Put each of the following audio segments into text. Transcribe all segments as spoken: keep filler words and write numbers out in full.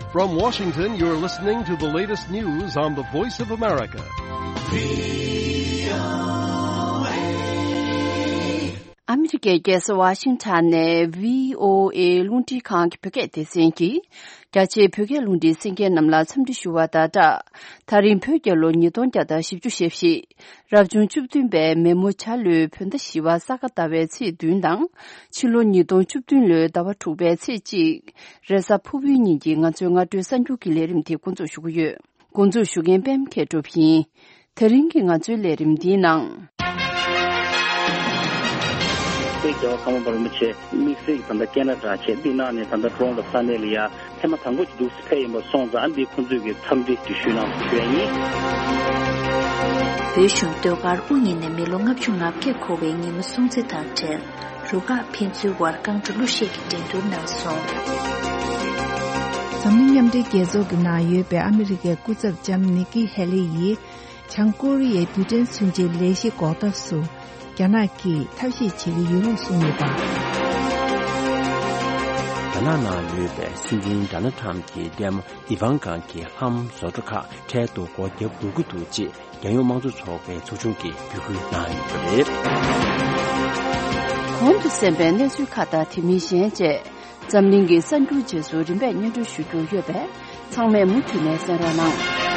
From Washington, you're listening to the latest news on the Voice of America. ཨ་མི་རི་ཀའི་རྒྱལ་ས་ཝ་ཤིང་ཊོན་ནས་བྷི་ཨོ་ཨེ་རླུང་འཕྲིན་ཁང་གི་བོད་སྐད་སྡེ་ཚན་གྱིས། རྒྱ་ཆེའི་བོད་སྐད་རླུང་འཕྲིན་གསན་མཁན་རྣམས་ལ་འཚམས་འདྲི་ཞུ་བ་དང་སྦྲགས། ད་རིང་བོད་རྒྱལ་ལོ་ཉིས་སྟོང་བརྒྱ་དང་བཞི་བཅུ་ཞེ་བཞི། རབ་བྱུང་བཅུ་བདུན་པའི་མེ་མོ་བྱ་ལོའི་བོད་ཟླ་བཞི་པ་ས་ག་ཟླ་བའི་ཚེས་བདུན་དང་། ཕྱི་ལོ་ཉིས་སྟོང་བཅུ་བདུན་ལོའི་ཟླ་བ་དྲུག་པའི་ཚེས་གཅིག་རེས་གཟའ་ཕུར་བུའི་ཉིན་གྱི་ང་ཚོའི་སྔ་དྲོའི་གསར་འགྱུར་གྱི་ལས་རིམ་དེ་འགོ་འཛུགས་ཞུ་གི་ཡོད། འགོ་འཛུགས་ཞུ་མཁན་པད་མ་མཁས་གྲུབ་ཡིན། དེ་རིང་གི་ང་ཚོའི་ལས་རིམ་འདིའི་ནང་། བོད་རྒྱལ་བ་ཁམས་པ་བར་མ་ཆེ་དམིགས་བསལ་གྱི་ད་ལྟ་ཀེ་ན་ཌ་བྱས་འདི་ནང་ནས་ད་ལྟ་ཌོ་རོན་ལ་ས་གནས་ལ་ཡ་ཐེངས་མ་དང་པོ་ཅིག་འདུག་སེ་ཕེབས་ཡིན་པ་སོང་ཙང་ཨ་འདི་ཁོང་ཚོས་ཀྱི་འཚམས་འདྲི་ཞུས་གནང་ཞུ་ཡ་ཡིན། བོད་གཞུང་ཟློས་གར་དབུ་བརྙེས་ནས་མི་ལོ་ལྔ་བཅུ་ང་བརྒྱད་འཁོར་བའི་ཉིན་མོ་སྲུང་བརྩི་དང་འབྲེལ། རུ་ཁག་ཕན་ཚུན་དབར་རྐང་བྲོ་གླུ་གཞས་ཀྱི་འགྲན་བསྡུར་གནང་སོང་། འཛམ་གླིང་མཉམ་འབྲེལ་རྒྱལ་ཚོགས་ཀྱི་ནང་ཡོད་པའི་ཨ་མི་རི་ཀའི་སྐུ་ཚབ་ལྕམ་ནི་ཀི་ཧེ་ལི་ཡིས་བྱང་ཀོ་རི་ཡའི་རྡུལ་ཕྲན་མཚོན་ཆའི་ལས་གཞི་འགོག་ཐབས་སུ་རྒྱ་ནག་གིས་ཐབས་ཤེས་བྱེད་ཀྱི་ཡོད་ལུགས་གསུངས་ཡོད་པ། རྒྱ་ནག་ནང་ཡོད་པའི་སྲིད་འཛིན་ཌོ་ནལ་ཊམ་གྱི་ལྟད་མོ་ཨི་ཝང་ཀ་གི་ལྷམ་བཟོ་གྲྭ་ཁག་འཕྲལ་དུ་སྒོ་བརྒྱབ་དགོས་ཀྱི་འདུག་ཅེས། རྒྱལ་ཡོངས་དམངས་གཙོ་ཚོགས་པའི་ཚོགས་ཆུང་གིས་འབོད་སྐུལ་གནང་ཡོད་པ་རེད། གོང་དུ་གསན་པའི་གནས་ཚུལ་ཁག་དང་དེ་མིན་གཞན་བཅས། འཛམ་གླིང་གི་གསར་འགྱུར་རྗེས་སུ་རིམ་པས་སྙན་སྒྲོན་ཞུ་རྒྱུ་ཡོད་པས། ཚང་མས་མུ་མཐུད་ནས་གསན་རོགས་གནང་།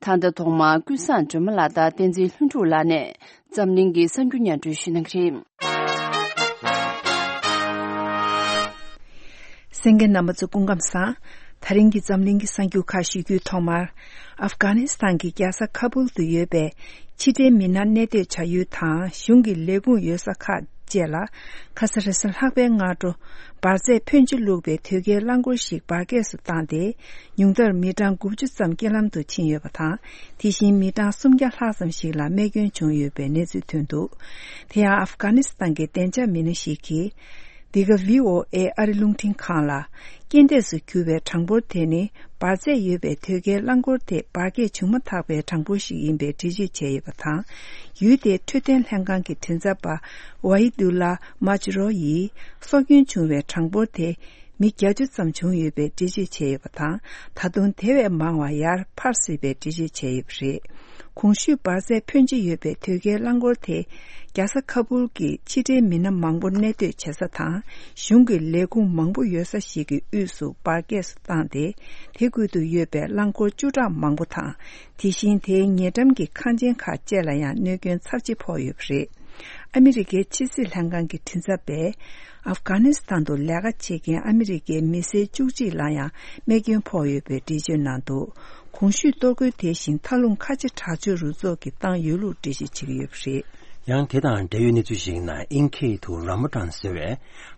ད་ལྟ་ཐོག་མར་ཀུན་བཟང་སྒྲོལ་མ་ལགས་དང་བསྟན་འཛིན་ལྷུན་གྲུབ་ལགས་ནས། འཛམ་གླིང་གི་གསར་འགྱུར་སྙན་སྒྲོན་ཞུ་གནང་གི་རེད། གསན་མཁན་རྣམ་པ་ཚོ་སྐུ་ཁམས་བཟང་། ད་རིང་གི་འཛམ་གླིང་གི་གསར་འགྱུར་ཁག་ཞུ་རྒྱུའི་ཐོག་མར། ཨབ་གྷ་ནི་སི་ཐན་གྱི་རྒྱལ་ས་ཁ་བུལ་དུ་ཡོད་པའི་ཕྱི་འབྲེལ་མི་སྣ་གནས་སྡོད་བྱ་ཡུལ་དང་གཞུང་གི་ལས་ཁུངས་ཡོད་ས་ཁག་བཅས་ལ་ཁ་ས་རེས་གཟའ་ལྷག་པའི་སྔ་དྲོ་འབར་རྫས་ཕོན་ཆེ་བླུགས་པའི་དོས་སྐྱེལ་རླངས་འཁོར་ཞིག་འབར་གས་སུ་བཏང་སྟེ། ཉུང་མཐར་མི་གྲངས་དགུ་བཅུ་ཙམ་རྐྱེན་ལམ་དུ་ཕྱིན་ཡོད་པ་དང་། དེ་བཞིན་མི་གྲངས་སུམ་བརྒྱ་ལྷག་ཙམ་ཞིག་ལ་རྨས་སྐྱོན་བྱུང་ཡོད་པའི་གནས་ཚུལ་ཐོན་འདུག་དེ་ཡང་ཨབ་གྷ་ནི་སི་ཐན་གྱི་བདེ་འཇགས་མི་སྣ་ཞིག་གིས། འདི་ག་བྷི་ཨོ་ཨེ་ཨ་རི་རླུང་འཕྲིན་ཁང་ལ། རྐྱེན་འདས་སུ་གྱུར་བའི་གྲངས་འབོར་དེ་ནི་འབར་རྫས་ཡོད་པའི་དོས་སྐྱེལ་རླངས་འཁོར་དེ་འབར་གས་བྱུང་མ་ཐག་པའི་གྲངས་འབོར་ཞིག་ཡིན་པའི་འགྲེལ་བརྗོད་བྱས་ཡོད་པ་དང་། ཡུལ་དེའི་འཕྲོད་བསྟེན་ལྷན་ཁང་གི་མགྲིན་ཚབ་པ་ཝཱ་ཡི་དུ་ལ་མཱ་ཅི་རོ་ཡིས་སྲོག་སྐྱོན་བྱུང་བའི་གྲངས་འབོར་དེ་མི་བརྒྱད་ཅུ་ཙམ་བྱུང་ཡོད་པའི་འགྲེལ་བརྗོད་བྱས་ཡོད་པ་དང་། ད་དུང་དེ་བས་མང་བ་ཡར་འཕར་སྲིད་པའི་འགྲེལ་བརྗོད་བྱས་ཡོད་པ་རེད། གོང་ཞུས་འབར་རྫས་ཕོན་ཆེ་ཡོད་པའི་དོས་སྐྱེལ་རླངས་འཁོར་དེ། རྒྱལ་ས་ཁ་བུལ་གྱི་ཕྱི་འབྲེལ་མི་སྣ་མང་པོ་གནས་སྡོད་བྱེད་ས་དང་། གཞུང་གི་ལས་ཁུངས་མང་པོ་ཡོད་ས་ཞིག་གི་དབུས་སུ་འབར་གས་སུ་བཏང་སྟེ། དེ་ཁུལ་དུ་ཡོད་པའི་རླངས་འཁོར་བཅུ་ཕྲག་མང་པོ་དང་། དེ་བཞིན་དེའི་ཉེ་འགྲམ་གྱི་ཁང་ཆེན་ཁག་བཅས་ལ་ཡང་གནོད་སྐྱོན་ཚབས་ཆེ་ཕོག་ཡོད་པ་རེད། ཨ་མི་རི་ཀའི་ཕྱི་སྲིད་ལྷན་ཁང་གི་མགྲིན་ཚབ་པས། ཨབ་གྷ་ནི་སི་ཐན་དུ་ལས་ཀ་བྱེད་མཁན་ཨ་མི་རི་ཀའི་མི་སེར་བཅུ་གཅིག་ལ་ཡང་རྨས་སྐྱོན་ཕོག་ཡོད་པའི་འགྲེལ་བརྗོད་གནང་འདུག་གོང་ཞུས་གཏོར་རྒོལ་དེ་བཞིན་མཐའ་ལྷུང་ཁ་ཆེ་དྲག་སྤྱོད་རུ་ཚོགས་ཀྱིས་བཏང་ཡོད་ལུགས་འགྲེལ་བརྗོད་བྱེད་ཀྱི་ཡོད་པ་རེད། ཡང་དེ་དང་འབྲེལ་ཡོད་གནས་ཚུལ་ཞིག་ནང་ཨིན་སྐད་དུ་ར་མ་ཏན་ཟེར་བའི་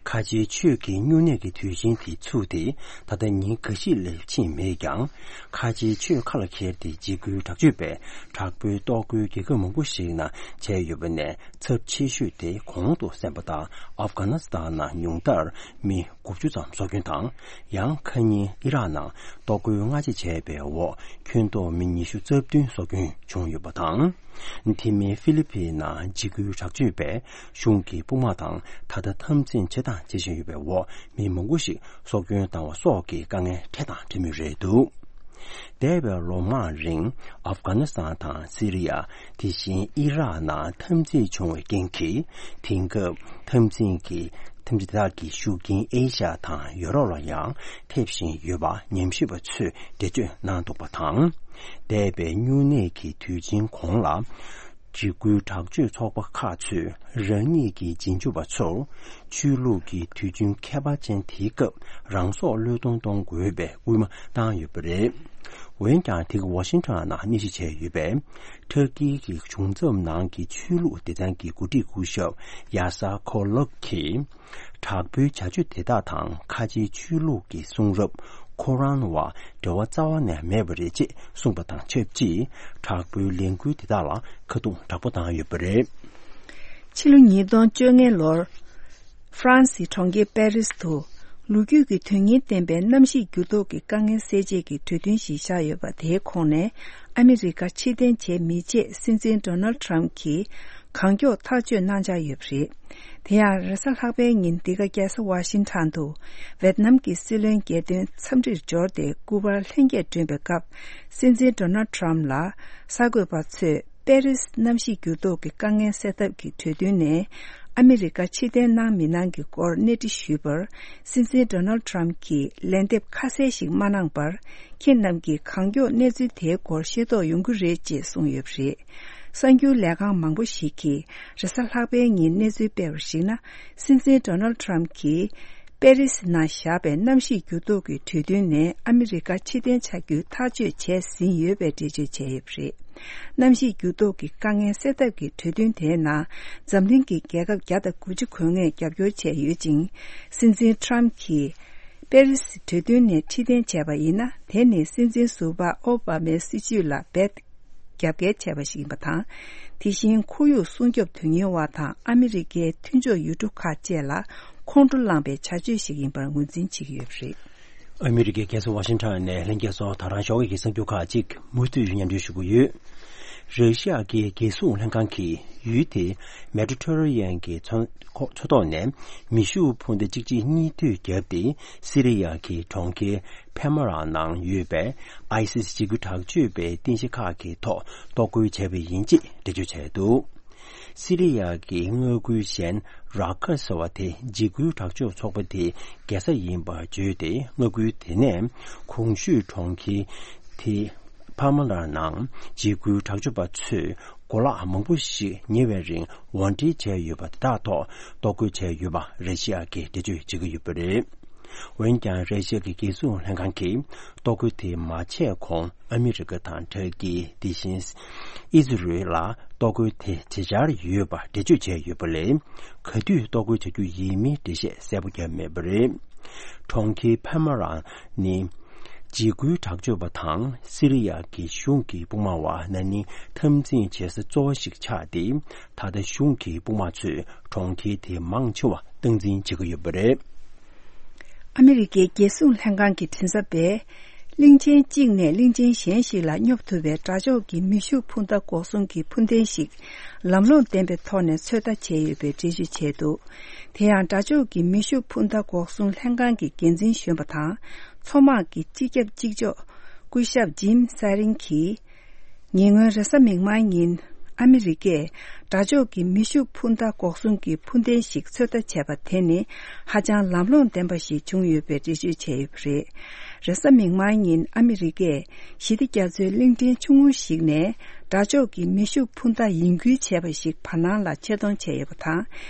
ཁ་ཆེའི་ཆོས་ཀྱི་སྨྱུང་གནས་ཀྱི་དུས་ཆེན་དེ་ཚུགས་ཏེ་ད་ལྟ་ཉིན་འགའ་ཤས་ལས་ཕྱིན་མེད་ཀྱང་། ཁ་ཆེའི་ཆོས་ཁ་ལ་འཁྱེར་ཏེ་འཇིགས་སྐུལ་དྲག་སྤྱོད་པའི་དྲག་པོའི་གཏོར་རྒོལ་རྒྱལ་ཁབ་མང་པོ་ཞིག་ནང་བྱས་ཡོད་པ་ནས་ཚབས་ཆེ་ཤོས་དེ་གོང་དུ་གསན་པ་ལྟར་ཨབ་གྷ་ནི་སི་ཐན་ནང་ཉུང་མཐར་མི་དགུ་བཅུ་ཙམ་སྲོག་སྐྱོན་དང་། ཡང་ཁ་ཉིན་ཨི་རག་ནང་གཏོར་རྒོལ་སྔ་རྗེས་བྱས་པའི་འོག་ཁྱོན་བསྡོམས་མི་ཉི་ཤུ་རྩ་བདུན་སྲོག་སྐྱོན་བྱུང་ཡོད་པ་དང་། དེ་མིན་ཧྥི་ལི་ཕིན་ནང་འཇིགས་སྐུལ་དྲག་སྤྱོད་པས་གཞུང་གི་དཔུང་དམག་དང་ད་ལྟ་འཐབ་འཛིང་བྱེད་དང་བྱེད་བཞིན་ཡོད་པའི་འོག་མི་མང་པོ་ཞིག་སྲོག་སྐྱོན་བཏང་བ་སོགས་ཀྱི་དཀའ་ངལ་འཕྲད་དང་འཕྲད་མུས་རེད་འདུག་འདས་པའི་ལོ་མང་རིང་ཨབ་གྷ་ནི་སི་ཐན་དང་སི་རི་ཡ། དེ་བཞིན་ཨི་རག་ནང་འཐབ་འཛིང་བྱུང་བའི་རྐྱེན་གྱིས། དེང་སྐབས་འཐབ་འཛིང་གི་འཐབ་འཛིང་དེ་དག་གི་ཤུགས་རྐྱེན་ཨེ་ཤ་ཡ་དང་ཡོ་རོབ་ལ་ཡང་ཐེབས་བཞིན་ཡོད་པ་ཉམས་ཞིབ་པ་ཚོས་འགྲེལ་བརྗོད་གནང་འདུག་པ་དང་། འདས་པའི་སྨྱུང་གནས་ཀྱི་དུས་ཆེན་གོང་ལ། འཇིགས་སྐུལ་དྲག་སྤྱོད་ཚོགས་པ་ཁག་ཚོས་རང་ཉིད་ཀྱི་རྗེས་འཇུག་པ་ཚོར། ཆོས་ལུགས་ཀྱི་དུས་ཆེན་ཁྱད་པར་ཅན་དེའི་སྐབས་རང་སྲོག་བློས་གཏོང་གཏོང་དགོས་པའི་སྐུལ་མ་བཏང་ཡོད་པ་རེད། འོན་ཀྱང་དེ་ག་ཝ་ཤིང་ཊོན་ནང་གནས་གཞི་བྱས་ཡོད་པའི་ཊར་ཀི་གི་གཞུང་ཚབ་ནང་གི་ཆོས་ལུགས་སྡེ་ཚན་གྱི་འགོ་ཁྲིད་སྐུ་ཞབས་ཡ་ས་ཁོ་ལག་གིས། དྲག་པོའི་བྱ་སྤྱོད་དེ་དག་དང་ཁ་ཆེའི་ཆོས་ལུགས་ཀྱི་གསུང་རབ་ཁོ་རཱན་བ་འབྲེལ་བ་རྩ་བ་ནས་མེད་པ་རེད་ཅེས་གསུངས་པ་དང་ཆབས་ཅིག་དྲག་པོའི་ལས་འགུལ་དེ་དག་ལ་ཁ་རྡུང་དྲག་པོ་བཏང་ཡོད་པ་རེད། ཕྱི་ལོ་ཉིས་སྟོང་བཅོ་ལྔ་ལོར། ཧྥ་རན་སིའི་གྲོང་ཁྱེར་པེ་རིས་དུ། ལོ་རྒྱུས་ཀྱི་དོན་སྙིང་ལྡན་པའི་གནམ་གཤིས་འགྱུར་ལྡོག་གི་དཀའ་ངལ་སེལ་ཆེད་ཀྱི་གྲོས་མཐུན་ཞིག་བཞག་ཡོད་པ་དེའི་ཁོངས་ནས། ཨ་མི་རི་ཀ་ཕྱིར་འཐེན་བྱས་མི་ཆེད་སྲིད་འཛིན་ཌོ་ནལ་ཌི་ཊརམ་གྱིས། གང་མགྱོགས་ཐག་གཅོད་གནང་འཆར་ཡོད་པ་རེད། དེ་ཡང་རེས་གཟའ་ལྷག་པའི་ཉིན་འདི་ག་རྒྱལ་ས་ཝ་ཤིང་ཊོན་དུ་ཝེད་ནམ་གྱི་སྲིད་བློན་རྒྱལ་དོན་འཚམས་འདྲིར་འབྱོར་ཏེ་སྐུ་པར་ལྷན་རྒྱས་བསྐྲུན་པའི་སྐབས། སྲིད་འཛིན་ཌོ་ནལ་ཌི་ཊརམ་ཕ་ལ་གསར་འགོད་པ་ཚོས་པེ་རིས་གནམ་གཤིས་འགྱུར་ལྡོག་གི་དཀའ་ངལ་སེལ་ཐབས་ཀྱི་གྲོས་མཐུན་ནས་ཨ་མི་རི་ཀ་ཕྱིར་འཐེན་གནང་མི་གནང་གི་སྐོར་གནས་འདྲི་ཞུས་པར། སྲིད་འཛིན་ཌོ་ནལ་ཌི་ཊརམ་ཕ་གྱིས་ལན་འདེབས་ཁ་གསལ་ཞིག་མ་གནང་བར། ཁྱེད་རྣམས་ཀྱིས་གང་མགྱོགས་གནས་ཚུལ་དེའི་སྐོར་ཤེས་རྟོགས་ཡོང་གི་རེད་ཅེས་གསུངས་ཡོད་པ་རེད། གསར་འགྱུར་ལས་ཁང་མང་པོ་ཞིག་གིས་རེས་གཟའ་ལྷག་པའི་ཉིན་གནས་ཚུལ་སྤེལ་བར་གཞིགས་ན། སྲིད་འཛིན་ཌོ་ནལ་ཌི་ཊརམ་ཕ་གྱིས་པེ་རི་སི་ནང་བཞག་པའི་གནམ་གཤིས་འགྱུར་ལྡོག་གི་གྲོས་མཐུན་ནས་ཨ་མི་རི་ཀ་ཕྱིར་འཐེན་བྱ་རྒྱུའི་ཐག་གཅོད་བྱས་ཟིན་ཡོད་པའི་འགྲེལ་བརྗོད་བྱས་ཡོད་པ་རེད། གནམ་གཤིས་འགྱུར་ལྡོག་གི་དཀའ་ངལ་སེལ་ཐབས་ཀྱི་གྲོས་མཐུན་དེའི་ནང་འཛམ་གླིང་གི་རྒྱལ་ཁབ་བརྒྱ་དང་དགུ་བཅུ་གོ་ལྔས་རྒྱབ་སྐྱོར་བྱས་ཡོད་ཅིང་། སྲིད་འཛིན་ཊརམ་ཕ་གྱིས་པེ་རི་སི་གྲོས་མཐུན་ནས་ཕྱིར་འཐེན་བྱས་པ་ཡིན་ན། དེ་ནི་སྲིད་འཛིན་ཟུར་པ་ཨོ་བྷ་མའི་སྲིད་བྱུས་ལ་རྦད་རྒྱབ་འགལ་བྱས་པ་ཞིག་ཡིན་པ་དང་། དེ་བཞིན་ཁོར་ཡུག་སྲུང་སྐྱོབ་དོན་གཉེར་བ་དང་ཨ་མི་རི་ཀའི་མཐུན་ཕྱོགས་ཡུལ་གྲུ་ཁག་བཅས་ལ་ཁོང་ཁྲོ་ལངས་པའི་བྱ་སྤྱོད་ཞིག་ཡིན་པར་ངོས་འཛིན་བྱེད་ཀྱི་ཡོད་པ་རེད། ཨ་མི་རི་ཀའི་རྒྱལ་ས་ཝ་ཤིང་ཊོན་ནས་ལྷན་རྒྱས་ཚོ། ད་རང་ཞོགས་ཀྱི་གསར་འགྱུར་ཁག་ཅིག་མུ་མཐུད་སྙན་སྒྲོན་ཞུ་གི་ཡོད། ར་ཤི་ཡ་གི་རྒྱལ་སྲུང་ལྷན་ཁང་གིས་ཡུལ་དེའི་མེ་ཌི་ཊེ་རེ་ནི་ཡན་གྱི་མཚོ་མཚོ་ཐོག་ནས་མེ་ཤུགས་འཕུར་མདའ་གཅིག་གཅིག་གཉིས་མཐུད་བརྒྱབ་སྟེ། སི་རི་ཡ་གི་གྲོང་ཁྱེར་ཕེ་མ་ར་ནང་ཡོད་པའི་ཨའི་སི་སི་འཇིགས་སྐུལ་དྲག་སྤྱོད་པའི་རྟེན་གཞི་ཁག་གི་ཐོག་གཏོར་རྒོལ་བྱས་པ་ཡིན་ཅེས་འགྲེལ་བརྗོད་བྱས་འདུག། སི་རི་ཡ་གི་མངའ་ཁུལ་གཞན་ར་ཀ་ཟེར་བ་དེ་འཇིགས་སྐུལ་དྲག་སྤྱོད་ཚོགས་པ་དེའི་རྒྱལ་ས་ཡིན་པར་བརྗོད་དེ། མངའ་ཁུལ་དེ་ནས་གོང་ཞུས་གྲོང་ཁྱེར་དེ་ཕ་མ་ལ་ནང་འཇིགས་སྐུལ་དྲག་སྤྱོད་པ་ཚོས་གོ་ལག་མང་པོ་ཞིག་ཉེ་བའི་རིང་དབོར་འདྲེན་བྱས་ཡོད་པ་དེ་དག་ཐོག་གཏོར་རྒོལ་བྱས་ཡོད་པ་ར་ཤི་ཡ་གིས་འགྲེལ་བརྗོད་བྱེད་ཀྱི་ཡོད་པ་རེད། འོན་ཀྱང་། ར་ཤི་ཡ་གི་རྒྱལ་སྲུང་ལྷན་ཁང་གིས་གཏོར་རྒོལ་དེ་མ་བྱས་གོང་ཨ་མི་རི་ཀ་དང་ཏུར་ཀི། དེ་བཞིན་ཨི་ཟི་རེལ་ལ་གཏོར་རྒོལ་དེ་བྱེད་འཆར་ཡོད་པ་འགྲེལ་བརྗོད་བྱས་ཡོད་པ་ལས། ག་དུས་གཏོར་རྒོལ་བྱ་རྒྱུ་ཡིན་མིན་འགྲེལ་བཤད་གསལ་པོ་བརྒྱབ་མེད་པ་རེད། གྲོང་ཁྱེར་ཕ་མ་ར་ནི་འཇིགས་སྐུལ་དྲག་སྤྱོད་པ་དང་སི་རི་ཡ་གི་གཞུང་གི་དཔུང་དམག་བར་ན་ནིང་འཐབ་འཛིང་བྱེད་ས་གཙོ་བོ་ཞིག་ཆགས་ཏེ། ད་ལྟ་གཞུང་གི་དཔུང་དམག་ཚོས་གྲོང་ཁྱེར་དེའི་མང་ཆེ་བ་སྟངས་འཛིན་བྱེད་ཀྱི་ཡོད་པ་རེད། ཨ་མི་རི་ཀའི་རྒྱལ་སྲུང་ལྷན་ཁང་གི་མགྲིན་ཚབ་པས། གླིང་ཆེན་གཅིག་ནས་གླིང་ཆེན་གཞན་ཞིག་ལ་སྙོབ་ཐུབ་པའི་དགྲ་ཕྱོགས་ཀྱི་མེ་ཤུགས་འཕུར་མདའ་འགོག་སྲུང་གི་འཕུར་མདེལ་ཞིག་ལམ་ལྷོང་ལྡན་པའི་ཐོག་ནས་ཚོད་ལྟ་བྱས་ཡོད་པའི་འགྲེལ་བརྗོད་བྱས་འདུག། དེ་ཡང་། དགྲ་ཕྱོགས་ཀྱི་མེ་ཤུགས་འཕུར་མདའ་འགོག་སྲུང་ལྷན་ཁང་གི་འགན་འཛིན་གཞོན་པ་དང་། མཚོ་དམག་གི་སྤྱི་ཁྱབ་གཅིག་ལྕོགས་སྐུ་ཞབས་ཇིམ་སེ་རིང་གིས། ཉེ་སྔོན་རེས་གཟའ་མིག་དམར་ཉིན། ཨ་མི་རི་ཀས་དགྲ་ཕྱོགས་ཀྱི་མེ་ཤུགས་འཕུར་མདའ་འགོག་སྲུང་གི་འཕུར་མདེལ་ཞིག་ཚོད་ལྟ་བྱས་པ་དེ་ནི་ཧ་ཅང་ལམ་ལྷོང་ལྡན་པ་ཞིག་བྱུང་ཡོད་པའི་འགྲེལ་བརྗོད་བྱས་ཡོད་པ་རེད། རེས་གཟའ་མིག་དམར་ཉིན་ཨ་མི་རི་ཀས་ཞི་བདེ་རྒྱ་མཚོའི་གླིང་ཕྲན་ཆུང་ངུ་ཞིག་ནས་དགྲ་ཕྱོགས་ཀྱི་མེ་ཤུགས་འཕུར་མདའ་ཡིན་ཁུལ་བྱས་པ་ཞིག་བར་སྣང་ལ་ཆེད་གཏོང་བྱས་ཡོད་པ་དང་།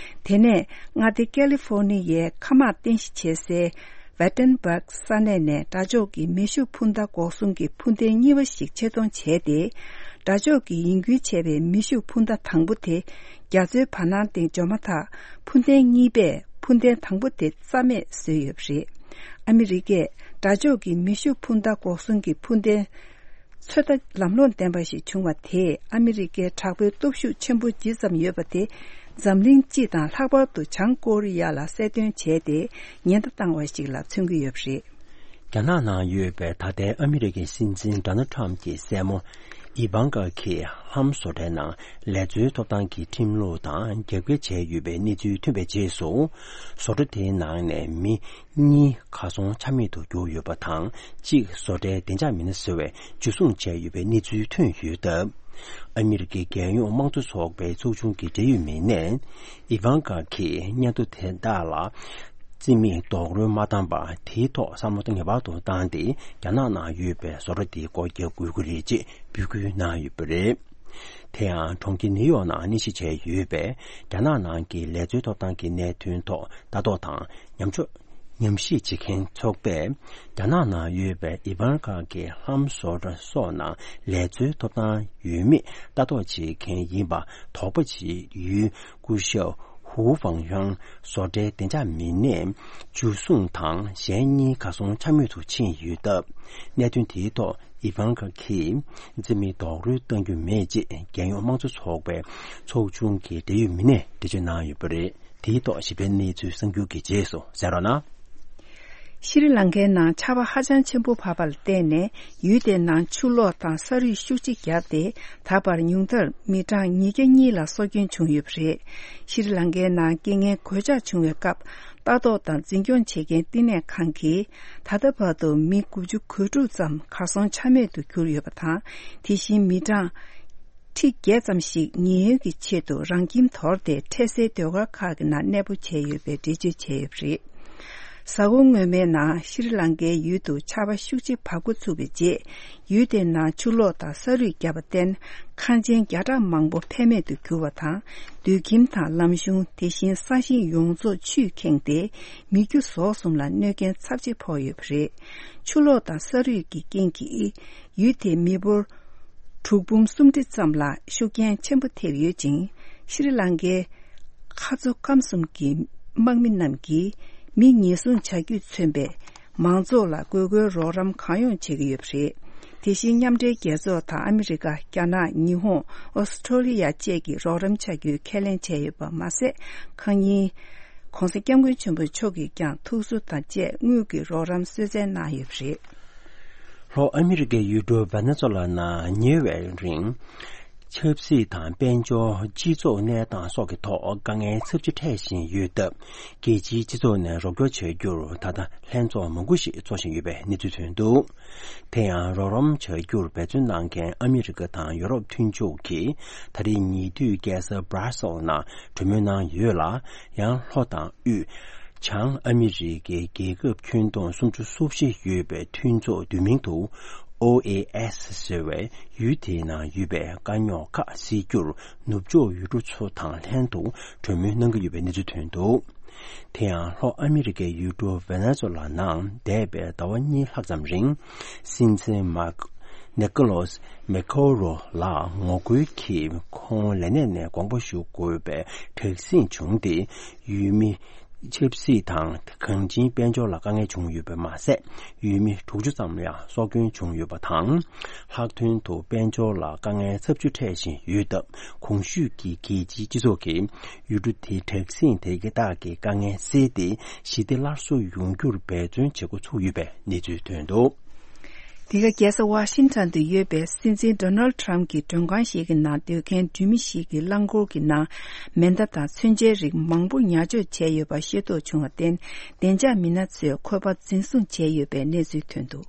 དེ་ནས་མངའ་སྡེ་ཀ་ལི་ཧྥོ་ནི་ཡའི་མཁའ་དམག་རྟེན་གཞི་བྱེད་སའི། ཝེ་ཏན་སྦག་ས་གནས་ནས་དགྲ་ཕྱོགས་ཀྱི་མེ་ཤུགས་འཕུར་མདའ་འགོག་སྲུང་གི་འཕུར་མདེལ་གཉིས་པ་ཞིག་ཆེད་གཏོང་བྱས་ཏེ། དགྲ་ཕྱོགས་ཀྱིས་ཡིན་ཁུལ་བྱས་པའི་མེ་ཤུགས་འཕུར་མདའ་དང་པོ་དེ་རྒྱ་མཚོའི་བར་སྣང་སྟེང་འབྱོར་མ་ཐག་འཕུར་མདེལ་གཉིས་པས་འཕུར་མདེལ་དང་པོ་དེ་རྩ་མེད་བཟོས་ཡོད་པ་རེད། ཨ་མི་རི་ཀས་དགྲ་ཕྱོགས་ཀྱི་མེ་ཤུགས་འཕུར་མདའ་འགོག་སྲུང་གི་འཕུར་མདེལ། ཚོད་ལྟ་ལམ་ལྷོང་ལྡན་པ་ཞིག་བྱུང་བ་དེས་ཨ་མི་རི་ཀའི་དྲག་པོའི་སྟོབས་ཤུགས་ཆེན་པོ་ཇི་ཙམ་ཡོད་པ་དེ། འཛམ་གླིང་སྤྱི་དང་ལྷག་པར་དུ་བྱང་ཀོ་རི་ཡ་ལ་གསལ་སྟོན་བྱས་ཏེ་ཉེན་བརྡ་བཏང་བ་ཞིག་ལ་མཚོན་གྱི་ཡོད་པ་རེད། རྒྱ་ནག་ནང་ཡོད་པའི་ད་ལྟའི་ཨ་མི་རི་ཀའི་སྲིད་འཛིན་ཌོ་ནལ་ཁྲམ་གྱི་སྲས་མོ་ཨི་ཝང་ཀ་གིས་ལྷམ་བཟོ་གྲྭའི་ནང་ལས་འཚོལ་ཐོབ་ཐང་གི་ཁྲིམས་ལུགས་དང་རྒྱབ་འགལ་བྱས་ཡོད་པའི་གནས་ཚུལ་ཐོན་པའི་རྗེས་སུ། བཟོ་གྲྭ་དེའི་ནང་ནས་མི་གཉིས་གར་སོང་ཆ་མེད་དུ་གྱུར་ཡོད་པ་དང་། གཅིག་བཟོ་གྲྭའི་བདེ་འཇགས་མི་སྣ་ཟེར་བས་འཇུ་བཟུང་བྱས་ཡོད་པའི་གནས་ཚུལ་ཐོན་ཡོད་སྟབས། ཨ་མི་རི་ཀའི་རྒྱལ་ཡོངས་དམངས་གཙོ་ཚོགས་པའི་ཚོགས་ཆུང་གི་འབྲེལ་ཡོད་མི་སྣས། ཨི་ཝང་ཀ་གིས་སྙན་ཐོ་དེ་དག་ལ་རྩིས་མེད་རྡོག་རོལ་མ་བཏང་པར། དེའི་ཐོག་བསམ་བློ་ངེས་པར་དུ་བཏང་སྟེ། རྒྱ་ནག་ནང་ཡོད་པའི་བཟོ་གྲྭ་དེའི་སྐོར་རྒྱག་དགོས་ཀྱི་རེད་ཅེས་འབོད་སྐུལ་གནང་ཡོད་པ་རེད། དེ་ཡང་། གྲོང་ཁྱེར་ནིའུ་ཡོག་ནང་གནས་གཞི་བྱས་ཡོད་པའི་རྒྱ་ནག་ནང་གི་ལས་འཚོལ་ཐོབ་ཐང་གི་གནད་དོན་ཐོག་ལྟ་རྟོག་དང་ཉམས་ཕྱོགས་ཉམས་ཞིབ་བྱེད་མཁན་ཚོགས་པས། རྒྱ་ནག་ནང་ཡོད་པའི་ཨི་ཝང་ཀ་གི་ལྷམ་བཟོ་གྲྭ་སོགས་ནང་ལས་འཚོལ་ཐོབ་ཐང་ཡོད་མེད་ལྟ་རྟོག་བྱེད་མཁན་ཡིན་པ་དོགས་པ་བྱེད་ཡུལ་སྐུ་ཞབས་ཧུའུ་ཧྥང་ཡང་བཟོ་གྲྭའི་བདེ་འཇགས་མི་སྣས་འཇུ་བཟུང་དང་། གཞན་གཉིས་གར་སོང་ཆ་མེད་དུ་ཕྱིན་ཡོད་སྟབས། གནད་དོན་དེའི་ཐོག་ཨི་ཝང་ཀ་གིས་རྩིས་མེད་རྡོག་རོལ་གཏང་རྒྱུ་མེད་ཅེས་རྒྱལ་ཡོངས་དམངས་གཙོ་ཚོགས་པའི་ཚོགས་ཆུང་གི་འབྲེལ་ཡོད་མི་སྣས་འགྲེལ་བརྗོད་གནང་ཡོད་པ་རེད། དེའི་ཐོག་ཞིབ་ཕྲའི་གནས་ཚུལ་གསར་འགྱུར་གྱི་རྗེས་སུ་གསན་རོགས་གནང་། ཤྲི་ལང་ཀའི་ནང་ཆར་པ་ཧ་ཅང་ཆེན་པོ་བབས་པ་ལ་བརྟེན་ནས། ཡུལ་དེའི་ནང་ཆུ་ལོག་དང་ས་རུད་ཤུགས་ཆེ་བརྒྱབ་སྟེ། ད་བར་ཉུང་མཐར་མི་གྲངས་ཉིས་བརྒྱ་གཉིས་ལ་སྲོག་སྐྱོན་བྱུང་ཡོད་པ་རེད། ཤྲི་ལང་ཀའི་ནང་རྐྱེན་ངན་གོད་ཆག་བྱུང་བའི་སྐབས། ལྟ་རྟོག་དང་འཛིན་སྐྱོང་བྱེད་མཁན་བསྟི་གནས་ཁང་གིས། ད་ལྟ་བར་དུ་མི་དགུ་བཅུ་གོ་དྲུག་ཙམ་གར་སོང་ཆ་མེད་དུ་གྱུར་ཡོད་པ་དང་། དེ་བཞིན་མི་གྲངས་ཁྲི་བརྒྱད་ཙམ་ཞིག་ཉེན་གཡོལ་གྱི་ཆེད་དུ་རང་ཁྱིམ་དོར་ཏེ། འཕྲལ་སེལ་སྡོད་སྒར་ཁག་གི་ནང་གནས་སྤོ་བྱས་ཡོད་པའི་འགྲེལ་བརྗོད་བྱས་ཡོད་པ་རེད། གཟའ་འཁོར་སྔོན་མའི་ནང་ཤྲི་ལང་ཀའི་ཡུལ་དུ་ཆར་པ་ཤུགས་ཆེ་བབས་འགོ་ཚུགས་པའི་རྗེས། ཡུལ་དེའི་ནང་ཆུ་ལོག་དང་ས་རུད་བརྒྱབ་པར་བརྟེན། ཁང་ཆེན་བརྒྱ་ཕྲག་མང་པོ་ཕན་མེད་དུ་གྱུར་བ་དང་། སྡོད་ཁྱིམ་དང་ལམ་གཞུང་། དེ་བཞིན་ས་ཞིང་ཡོངས་རྫོགས་ཆུས་ཁེངས་ཏེ། མི་རྒྱུ་ཟོག་གསུམ་ལ་གནོད་རྐྱེན་ཚབས་ཆེ་ཕོག་ཡོད་པ་རེད། ཆུ་ལོག་དང་ས་རུད་ཀྱི་རྐྱེན་གྱིས། ཡུལ་དེའི་མི་འབོར་དྲུག་འབུམ་སུམ་ཁྲི་ཙམ་ལ་ཤུགས་རྐྱེན་ཆེན་པོ་ཐེབས་ཡོད་ཅིང་། ཤྲི་ལང་ཀའི་མཁའ་མཚོ་སྐམ་གསུམ་གྱི་དམག་མི་རྣམས་ཀྱིས་མི་ཉེན་སྲུང་བྱ་རྒྱུས་མཚོན་པའི་མང་ཚོགས་ལ་དགོས་མཁོའི་རོགས་རམ་གང་ཡོང་བྱེད་ཀྱི་ཡོད་པ་རེད། དེ་བཞིན་མཉམ་འབྲེལ་རྒྱལ་ཚོགས་དང་ཨ་མི་རི་ཀ། རྒྱ་ནག་ཉི་ཧོང་། ཨོ་སི་ཁྲོ་ལི་ཡ་བཅས་ཀྱིས་རོགས་རམ་བྱ་རྒྱུའི་ཁས་ལེན་བྱས་ཡོད་པ་མ་ཟད། ཁང་རྙིང་། ྋགོང་ས་ྋསྐྱབས་མགོན་ཆེན་པོ་མཆོག་གིས་ཀྱང་ཐུགས་གསོ་དང་བཅས་དངུལ་གྱི་རོགས་རམ་གསོལ་སྩལ་གནང་ཡོད་པ་རེད། ལྷོ་ཨ་མི་རི་ཀའི་ཡུལ་གྲུ་ཝེ་ནེ་ཛུ་ལ་ནང་ཉེ་བའི་རིང་། ཆབ་སྲིད་དང་དཔལ་འབྱོར། སྤྱི་ཚོགས་གནས་སྟངས་སོགས་ཀྱི་ཐོག་དཀའ་ངལ་ཚབས་ཆེ་འཕྲད་བཞིན་ཡོད་སྟབས། རྒྱལ་སྤྱིའི་སྤྱི་ཚོགས་ནས་རོགས་སྐྱོར་བྱ་རྒྱུར་ད་ལྟ་ལྷན་ཚོགས་མང་པོ་ཞིག་འཚོགས་བཞིན་ཡོད་པའི་གནས་ཚུལ་ཐོན་འདུག་དེ་ཡང་རོགས་རམ་བྱ་རྒྱུར་འབད་བརྩོན་གནང་མཁན་ཨ་མི་རི་ཀ་དང་ཡོ་རོབ་མཐུན་ཕྱོགས་ཀྱིས། ད་རེས་ཉེ་དུས་རྒྱལ་ས་Brussels་ནང་གྲོས་མོལ་གནང་ཡོད་ལ། ཡང་ལྷོ་དང་དབུས། བྱང་ཨ་མི་རི་ཀའི་རྒྱལ་ཁབ་ཁྱོན་བསྡོམས་སུམ་ཅུ་སོ་བཞི་ཡོད་པའི་མཐུན་ཚོགས་བསྡུས་མིང་དུ། ཨོ་ཨེ་ཨེསི་ཟེར་བའི་ཡུལ་དེའི་ནང་ཡོད་པའི་དཀའ་རྙོག་ཁག་སེལ་རྒྱུར། ནུབ་ཕྱོགས་ཡུལ་གྲུ་ཚོ་དང་ལྷན་དུ་གྲོས་མོལ་གནང་གི་ཡོད་པའི་གནས་ཚུལ་ཐོན་འདུག་དེ་ཡང་ལྷོ་ཨ་མི་རི་ཀའི་ཡུལ་གྲུ་ཝེ་ནེ་ཛུ་ལ་ནང་འདས་པའི་ཟླ་བ་གཉིས་ལྷག་ཙམ་རིང་། སྲིད་འཛིན་མཱ་ནི་ཀོ་ལོས་མེ་ཁོ་རོ་ལ་ངོ་རྒོལ་གྱིས་ཁོང་ལས་གནས་ནས་དགོངས་པ་ཞུ་དགོས་པའི་དྲག་ཟིང་བྱུང་སྟེ། ཡུལ་མི་ཆབ་སྲིད་དང་གངས་ཅན་དཔལ་འབྱོར་ལ་དཀའ་ངལ་བྱུང་ཡོད་པ་མ་ཟད། ཡུལ་མི་དྲུག་ཅུ་ཙམ་ཡང་སྲོག་སྐྱོན་བྱུང་ཡོད་པ་དང་། ལྷག་དོན་དུ་དཔལ་འབྱོར་ལ་དཀའ་ངལ་ཚབས་ཆེ་འཕྲད་བཞིན་ཡོད་སྟབས། གོང་ཞུས་ཀྱི་རྒྱལ་སྤྱིའི་སྤྱི་ཚོགས་ཀྱིས་ཡུལ་གྲུ་དེའི་དྲག་ཟིང་དེ་གི་དག་གི་དཀའ་ངལ་སེལ་ཏེ། ཞི་བདེ་སླར་གསོ་ཡོང་རྒྱུར་འབད་བརྩོན་བྱེད་འགོ་ཚུགས་ཡོད་པའི་གནས་ཚུལ་ཐོན་འདུག་འདི་ག་རྒྱལ་ས་ཝ་ཤིང་ཊོན་དུ་ཡོད་པའི་སྲིད་འཛིན་ཌོ་ནལ་ཌི་ཊརམ་གྱི་མགྲོན་ཁང་ཞིག་གི་ནང་སྡོད་མཁན་འགྲུལ་མི་ཞིག་གི་རླངས་འཁོར་གྱི་ནང་མེ་མདའ་དང་མཚོན་ཆའི་རིགས་མང་པོ་ཉར་འཇོག་བྱས་ཡོད་པ་ཤེས་རྟོགས་བྱུང་བར་བརྟེན། བདེ་འཇགས་མི་སྣ་ཚོས་ཁོ་པ་འཛིན་བཟུང་བྱས་ཡོད་པའི་གནས་ཚུལ་ཐོན་འདུག་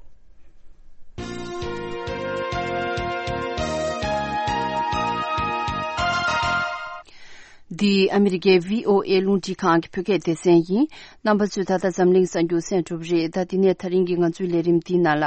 འདི་ཨ་མི་རི་ཀའི་བྷི་ཨོ་ཨེ་རླུང་འཕྲིན་ཁང་གི་བོད་སྐད་སྡེ་ཚན་ཡིན། རྣམ་པ་ཚོས་ད་ལྟ་འཛམ་གླིང་གསར་འགྱུར་གསན་གྲུབ་རེད། ད་དེ་ནས་ད་རིང་གི་ང་ཚོའི་ལས་རིམ་འདིའི་ནང་ལ།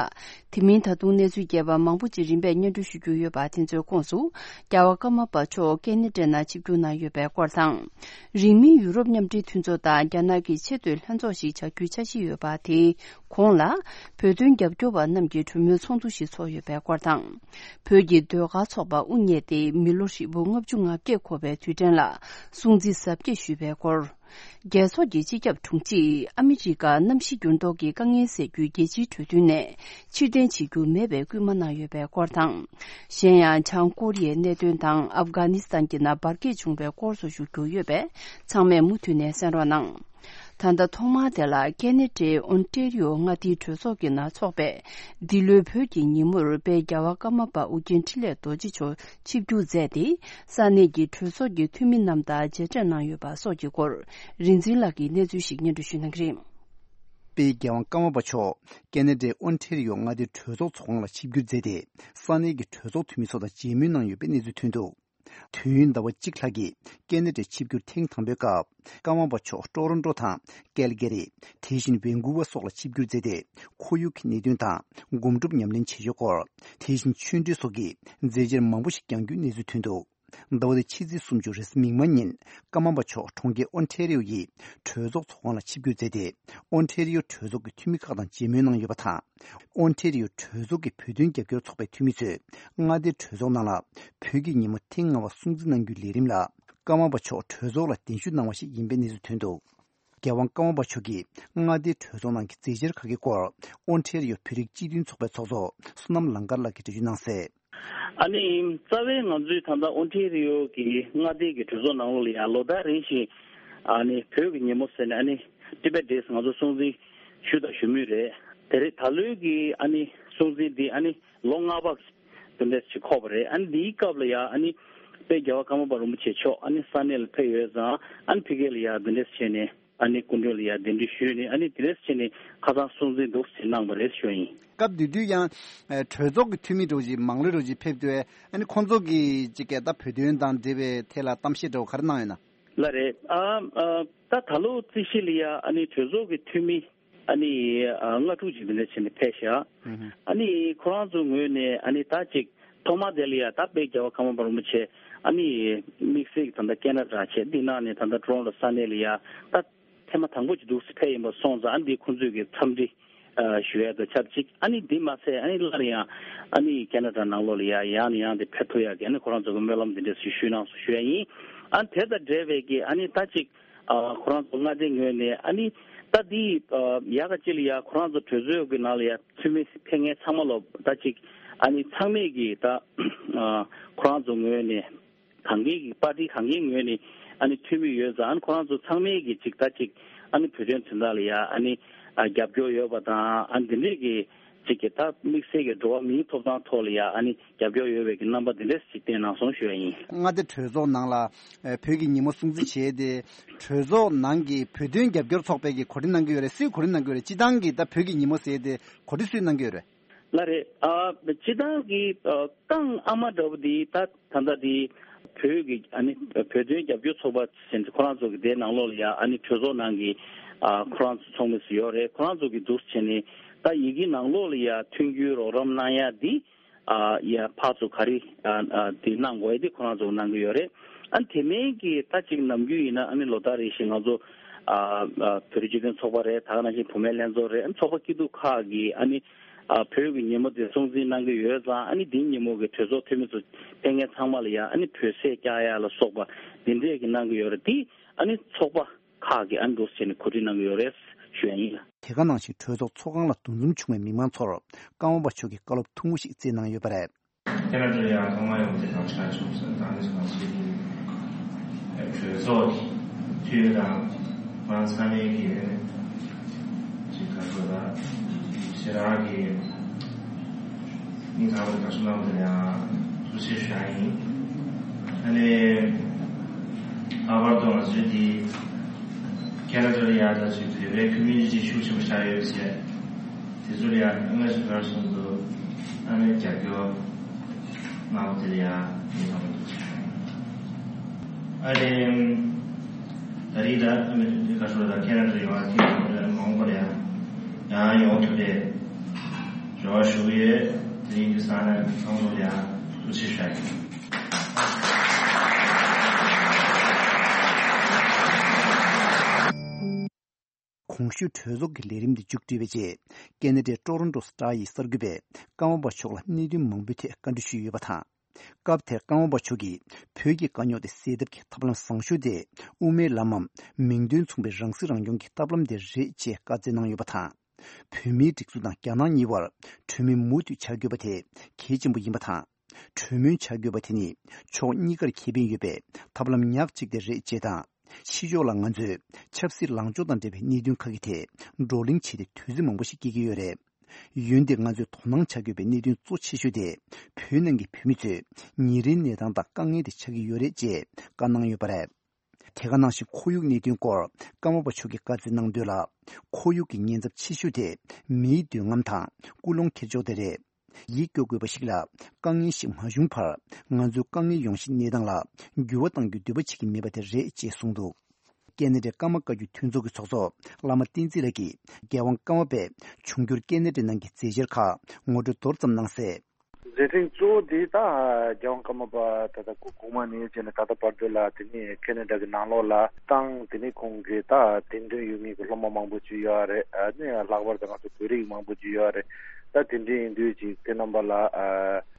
དེ་མིན་ད་དུང་གནས་ཚུལ་རྒྱས་པ་མང་པོ་ཅིག་རིམ་པས་སྙན་སྒྲོན་ཞུ་རྒྱུ་ཡོད་པ། དེ་ཚོའི་ཁོངས་སུ། རྒྱལ་བ་ཀརྨ་པ་མཆོག་ཀེ་ན་ཌའི་ནང་ཆིབས་བསྒྱུར་གནང་ཡོད་པའི་སྐོར་དང་། རིང་མིན་ཡུ་རོབ་མཉམ་འབྲེལ་མཐུན་ཚོགས་དང་རྒྱ་ནག་གི་ཆེས་མཐོའི་ལྷན་ཚོགས་ཤིག་བྱ་རྒྱུའི་འཆར་གཞི་ཡོད་པ། དེའི་གོང་ལ། བོད་དོན་རྒྱབ་སྐྱོར་བ་རྣམས་ཀྱི་གྲོས་མོལ་ཚོགས་འདུ་ཞིག་ཚོགས་ཡོད་པའི་སྐོར་དང་། བོད་ཀྱི་ཟློས་གར་ཚོགས་པ་དབུ་བརྙེས་ཏེ་མི་ལོ་ཧྲིལ་པོ་ལྔ་བཅུ་ང་བརྒྱད་འཁོར་བའི་དུས་དྲན་ལ་སྲུང་བརྩི་གཟབ་རྒྱས་ཞུས་པའི་སྐོར། རྒྱལ་ཚོགས་ཀྱི་སྤྱི་ཁྱབ་དྲུང་ཆེས་ཨ་མི་རི་ཀ་གནམ་གཤིས་འགྱུར་ལྡོག་གི་དཀའ་ངལ་སེལ་རྒྱུའི་རྒྱལ་སྤྱིའི་གྲོས་མཐུན་ནས་ཕྱིར་འཐེན་བྱེད་རྒྱུ་མེད་པའི་སྐུལ་མ་གནང་ཡོད་པའི་སྐོར་དང་། གཞན་ཡང་བྱང་ཀོ་རི་ཡའི་གནད་དོན་དང་ཨབ་གྷ་ནི་སི་ཐན་གྱི་ནང་འབར་གས་བྱུང་བའི་སྐོར་སོགས་ཞུ་རྒྱུ་ཡོད་པས་ཚང་མས་མུ་མཐུད་ནས་གསན་རོགས་གནང་། ད་ལྟ་ཐོག་མར་དེ་ལ་ཁེ་ན་ཌའི་ཨོན་ཊེ་རི་ཡོ་མངའ་སྡེའི་གྲོས་ཚོགས་ཀྱི་ནང་འཚོགས་པའི་འདི་ལོའི་བོད་ཀྱི་ཉིན་མོར་དཔལ་རྒྱལ་བ་ཀརྨ་པ་ཨོ་རྒྱན་འཕྲིན་ལས་རྡོ་རྗེ་མཆོག་ཆིབས་བསྒྱུར་མཛད་དེ། ས་གནས་ཀྱི་གྲོས་ཚོགས་ཀྱི་འཐུས་མི་རྣམས་དང་མཇལ་འཕྲད་གནང་ཡོད་པ་སོགས་ཀྱི་སྐོར་རིག་འཛིན་ལགས་ཀྱིས་གནས་ཚུལ་ཞིག་སྙན་སྒྲོན་ཞུ་གནང་གི་རེད། དཔལ་རྒྱལ་བ་ཀརྨ་པ་མཆོག་ཁེ་ན་ཌའི་ཨོན་ཊེ་རི་ཡོ་མངའ་སྡེའི་གྲོས་ཚོགས་ཚོགས་ཁང་ལ་ཆིབས་བསྒྱུར་མཛད་དེ། ས་གནས་ཀྱི་གྲོས་ཚོགས་འཐུས་མི་ཚོ་དང་མཇལ་མོལ་གནང་ཡོད་པའི་གནས་ཚུལ་ཐོན་འདུག་དུས་ཡུན་ཟླ་བ་གཅིག་ལྷག་གི་ཁེ་ན་ཌའི་ཆིབས་བསྒྱུར་ཐེངས་དང་པོའི་སྐབས། ཀརྨ་པ་མཆོག་ཊོ་རོན་ཊོ་དང་ཀལ་ག་རི། དེ་བཞིན་ཝན་ཀུ་ཝར་སོགས་ལ་ཆིབས་བསྒྱུར་མཛད་དེ། ཁོར་ཡུག་གི་གནད་དོན་དང་སྒོམ་སྒྲུབ་ཉམས་ལེན་བྱེད་ཕྱོགས་སྐོར། དེ་བཞིན་ཆོས་འབྲེལ་སོགས་ཀྱི་མཛད་འཆར་མང་པོ་ཞིག་བསྐྱངས་རྒྱུའི་གནས་ཚུལ་ཐོན་འདུག་ཟླ་བ་འདིའི་ཕྱི་ཚེས་སུམ་ཅུ་རེས་གཟའ་མིག་དམར་ཉིན། ཀརྨ་པ་མཆོག་གྲོང་ཁྱེར་ཨོན་ཊེ་རི་ཡོ་ཡི་གྲོས་ཚོགས་ཚོགས་ཁང་ལ་ཆིབས་བསྒྱུར་མཛད་དེ། ཨོན་ཊེ་རི་ཡོ་གྲོས་ཚོགས་ཀྱི་འཐུས་མི་ཁག་དང་མཇལ་མོལ་གནང་ཡོད་པ་དང་། ཨོན་ཊེ་རི་ཡོ་གྲོས་ཚོགས་ཀྱི་བོད་དོན་རྒྱབ་སྐྱོར་ཚོགས་པའི་འཐུས་མི་ཚོས་མངའ་སྡེའི་གྲོས་ཚོགས་ནང་ལ་བོད་ཀྱི་ཉིན་མོ་ཐེངས་ལྔ་པ་སྲུང་བརྩི་གནང་རྒྱུའི་ལས་རིམ་ལ། ཀརྨ་པ་མཆོག་གྲོས་ཚོགས་ལ་གདན་ཞུ་གནང་བ་ཞིག་ཡིན་པའི་གནས་ཚུལ་ཐོན་འདུག་རྒྱལ་དབང་ཀརྨ་པ་མཆོག་གིས་མངའ་སྡེའི་གྲོས་ཚོགས་ནང་གི་མཛད་འཆར་ཁག་གི་སྐོར། ཨོན་ཊེ་རི་ཡོ་བོད་རིགས་སྤྱི་མཐུན་ཚོགས་པའི་ཚོགས་གཙོ་བསོད་ནམས་ལང་དཀར་ལགས་ཀྱིས་འགྲེལ་བརྗོད་གནང་གསལ། ཨ་ནི་རྩ་བའི་ང་ཚོའི་ད་ལྟ་ཨོན་ཊེ་རི་ཡོ་གི་མངའ་སྡེ་གི་གྲོས་ཚོགས་ནང་ལོགས་ལ་ཡང་ལོ་ལྟར་རེ་བཞིན། ཨ་ནི་བོད་ཀྱི་ཉིན་མོ་ཟེར་ནས། ཨ་ནི་Tibet Days ང་ཚོ་སྲུང་བརྩི་ ཞུ་དང་ཞུ་མུས་རེད། དེ་རེད། ད་ལོའི་གི་ཨ་ནི་སྲུང་བརྩི་འདི་ཨ་ནི་ལོ་ལྔ་པ་དེ་འདྲས་ཞིག་འཁོར་བ་རེད། ཨ་ནི་འདིའི་སྐབས་ལ་ཡ་ཨ་ནི་དཔལ་རྒྱལ་བ་ཀརྨ་པ་རིན་པོ་ཆེ་མཆོག་ཨ་ནི་ས་གནས་ལ་ཕེབས་ཡོད་ཙང་ཨ་ནི་ཕ་གི་ལ་ཡ་དེ་འདྲས་བྱས་ནས་ཨ་ནི་སྐུ་མགྲོན་ལ་ཡ་གདན་འདྲེན་ཞུས་ནས་ཨ་ནི་དེ་འདྲས་བྱས་ནས་ཁ་སང་སྲུང་བརྩི་འདུག་ཟེར་གནང་བ་རེད་ཞུ་ཡིན། སྐབས་དེ་དུས་ཡང་གྲོས་ཚོགས་ཀྱི་འཐུས་མི་འདྲ་བོ་ཞིག་མང་ལོས་འདྲ་བོ་ཞིག་ཕེབས་དུས་ཨ་ནི་ཁོང་ཚོ་གིས་ཅིག་ག་ད་བོད་དོན་དང་འབྲེལ་བའི་ཐད་ལ་གཏམ་བཤད་འདྲ་བོ་ག་རེ་གནང་ཡོད་ན། ལགས་རེད། ཨ་ཨ་ད་ད་ལོ་རྩིས་གཞི་ལ་ཡ་ཨ་ནི་གྲོས་ཚོགས་ཀྱི་འཐུས་མི་ཨ་ནི་ཨ་ལྔ་དྲུག་ཅིག་འདི་འདྲ་བྱས་ནས་ཕེབས་ཤག་ཨ་ནི་ཁོ་རང་ཚོའི་ངོས་ནས་ཨ་ནི་ད་ཅིག་ཐོག་མ་དེ་ལ་ཡ་ད་དཔལ་རྒྱལ་བ་ཀརྨ་པ་རིན་པོ་ཆེ་ཨ་ནི་དམིགས་བསལ་གྱི་ད་ལྟ་ཁེ་ན་ཌ་བྱས་འདི་ནང་ནས་ད་ལྟ་ཊོ་རོན་ཊོ་ས་གནས་ལ་ཡ་ད་ཐེངས་མ་དང་པོ་ཅིག་འདུག་སེ་ཕེབས་ཡིན་པ་སོང་ཙང་ཨ་ནི་འདི་ཁོང་ཚོས་ཀྱི་འཚམས་འདྲི་ཨ་ཞུ་ཡ་དང་ཆབས་ཅིག་ཨ་ནི་འདི་མ་ཟད་ཨ་ནི་སླར་ཡང་ཨ་ནི་ཁེ་ན་ཌ་ནང་ལོགས་ལ་ཡ་ཡང་ནས་ཡང་དུ་ཕེབས་ཐུབ་ཡ་གི་ཨ་ནི་ཁོ་རང་ཚོ་གི་སྨོན་ལམ་འདི་འདྲ་ཞིག་ཞུས་གནང་སོང་ཞུ་ཡ་ཡིན། ཨ་ནི་དེ་དང་འབྲེལ་བའི་གི་ཨ་ནི་ད་ཅིག་ཨ་ཁོ་རང་ཚོ་མངའ་སྡེའི་ངོས་ནས་ཨ་ནི་ད་འདི་ཨ་ཡག་ག་ཅིག་ལ་ཡ་ཁོ་རང་ཚོ་གྲོས་ཚོགས་ཀྱི་ནང་ལ་ཡ་འཐུས་མི་ཕེབས་མཁན་ཚང་མ་ལ་ད་ཅིག་ཨ་ནི་ཚང་མས་ཀྱི་ད་ཨ་ཁོ་རང་ཚོ་ངོས་ནས་གང་གའི་གི་པར་ཊི་གང་གའི་ངོས་ནས་ཨ་ནི་འཐུས་མི་ཡོད་ཙང་ཨ་ནི་ཁོ་རང་ཚོ་ཚང་མས་ཀྱི་ཅིག་ད་ཅིག་ཨ་ནི་བོད་དོན་དོན་དག་ལ་ཡ་ཨ་ནི་ཨ་རྒྱབ་སྐྱོར་ཡོད་པ་དང་ཨ་ནི་འདི་འདྲས་ཀྱི་ཅིག་གི་ད་དམིགས་བསལ་གྱི་འགྲོ་བ་མིའི་ཐོབ་ཐང་ཐོག་ལ་ཡ་ཨ་ནི་རྒྱབ་སྐྱོར་ཡོད་པའི་གི་རྣམ་པ་འདི་འདྲས་ཞིག་བསྟན་གནང་སོང་ཞུ་བ་ཡིན། མངའ་སྡེ་གྲོས་ཚོགས་ནང་ལ་ཨ་བོད་ཀྱི་ཉིན་མོ་སྲུང་བརྩི་བྱས་ཏེ་གྲོས་ཚོགས་ནང་གི་བོད་དོན་རྒྱབ་སྐྱོར་ཚོགས་པས་ཀྱི་གོ་སྒྲིག་གནང་གི་ཡོད་རེད། སུས་གོ་སྒྲིག་གནང་གི་ཡོད་རེད། སྤྱི་བཏང་གི་ད་བོད་ཀྱི་ཉིན་མོ་ཟེར་ཏེ་གོ་སྒྲིག་སུས་གནང་གི་ཡོད་རེད། ལགས་རེད། ཨ་སྤྱི་བཏང་གི་ཨ་རྐང་ཨ་མ་འདྲ་བོ་འདི་ད་ད་ལྟ་འདི་བོད་ཀྱི་ཨ་ནི་བོད་དོན་རྒྱབ་སྐྱོར་ཚོགས་པ་ཟེར་ཁོ་རང་ཚོ་གི་དེའི་ནང་ལོགས་ལ་ཡ་ཨ་ནི་གྲོས་ཚོགས་ནང་གི་ཨ་ཁོ་རང་ཚོ་ཚོགས་མི་ཚོ་ཡོད་རེད། ཁོ་རང་ཚོ་གི་འདུག་སེ་བྱས་ནས་ད་ཡི་གེ་ནང་ལོགས་ལ་ཡ་མཐུན་འགྱུར་རོགས་རམ་གནང་ཡ་འདི་ཨ་ཡ་ཕར་ཚུར་ག་རེ་ཨ་ཨ་དེ་གནང་དགོས་ཡ་དེ་ཁོ་རང་ཚོ་གནང་གི་ཡོད་རེད། ཨ་ནི་དེ་མིན་གྱི་ད་ཅིག་ནམ་རྒྱུན་ཡིན་ན་ཨ་ནི་ལོ་ལྟར་རེ་བཞིན་ང་ཚོ་ཨ་ཨ་བོད་རིགས་སྤྱི་མཐུན་ཚོགས་པ་རེད། ད་ག་ནང་བཞིན་བུད་མེད་ལྷན་ཚོགས་རེད། ཨ་ནི་ཚོགས་པ་སྐྱིད་སྡུག་ཁག་གིས་ཨ་ནི་ཨ་བོད་ཀྱི་ཉིན་མོ་དེ་སྲུང་བརྩི་གནང་གི་ཡོད་ཙང་ཨ་ནི་དེའི་ཉིན་མོ་གི་གྲོས་ཚོགས་འཐུས་མི་ཚོ་ཕེབས་མཁན་ཚང་མ་ལ་ཡ་ཨ་ནི་བོད་ཟས་བཀྱག་ཡ་ལ་སོགས་པ་འདི་འདྲས་ཀྱི་གནང་གི་ཡོད་རེད། དེ་ཨ་ནི་ཚོགས་པ་ཁག་གིས་ཨ་ནི་འདུག་སེ་བྱས་ནས་གོ་སྒྲིག་གནང་གི་ཡོད་རེད་ཞུ་ཡ་ཡིན། དེ་ག་ནང་བཞིན་གྲོས་ཚོགས་ཚོགས་ཁང་ལ་འདུ་འཛོམས་བྱུང་བའི་མི་མང་ཚོར་ཀརྨ་པ་མཆོག་གིས་བཀའ་སློབ་ཐུང་ངུ་ཞིག་སྩལ་གནང་ཡོད་པ་རེད། ཁེ་ན་ཌ་ཡང་ཐོག་མར་ཡོང་དེ་དང་ཆ་ཆུང་སོན་དང་ནི་སོང་ཞིག་གི་གྲོས་ཚོགས་ཀྱི་འཐུས་མི་དང་ང་ཚང་མའི་གི་ཅིག་ག་ཚོད་ལ་ཞེ་དྲག་གི་མི་ཚང་མར་དགའ་བསུ་གནང་བ་དེ་ཡང་ཐུགས་རྗེ་ཆེ་ཞུ་ཡ་ཡིན། ཨ་ནི་ལྷག་པར་དུ་ང་ཚོའི་འདི་ཁེ་ན་ཌ་ལ་ཡ་ད་ཅིག་བོད་པའི་ཁོ་མིའུ་ནི་ཊི་ཤུགས་ཆེན་པོ་ཆགས་ཡོད་ཟེར། དེ་ཚོ་ལ་ཡང་སྔ་ཕྱི་བར་གསུམ་དུ་ཨ་ནི་རྒྱབ་སྐྱོར་གནང་བ་དེ་ལ་ཡང་ཡིད་ཐང་མ་འདུག་ཅིག་ཨ་ནི་ད་རེས་ད་ཨ་ནི་ཁ་ཤོར་ད་ཁེ་ན་ཌ་ཡོང་བ་དེ་ཚོ་ལ་མ་འོངས་པ་ལ་ཡང་ཡང་ཡོང་ཐུབ་པའི་རེ་བ་ཞུ་གི་ཡོད། དེ་རིང་གི་ས་ནས་ཚང་མ་ལ་ཡང་ཐུགས་རྗེ་ཆེ་ཞུ་ཡ་ཡིན། གོང་ཞུས་གྲོས་ཚོགས་ཀྱི་ལས་རིམ་འདི་མཇུག་བསྒྲིལ་བའི་རྗེས། ཀེ་ན་ཌའི་ཊོ་རོན་ཊོ་སི་ཊར་ཡི་གསར་འགོད་པས་ཀརྨ་པ་མཆོག་ལ་གནད་དོན་མང་པོའི་ཐད་བཀའ་འདྲི་ཞུས་ཡོད་པ་དང་། སྐབས་དེར་ཀརྨ་པ་མཆོག་གིས་བོད་ཀྱི་དཀའ་རྙོག་དེ་སེལ་ཐབས་ཀྱི་ཐབས་ལམ་བཟང་ཤོས་དེ་དབུ་མའི་ལམ་མམ་མིང་དོན་མཚུངས་པའི་རང་སྲིད་རང་སྐྱོང་གི་ཐབས་ལམ་དེ་རེད་ཅེས་བཀའ་སྩལ་གནང་ཡོད་པ་དང་། བོད་མིའི་སྒྲིག་འཛུགས་དང་རྒྱ་ནག་གཉིས་བར་གྲོས་མོལ་མུ་མཐུད་བྱ་དགོས་པ་དེ་གལ་ཆེན་པོ་ཡིན་པ་དང་། གྲོས་མོལ་བྱ་དགོས་པ་དེ་ནི་ཕྱོགས་གཉིས་ཀར་ཁེ་ཕན་ཡོད་པའི་ཐབས་ལམ་ཉག་གཅིག་དེ་རེད་ཅེས་དང་། ཕྱི་ཕྱོགས་ལ་ང་ཚོས་ཆབ་སྲིད་ལངས་ཕྱོགས་དང་འབྲེལ་བའི་གནད་དོན་ཁག་གི་ཐད་བགྲོ་གླེང་བྱས་ཏེ་དུས་ཚོད་མང་པོ་ཞིག་སྐྱེལ་གྱི་ཡོད་རེད། འོན་ཏེ་ང་ཚོས་དོ་སྣང་བྱ་དགོས་པའི་གནད་དོན་གཙོ་ཆེ་ཤོས་དེ་བོད་ནང་གི་བོད་མི་ཚོའི་ཉིན་རེའི་གནས་སྟངས་དང་དཀའ་ངལ་དེ་ཆགས་ཀྱི་ཡོད་རེད་ཅེས་བཀའ་གནང་ཡོད་པ་རེད། དེ་ག་ནང་བཞིན་ཁོར་ཡུག་གནད་དོན་སྐོར་ཀརྨ་པ་མཆོག་གིས་བཀའ་སྩལ་གནང་དོན་ལ། ཁོར་ཡུག་གི་ཉེན་ཚབས་ཆེ་ཤོས་དེ་མིའི་འདོད་རྔམ་དང་ཀུན་སློང་འཁྱེར་ཕྱོགས་དེ་རེད། ཡིད་སྐྱོ་དགོས་པ་ཞིག་ལ། དཀའ་ངལ་ཞིག་མ་བྱུང་བར་ང་ཚོའི་དཀའ་ངལ་ཡོང་གཞིའི་གནས་སྟངས་ལ་འགྱུར་བ་གཏང་རྒྱུའི་འདོད་པ་བྱེད་ཀྱི་མེད་པ་དེ་རེད་ཅེས་གསུངས་འདུག་ཀེ་ན་ཌའི་ཀརྨ་བཀའ་བརྒྱུད་མཐུན་ཚོགས་ཀྱི་ཚོགས་གཙོ་བླ་མ་བསྟན་འཛིན་ལགས་ཀྱིས་རྒྱལ་དབང་ཀརྨ་པས་འབྱུང་འགྱུར་ཀེ་ན་ཌའི་ནང་གི་མཛད་འཆར་ཁག་ངོ་སྤྲོད་མདོར་ཙམ་གནང་གསལ། མཛད་འཕྲིན་གཙོ་བོ་འདི་ད་རྒྱལ་དབང་ཀརྨ་པ་ད་ལྟ་གོང་མ་ནས་བྱས་ནས་ད་ལྟ་བར་དུ་ལ་དེ་ནས་ཁེ་ན་ཌ་གི་ནང་ལོགས་ལ་བཏང་། དེ་ནས་ཁོང་གི་ད་དད་འདུན་ཡོད་མཁན་གྱི་སློབ་མ་མང་པོ་ཅིག་ཡོད་རེད། ཨ་ནི་ལྷག་པར་དུ་ང་ཚོ་བོད་རིགས་མང་པོ་ཅིག་ཡོད་རེད། ད་དེ་འདྲ་ཡིན་དུས་ཅིག་དེ་རྣམ་པ་ལ་ཨ་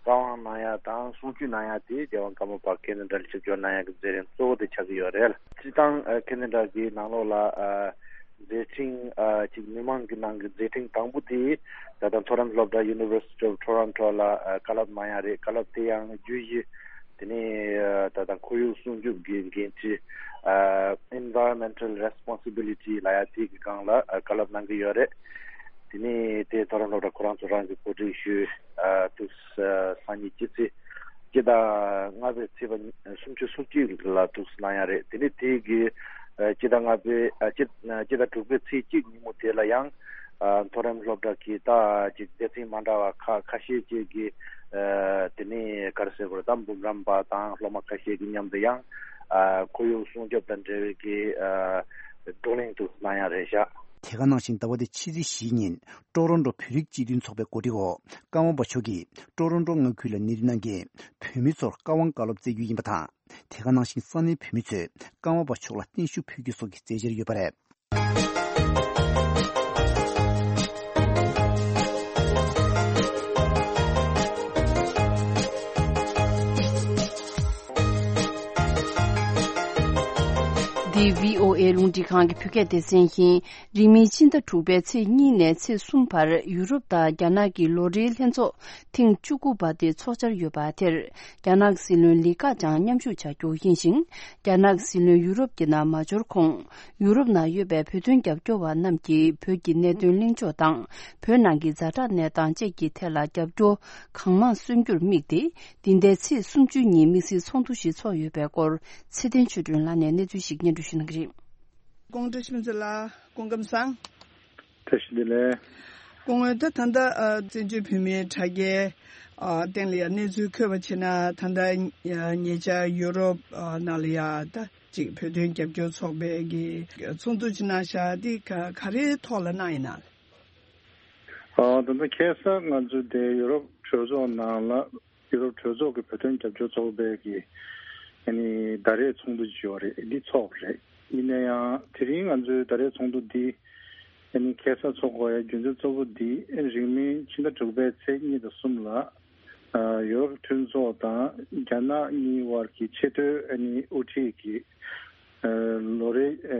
བཀའ་དབང་གནང་ཡ་དང་གསུང་ཆོས་གནང་ཡ་དེ་རྒྱལ་དབང་ཀརྨ་པ་ཁེ་ན་ཌ་ལ་ཆིབས་བསྒྱུར་གནང་ཡ་གི་མཛད་རིམ་གཙོ་བོ་དེ་ཆགས་ཀྱི་ཡོད་རེད། སྤྱིར་བཏང་ཨ་ཁེ་ན་ཌ་གི་ནང་ལོགས་ལ་ཨ་མཛད་འཕྲིན་ཨ་ཅིག་མི་མང་གི་ནང་གི་མཛད་འཕྲིན་དང་པོ་དེ་ད་ལྟ་མཐོ་རིམ་སློབ་གྲྭ་University of Toronto ལ་ཨ་བཀའ་སློབ་གནང་ཡ་རེད། བཀའ་སློབ་དེ་ཡང་བརྒྱུད་བཞི་ དེ་ནས་ད་ལྟ་ཁོར་ཡུག་སྲུང་སྐྱོབ་ཀྱི་འགན་འཁྲི། Environmental Responsibility ལབ་ཡ་དེ་གི་སྒང་ལ་བཀའ་སློབ་གནང་གི་ཡོད་རེད། དེ་ནས་དེ་ཐོ་རོན་ཊོ་ལ་ཁོ་རང་ཚོ་རང་གི་གོ་སྒྲིག་ཞུས། ཏུས་སང་ཉིན་སྤྱི་ཚེས་སྤྱི་ཟླ་ལྔ་པའི་ཚེས་པ་སུམ་ཅུ་སོ་གཅིག་ལ་ཏུས་གནང་ཡ་རེད། དེ་ནས་དེ་གི་སྤྱི་ཟླ་ལྔ་པའི་སྤྱི་སྤྱི་ཟླ་དྲུག་པའི་ཚེས་གཅིག་ཉིན་མོ་དེ་ལ་ཡང་མཐོ་རིམ་སློབ་གྲྭ་གི་ད་ཅིག་སྡེ་ཚན་མ་འདྲ་བ་ཁ་ཁ་ཤས་ཅིག་གི་དེ་ནས་ག་རེ་ཟེར་དགོས་རེད། ད་འབུམ་རམས་པ་དང་སློབ་མ་ཁ་ཤས་ཀྱི་མཉམ་དུ་ཡང་ཁོར་ཡུག་སྲུང་སྐྱོབ་དང་འབྲེལ་བའི་གི་བགྲོ་གླེང་དུ་གནང་ཡ་རེད་ཤག་དེ་ག་ནང་བཞིན་ཟླ་བ་འདིའི་ཕྱི་ཚེས་བཞིའི་ཉིན་ཀྲོ་རོན་ཀྲོ་བོད་རིགས་སྤྱི་མཐུན་ཚོགས་པའི་གོ་སྒྲིག་འོག་ཀརྨ་པ་མཆོག་གིས་ཀྲོ་རོན་ཀྲོ་མངའ་ཁུལ་ལ་གནས་འདུ་གནང་མཁན་བོད་མི་ཚོར་བཀའ་དབང་བཀའ་སློབ་སྩལ་རྒྱུ་ཡིན་པ་དང་། དེ་ག་ནང་བཞིན་ས་གནས་བོད་མི་ཚོས་ཀརྨ་པ་མཆོག་ལ་བརྟན་བཞུགས་ཕུལ་རྒྱུ་སོགས་ཀྱི་མཛད་འཆར་ཡོད་པ་རེད། འདི་བྷི་ཨོ་ཨེ་རླུང་འཕྲིན་ཁང་གི་བོད་སྐད་སྡེ་ཚན་ཡིན། རིང་མིན་ཕྱི་ཟླ་དྲུག་པའི་ཚེས་གཉིས་ནས་ཚེས་གསུམ་བར་ཡུ་རོབ་དང་རྒྱ་ནག་གི་ལོ་རེའི་ལྷན་ཚོགས་ཐེངས་བཅུ་དགུ་པ་དེ་ཚོགས་འཆར་ཡོད་པ་དེར། རྒྱ་ནག་སྲིད་བློན་ལི་ཁ་ཆང་མཉམ་ཞུགས་བྱ་རྒྱུ་ཡིན་ཞིང་། རྒྱ་ནག་སྲིད་བློན་ཡུ་རོབ་ཀྱི་ནང་མ་འབྱོར་གོང་། ཡུ་རོབ་ནང་ཡོད་པའི་བོད་དོན་རྒྱབ་སྐྱོར་བ་རྣམས་ཀྱིས་བོད་ཀྱི་གནད་དོན་གླེང་ཕྱོགས་དང་། བོད་ནང་གི་ཛ་དྲག་གནས་སྟངས་བཅས་ཀྱི་ཐད་ལ་རྒྱབ་སྐྱོར་གང་མང་སོན་རྒྱུར་དམིགས་ཏེ། འདི་ཟླའི་ཚེས་སུམ་ཅུ་ཉིན་དམིགས་བསལ་ཚོགས་འདུ་ཞིག་ཚོགས་ཡོད་པའི་སྐོར་ཚེ་བརྟན་ཆོས་སྒྲོན་ལགས་ནས་གནས་ཚུལ་ཞིག་སྙན་སྒྲོན་ཞུ་གནང་གི་རེད། ཀོང་བཀྲ་ཤིས་ཚེ་ལགས། སྐུ་ཁམས་བཟང་། བཀྲ་ཤིས་བདེ་ལེགས། སྐུ་ངོ་ད་ད་ལྟ་ཨ་བཙན་བྱོལ་བོད་མིའི་དྲ་རྒྱའི་ཨ་སྟེང་ལ་ཡང་གནས་ཚུལ་འཁོད་པ་བྱས་ན། ད་ལྟ་ཉེ་ཆར་ཡུ་རོབ་ཨ་ནང་ལ་ཡང་ད་ཅིག་བོད་དོན་རྒྱབ་སྐྱོར་ཚོགས་པའི་གི་ཚོགས་འདུ་ཅིག་གནང་ཤག་འདི་ག་ག་རེའི་ཐོག་ལ་གནང་ཡིན་ན། ཨ་ད་ལྟ་ཁ་སང་ང་ཚོ་དེ་ཡུ་རོབ་གྲོས་ཚོགས་ནང་ལ། ཡུ་རོབ་གྲོས་ཚོགས་ཀྱི་བོད་དོན་རྒྱབ་སྐྱོར་ཚོགས་པའི་གི་ཨ་ནི་ཟླ་རེའི་ཚོགས་འདུ་ཅིག་ཡོད་རེད། འདི་ཚོགས་པ་རེད། ཡིན་ན་ཡང་དེ་རིང་ང་ཚོའི་ཟླ་རེའི་ཚོགས་འདུ་འདི་ཨ་ནི་ཁ་སང་ཚོགས་དགོས་ཡ་རྒྱུ་མཚན་གཙོ་བོ་འདི་ཨ་རིང་མིན་ཕྱི་ཟླ་དྲུག་པའི་ཚེས་གཉིས་དང་གསུམ་ལ་ཨ་ཡུ་རོབ་མཐུན་ཚོགས་དང་རྒྱ་ནག་གཉིས་དབར་གྱི་ཆེས་མཐོའི་ཨ་ནི་དབུ་ཁྲིད་ཀྱི་ཨ་ལོ་རེའི་ཨ་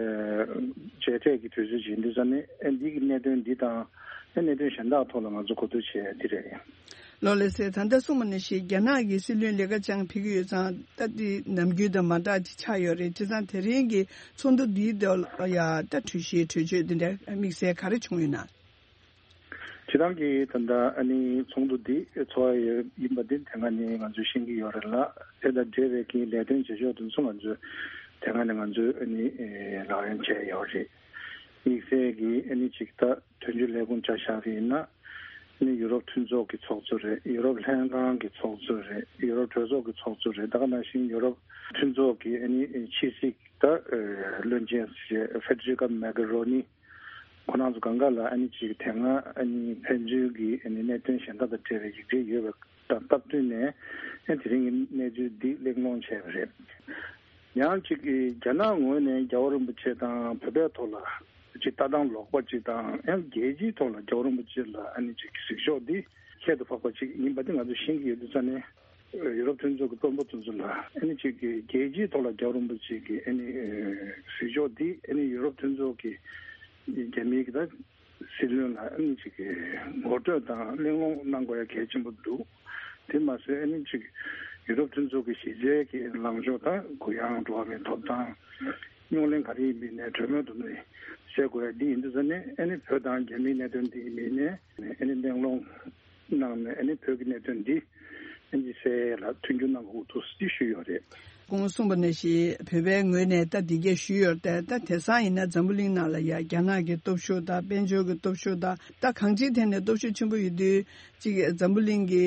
མཇལ་འཕྲད་ཀྱི་དུས་ཚོད་ཅིག་ཡིན་དུས་ཙང་ནས། ཨ་འདི་གི་གནད་དོན་འདི་དང་ཨ་གནད་དོན་གཞན་དག་ཐོག་ལ་ང་ཚོ་གོ་བསྡུར་བྱས་འདི་རེད། ལགས་སོ། ད་ལྟ་གསུངས་པ་ནང་བཞིན་རྒྱ་ནག་གི་སྲིད་བློན་ལི་ཁ་ཆང་ཕེབས་ཀྱི་ཡོད་ཙང་། ད་འདི་ནམ་རྒྱུན་དང་མ་འདྲ་ཅིག་ཆགས་ཡོད་རེད། བྱས་ཙང་དེ་རིང་གི་ཚོགས་འདུ་འདིའི་ཐོག་ལ་ཡ་ད་གྲོས་གཞི་གྲོས་ཆོད་འདི་འདྲ་དམིགས་བསལ་ག་རེ་བྱུང་ཡོད་ན། སྤྱིར་བཏང་གི་ད་ལྟ་ཨ་ནི་ཚོགས་འདུ་འདི་ཚོགས་ཡ་ཡིན་པ་འདི་དེ་སྔ་ནས་ང་ཚོས་ཤེས་ཀྱི་ཡོད་རེད་ལ། དེ་དང་འབྲེལ་བའི་གི་ལས་དོན་བྱེད་ཕྱོགས་དེ་ཚོ་ང་ཚོས་དེ་སྔ་ནས་ང་ཚོས་ཨ་ནི་ལག་ལེན་བྱས་ཡོད་རེད། དམིགས་བསལ་གྱི་ཨ་ནི་ཅིག་ད་དོན་གཅོད་ལས་ཁུངས་ཆ་བཞག་པ་ཡིན་ན། ཨ་ནི་ཡུ་རོབ་མཐུན་ཚོགས་ཀྱི་ཚོགས་གཙོ་རེད། ཡུ་རོབ་ལྷན་ཁང་གི་ཚོགས་གཙོ་རེད། ཡུ་རོབ་གྲོས་ཚོགས་ཀྱི་ཚོགས་གཙོ་རེད། ད་ག་ནང་བཞིན་ཡུ་རོབ་མཐུན་ཚོགས་ཀྱི་ཨ་ནི་ཕྱི་སྲིད་ད་བློན་ཆེན་ཞེས་ཧྥེ་ཌེ་རི་ཀ་མོག་གྷེ་རོ་ནི། ཁོ་རང་ཚོ་སྒང་ག་ལ་ཨ་ནི་ཅིག་དེ་སྔ་ཨ་ནི་ཕན་ཚུན་གྱི་ཨ་ནི་གནད་དོན་གཞན་དག་དང་འབྲེལ་བའི་ཡིག་འབྲེལ་ཡོད་པ་དང་སྟབས་བསྟུན་ནས། ཨ་དེ་རིང་གི་གནས་ཚུལ་འདི་གླེང་སློང་བྱས་པ་རེད། ཡང་ཅིག་རྒྱ་ནག་ངོས་ནས་རྒྱལ་བ་རིན་པོ་ཆེ་དང་བོད་པའི་ཐོག་ལ་ཅིག་ལྟ་སྟངས་ལོག་པ་ཅིག་དང་། ཡང་རྒྱལ་སྤྱིའི་ཐོག་ལ་རྒྱལ་བ་རིན་པོ་ཆེ་ལ་ཨ་ནི་ཅིག་གཟིགས་ཕྱོགས་འདི་ཁྱད་དུ་འཕགས་པ་ཅིག་ཡིན་པ་འདི་ང་ཚོས་ཤེས་ཀྱི་ཡོད་དུས་ཙང་ནས། ཡུ་རོབ་མཐུན་ཚོགས་ཀྱི་དཔོན་པོ་དེ་ཚོ་ལ་ཨ་ནི་ཅིག་གི་རྒྱལ་སྤྱིའི་ཐོག་ལ་རྒྱལ་བ་རིན་པོ་ཆེ་གི་ཨ་ནི་གཟིགས་ཕྱོགས་འདི་ཨ་ནི་ཡུ་རོབ་མཐུན་ཚོགས་ཀྱི་རྒྱ་མིའི་གི་ད་སྲིད་བློན་ལ་ཨ་ནི་ཅིག་གི་ངོ་སྤྲོད་དང་གླེང་སློང་གནང་དགོས་ཡ་གལ་ཆེན་པོ་འདུག་དེ་མ་ཟད་ཨ་ནི་ཅིག་ཡུ་རོབ་མཐུན་ཚོགས་ཀྱི་གཞི་རྩའི་གི་ལངས་ཕྱོགས་དང་། གུ་ཡངས་འགྲོ་བ་མིའི་ཐོབ་ཐང་། རྙོག་གླེང་ག་རེ་ཡིན་པའི་ནས་གྲོས་མོལ་དུ་ནས་སེལ་དགོས་ཡ་འདི་ཡིན་དུས་ཙང་ནས། ཨ་ནི་བོད་དང་རྒྱ་མིའི་གནད་དོན་འདི་ཡིན་པའི་ནས་ཨ་ནི་གླེང་སློང་གནང་ནས། ཨ་ནི་བོད་ཀྱི་གནད་དོན་འདི་ཨ་ནི་སེལ་ཡ་ལ་མཐུན་འགྱུར་གནང་དགོས་འདུག་ཅེས་ཞུས་ཡོད་རེད། སྐུ་ངོ་གསུངས་པ་ནང་བཞིན་བོད་པའི་ངོས་ནས་ད་འདི་གས་ཞུས་ཡོད་རེད་དེ། ད་དེང་སང་ཡིན་ན་འཛམ་བུ་གླིང་ནང་ལ་ཡ་རྒྱ་ནག་གི་སྟོབས་ཤུགས་དང་། དཔལ་འབྱོར་གྱི་སྟོབས་ཤུགས་དང་། ད་གང་ཅིའི་ཐད་ནས་སྟོབས་ཤུགས་ཆེན་པོ་ཡོད་དུས། གཅིག་འཛམ་བུ་གླིང་གི་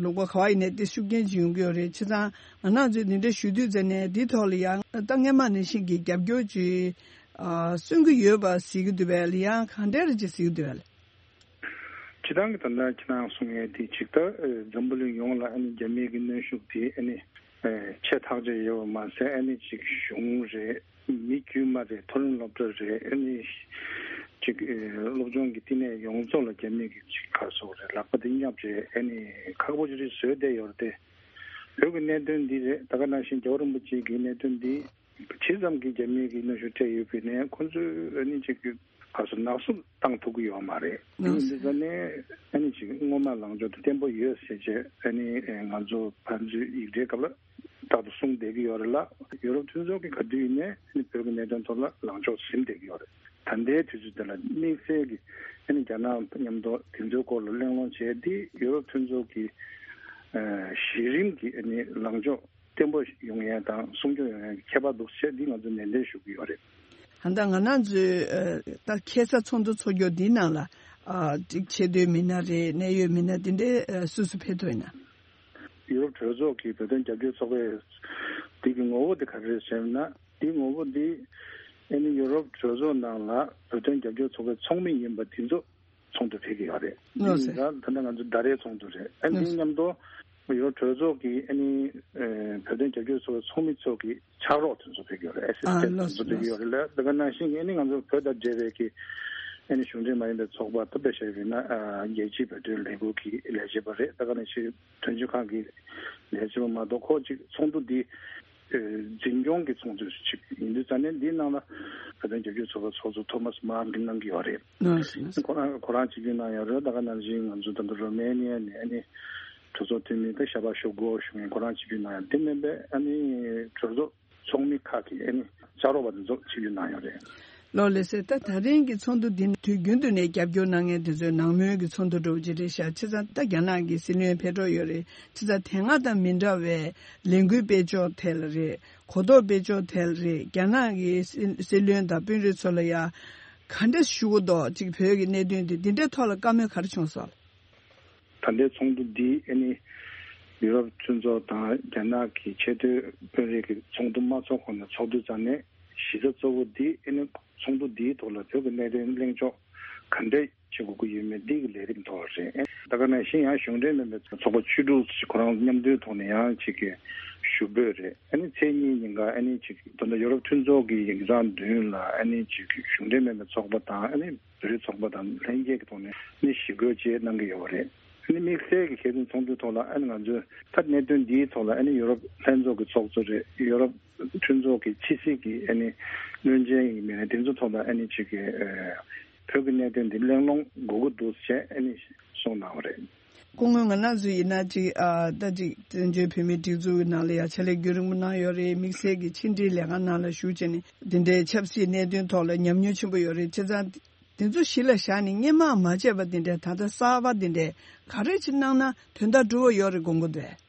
ལུང་པ་ག་བ་ཡིན་ནའི་དེ་ཤུགས་རྐྱེན་ཅིག་ཡོང་གི་ཡོད་རེད། བྱས་ཙང་ང་རང་ཚོས་འདི་འདྲ་ཞུ་དུས་ཙང་ནས། འདིའི་ཐོག་ལ་ཡང་ད་སྔོན་མ་ནང་བཞིན་གྱི་རྒྱབ་སྐྱོར་ཅིག་ཨ་སོན་གྱི་ཡོད་པ་གཟིགས་ཀྱི་འདུག་པས་ལ། ཡང་གང་འདྲ་རེ་ཅིག་གཟིགས་ཀྱི་འདུག་པས་ལ། སྤྱིར་བཏང་གི་ད་ལྟ་ཁྱེད་རང་གསུང་ཡས་དེ་ཅིག་ད་ཨ་འཛམ་བུ་གླིང་ཡོངས་ལ་ཨ་ནི་རྒྱ་མིའི་གི་གནོན་ཤུགས་དེ་ཨ་ནི་ཨ་ཆེ་ཐག་ཆོད་ཡོད་པ་མ་ཟད། ཨ་ནི་ཅིག་གཞུང་རེད། མི་དཀྱུས་མ་རེད། མཐོ་རིམ་སློབ་གྲྭ་རེད། ཨ་ནི་ཅིག་ཨ་སློབ་སྦྱོང་གི་བསྟི་གནས་ཡོངས་རྫོགས་ལ་རྒྱ་མིའི་གི་ཅིག་ག་རེ་ཟེར་དགོས་རེད། ལག་པ་དེ་བསྙབས་རེད། ཨ་ནི་ཁག་པོ་ཅིག་རེ་བཟོས་བསྡད་ཡོད་རེད་དེ། བོད་ཀྱི་གནད་དོན་འདི་རེད། ད་ག་ནང་བཞིན་རྒྱལ་བ་རིན་པོ་ཆེ་གི་གནད་དོན་འདི་ཇི་ཙམ་གྱིས་རྒྱ་མིའི་གི་གནོན་ཤུགས་སྤྲད་ཡོད་པའི་ནས་ཁོང་ཚོས་ཨ་ནི་ཅིག་ ག་སོ་ནག་སུབ་བཏང་ཐུབ་ཀྱི་ཡོད་མ་རེད། དེ་ཡིན་དུས་ཙ་ནས་ཨ་ནི་ཅིག་སྔོན་མ་ལངས་ཕྱོགས་དེ་བརྟན་པོ་ཡོད་ཟེར་བྱས་ཨ་ནི་ང་ཚོ་ཕན་ཚུན་ཡིག་ཕྲའི་སྐབས་ལ་རྟག་ཏུ་གསུངས་བསྡད་ཀྱི་ཡོད་རེད་ལ། ཡུ་རོབ་མཐུན་ཚོགས་ཀྱིས་ག་དུས་ཡིན་ནའི་ཨ་ནི་བོད་ཀྱི་གནད་དོན་ཐོག་ལ་ལངས་ཕྱོགས་ཟིན་བསྡད་ཀྱི་ཡོད་རེད། ད་ལྟའི་དུས་ཚོད་འདི་ལ་དམིགས་བསལ་གྱི་ཨ་ནི་རྒྱ་ནག་མཉམ་དུ་དེ་ཚོའི་སྐོར་ལ་གླེང་སློང་བྱས་ཏེ་ཡུ་རོབ་མཐུན་ཚོགས་ཀྱི་ཨ་གཞི་རིམ་གྱི་ཨ་ནི་ལངས་ཕྱོགས་བརྟན་པོ་ཡོང་ཡས་དང་སྲུང་སྐྱོང་ཡོང་ཡས་ཀྱི་ཁྱད་པར་འདུག་ཟེར་འདི་ང་ཚོས་ནན་ཏན་ཞུ་གི་ཡོད་རེད། ད་ལྟ་ང་རང་ཚོའི་ད་ཁ་སང་ཚོགས་འདུ་ཚོགས་རྒྱུ་འདིའི་ནང་ལ་ཅིག་ཆེས་མཐོའི་མི་སྣ་རེད། གནད་ཡོད་མི་སྣ་འདི་འདྲའི་སུ་སུ་ཕེབས་ཐུབ་ཡིན་ན། ཡུ་རོབ་གྲོས་ཚོགས་ཀྱི་བོད་དོན་རྒྱབ་སྐྱོར་ཚོགས་པའི་འདི་གི་ངོ་བོ་འདི་ག་རེ་རེད་ཟེར་ན། འདི་ངོ་བོ་འདི་ཨ་ནི་ཡུ་རོབ་གྲོས་ཚོགས་ནང་ལ་བོད་དོན་རྒྱབ་སྐྱོར་ཚོགས་པའི་ཚོགས་མི་ཡིན་པ་འདི་ཚོ་ཚོགས་འདུ་ཕེབས་ཀྱི་ཡོད་རེད། ལགས་སོ། ད་ད་ལྟ་ང་ཚོ་ཟླ་རེའི་ཚོགས་འདུ་རེད། ཨ་ནི་ལགས་སོ། མཉམ་དུ་ཡུ་རོབ་གྲོས་ཚོགས་ཀྱི་ཨ་ནི་ཨ་བོད་དོན་རྒྱབ་སྐྱོར་ཚོགས་པའི་ཚོགས་མི་ཚོ་གི་ཕྱག་རོགས་དེ་ཚོ་ཕེབས་ཀྱི་ཡོད་རེད། ཨེ་སི་སི་ཨ་ཊེན་ཊི་ལགས་དེ་ཚོ་སོ་ཕེབས་ཀྱི་ལགས་སོ། ཡོད་རེད་ལ། དེ་ག་ནང་བཞིན་གྱི་ཨ་ནི་ང་ཚོ་བོད་དང་འབྲེལ་བའི་གི་ཨ་ནི་གཞུང་འབྲེལ་མ་ཡིན་པའི་ཚོགས་པ་ད་དཔེ་བཞག་པ་ཡིན་ན་ཨ་རྒྱལ་སྤྱིའི་བོད་དོན་ལས་འགུལ་གྱི་ལས་བྱེད་པ་རེད། དེ་ག་ནང་བཞིན་དོན་གཅོད་ཁང་གི་ལས་བྱེད་པ་མ་གཏོགས་ཁོ་གཅིག་ཚོགས་འདུ་འདི་ཨ་འཛིན་སྐྱོང་གི་ཚོགས་འདུ་ཞིག་ཡིན་དུས་ཙ་ནས་འདིའི་ནང་ལ་བོད་དོན་རྒྱབ་སྐྱོར་ཚོགས་པ་ཚོགས་གཙོ་ཐོ་མཱས་མཱན་གྱིས་གནང་གི་ཡོད་རེད། ལགས་སོ། ཁོ་རང་ཁོ་རང་ཆིབས་བསྒྱུར་གནང་ཡོད་རེད། དེ་ག་ནང་བཞིན་ང་ཚོ་ད་ལྟ་རོ་མེ་ནི་ཡ་ནས་ཨ་ནི་གྲོས་ཚོགས་འཐུས་མི་ད་ཤ་པ་ཤོ་གོ་ཞུ་མཁན་ཁོ་རང་ཆིབས་བསྒྱུར་གནང་ཡོད། དེ་མིན་པའི་ཨ་ནི་གྲོས་ཚོགས་ཚོགས་མི་ཁག་གི་ཨ་ནི་ཕྱག་རོགས་པ་དེ་ཚོ་ཆིབས་བསྒྱུར་གནང་ཡོད་རེད། ལགས་ལགས་སོ། ད་ད་རིང་གི་ཚོགས་འདུ་འདི་ནི་དུས་རྒྱུན་དུ་ནས་རྒྱབ་སྐྱོར་གནང་མཁན་དེ་ཚོའི་ནང་མོལ་གྱི་ཚོགས་འདུ་འདྲ་བོ་ཅིག་རེད་ཤག་བྱས་ཙང་ད་རྒྱ་ནག་གི་སྲིད་བློན་ཕེབས་འགྲོ་ཡོད་རེད། བྱས་ཙང་དེ་སྔ་དང་མི་འདྲ་བའི་ལས་འགུལ་སྤེལ་ཕྱོགས་ཐད་ལ་རེད། གོ་རྟོགས་སྤེལ་ཕྱོགས་ཐད་ལ་རེད། རྒྱ་ནག་གི་སྲིད་སྲིད་བློན་དང་དཔོན་རིགས་ཚོ་ལ་ཡ་ག་འདྲ་ཞུ་གི་འདུག་ཅིག་བོད་ཀྱི་གནད་དོན་དེ་འདི་འདྲའི་ཐོག་ལ་བཀའ་མོལ་ག་རེ་བྱུང་སོང་། ད་ལྟའི་ཚོགས་འདུ་འདི་ཨ་ནི་ཡུ་རོབ་མཐུན་ཚོགས་དང་རྒྱ་ནག་གི་ཆེས་མཐོའི་དཔོན་རིགས་ཀྱི་ཚོགས་འདུ་མ་ཚོགས་གོང་ནས་ཚོགས་དུས་ཙམ་ནས་གཞི་རྩ་གཙོ་བོ་འདི་ཨ་ནི་ཚོགས་འདུ་འདིའི་ཐོག་ལ་བོད་ཀྱི་གནད་དོན་གླེང་ཕྱོགས་ག་འདྲས་བྱེད་དགོས་ཀྱི་ཡོད་མེད་འདི་གི་ལས་རིམ་ཐོག་རེད། ད་ག་ནང་བཞིན་ཡང་གཞུང་འབྲེལ་མིན་པའི་ཚོགས་པ་བཅུ་དྲུག་ཅིག་ཁོ་རང་མཉམ་འདུས་ཐོག་ནས་ཡང་ཅིག་གི་ཞུ་འབོད་རེད། ཨ་ནི་ཚེས་གཉིས་ཉིན་ཀ་ཨ་ནི་ཅིག་ད་ལྟ་ཡུ་རོབ་མཐུན་ཚོགས་ཀྱི་ཡིག་ཚང་མདུན་ལ་ཨ་ནི་ཅིག་གཞུང་འབྲེལ་མིན་པའི་ཚོགས་པ་དང་ཨ་ནི་བོད་རིགས་ཚོགས་པ་དང་ལྷན་རྒྱས་ཀྱི་ཐོག་ནས་ནི་ཞི་རྒོལ་བཅས་གནང་གི་ཡོད་པ་རེད། ནི་དམིགས་བསལ་གྱི་ཁྱད་ཚོན་ཚོགས་འདུའི་ཐོག་ལ་ཨ་ནི་ང་ཚོས་ད་གནད་དོན་འདིའི་ཐོག་ལ་ཨ་ནི་ཡུ་རོབ་ལྷན་ཚོགས་ཀྱི་ཚོགས་གཙོ་རེད། ཡུ་རོབ་མཐུན་ཚོགས་ཀྱི་ཕྱི་སྲིད་ཀྱི་ཨ་ནི་བློན་ཆེན་ཡིན་མིན་དེ་ཚོ་ཐོག་ལ་ཨ་ནི་ཅིག་གི་ཨ་བོད་ཀྱི་གནད་དོན་འདི་གླེང་སློང་དགོས་ཀྱི་འདུག་ཅེས་ཨ་ནི་གསུངས་གནང་བ་རེད། སྐུ་ངོ་ང་རང་ཚོ་ཡིན་ན་ཅིག་ཨ་ད་ཅིག་བཙན་བྱོལ་བོད་མིའི་སྒྲིག་འཛུགས་ཀྱི་ནང་ལ་ཡ་ཕྱག་ལས་རྒྱུན་རིང་པོ་གནང་ཡོད་རེད། དམིགས་བསལ་གྱི་ཕྱི་འབྲེལ་ལས་ཁང་ནང་ལ་ཞུགས་བྱས་ནས་འདི་འདྲའི་ཆབ་སྲིད་གནད་དོན་ཐོག་ལ་ཉམས་མྱོང་ཆེན་པོ་ཡོད་རེད། བྱས་ཙང་། དེ་ཚོ་གཞི་ལ་བཞག་ནས་སྔོན་མ་མ་བྱས་པ་དེ་འདྲས་ད་ལྟ་གསར་པ་དེ་འདྲས་ག་རེ་ཅིག་གནང་ན་དོན་དག་འགྲུབ་པ་ཡོད་རེད་དགོངས་ཀྱི་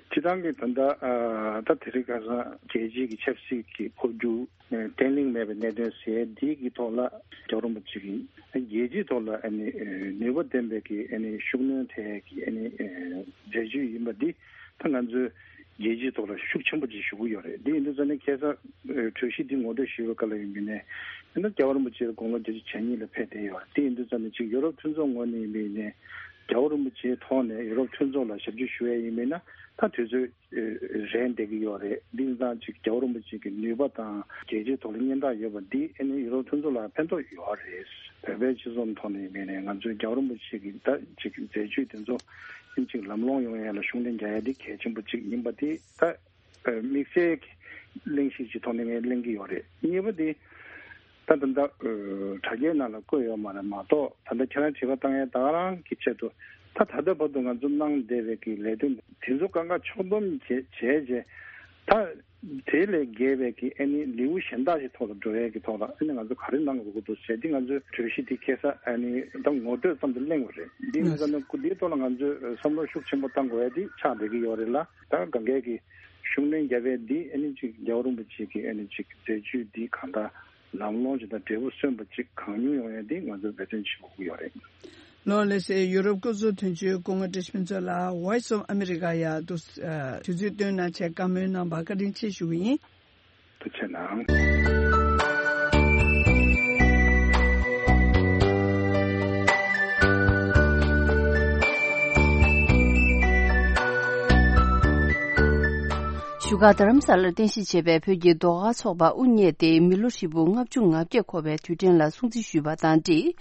འདུག་སྤྱིར་བཏང་གི་ད་ལྟ་ཨ་ད་དེ་རིང་ཁ་སང་རྒྱལ་སྤྱིའི་གི་ཆབ་སྲིད་ཀྱི་འཕོ་འགྱུར་བརྟན་ལྷིང་མེད་པའི་གནད་དོན་ཟེར་འདི་གི་ཐོག་ལ་རྒྱལ་བ་རིན་པོ་ཆེ་གིས་རྒྱལ་སྤྱིའི་ཐོག་ལ་ཨ་ནི་ནུས་པ་ལྡན་པའི་གི་ཨ་ནི་ཤུགས་སྣོན་ཐེབས་ཀྱི་ཨ་ནི་མཛད་ཇུས་ཡིན་པ་འདི་ད་ང་ཚོས་རྒྱལ་སྤྱིའི་ཐོག་ལ་ཤུགས་ཆེན་པོ་ཅིག་ཞུ་གི་ཡོད་རེད། འདི་ཡིན་དུས་ཙང་ནས་ཁ་སང་གྲོས་གཞི་འདི་ངོ་སྤྲོད་ཞུས་པའི་སྐབས་ལ་ཡིན་པ་ཡིན་ནའི་ཡིན་ན་རྒྱལ་བ་རིན་པོ་ཆེ་དགུང་ལོ་བརྒྱད་ཅུ་གྱ་གཉིས་ལ་ཕེབས་བསྡད་ཡོད་རེད། འདི་ཡིན་དུས་ཙང་ནས་ཅིག་ཡོ་རོབ་མཐུན་ཚོགས་ངོས་ནས་ཡིན་པ་ཡིན་ནའི་རྒྱལ་བ་རིན་པོ་ཆེའི་ཐོག་ནས་ཡོ་རོབ་མཐུན་ཚོགས་ལ་ཞབས་ཕྱི་ཞུ་ཡས་ཡིན་པ་ཡིན་ན་ད་དུས་ཚོད་རན་བསྡད་ཀྱི་ཡོད་རེད། འདི་ཡིན་ཙང་ཅིག་རྒྱལ་བ་རིན་པོ་ཆེ་གི་ནུས་པ་དང་རྒྱལ་སྤྱིའི་ཐོག་ལ་སྙན་གྲགས་ཡོད་པ་འདི་ཨ་ནི་ཡོ་རོབ་མཐུན་ཚོགས་ལ་ཕན་ཐོགས་ཡོད་རེད། བོད་པའི་སྤྱི་ཚོགས་ཐོག་ནས་ཡིན་པ་ཡིན་ནའི་ང་ཚོའི་རྒྱལ་བ་རིན་པོ་ཆེ་གི་ད་ཅིག་མཛད་ཇུས་དེ་ཚོ་ཨ་ནི་ཅིག་ལམ་ལྷོང་ཡོང་ཡས་ལ་ཤུགས་སྣོན་རྒྱག་ཡས་འདི་གལ་ཆེན་པོ་ཅིག་ཡིན་པ་འདི་ད། དམིགས་བསལ་གྱི་གླེང་གཞི་ཅིག་ཐོག་ནས་ངས་གླེང་གི་ཡོད་རེད། གཉིས་པ་དེ་ད་ད་ལྟ་དྲ་རྒྱའི་ནང་ལ་བཀོད་ཡོད་མ་རེད་མ་གཏོགས་ད་ལྟ་ཁྱེད་རང་དྲི་བ་བཏང་ཡས་ད་ག་རང་གི་ཆེད་དུ་ད་ད་ལྟ་བར་དུ་ང་ཚོ་གནང་བསྡད་པའི་གི་ལས་དོན་དེ་ཚོ་གང་ག་ཕྱོགས་བསྡོམས་བྱས་བྱས་རྗེས་ད་དེ་ལས་བརྒལ་བའི་གི་ཨ་ནི་ལེའུ་གཞན་དག་ཅིག་ཐོག་ལ་འགྲོ་ཡས་ཀྱི་ཐོག་ལ་ཨ་ནི་ང་ཚོ་ག་རེ་གནང་དགོས་ཀྱི་འདུག་ཟེར་དེ་ང་ཚོའི་གྲོས་གཞི་དེ་ཁ་སང་ཨ་ནི་ད་ངོ་སྤྲོད་ཙམ་དུ་གླེང་བ་རེད། འདི་ཡིན་ཙང་ནི་སྐུ་དེའི་ཐོག་ལ་ང་ཚོས་བསམ་བློ་ཤུགས་ཆེན་པོ་བཏང་དགོས་ཡས་དེ་ཆགས་བསྡད་ཀྱི་ཡོད་རེད་ལ། ད་གང་གས་ཀྱི་ཤུགས་སྣོན་བརྒྱབ་པས་འདི་ཨ་ནི་ཅིག་རྒྱལ་བ་རིན་པོ་ཆེ་གི་ཨ་ནི་ཅིག་མཛད་ཇུས་འདི་གང་ལྟར་ལམ་ལྷོང་ཅིག་དང་འབྲས་བུ་སོན་པ་ཅིག་གང་མྱུར་ཡོང་ཡ་འདི་ང་ཚོས་འབད་བརྩོན་བྱེད་དགོས་ཀྱི་ཡོད་རེད། ལགས་ལགས་སེ། ཡུ་རོབ་སྐུ་ཚབ་དོན་གཅོད་སྐུ་ངོ་བཀྲ་ཤིས་ཕུན་ཚོགས་ལགས་Voice of America ཡ་དུ་དུས་ཚོད་བཏོན་གནང་བྱས་བཀའ་མོལ་གནང་བར་བཀའ་དྲིན་ཆེ་ཞུ་གི་ཡིན། ཐུགས་རྗེ་གནང་། བཞུགས་སྒར་རྡ་རམ་ས་ལར་རྟེན་གཞི་བྱས་པའི་བོད་ཀྱི་ཟློས་གར་ཚོགས་པ་དབུ་བརྙེས་ཏེ་མི་ལོ་ཧྲིལ་པོ་ལྔ་བཅུ་ང་བརྒྱད་འཁོར་བའི་དུས་དྲན་ལ་སྲུང་བརྩི་ཞུས་པ་དང་འབྲེལ།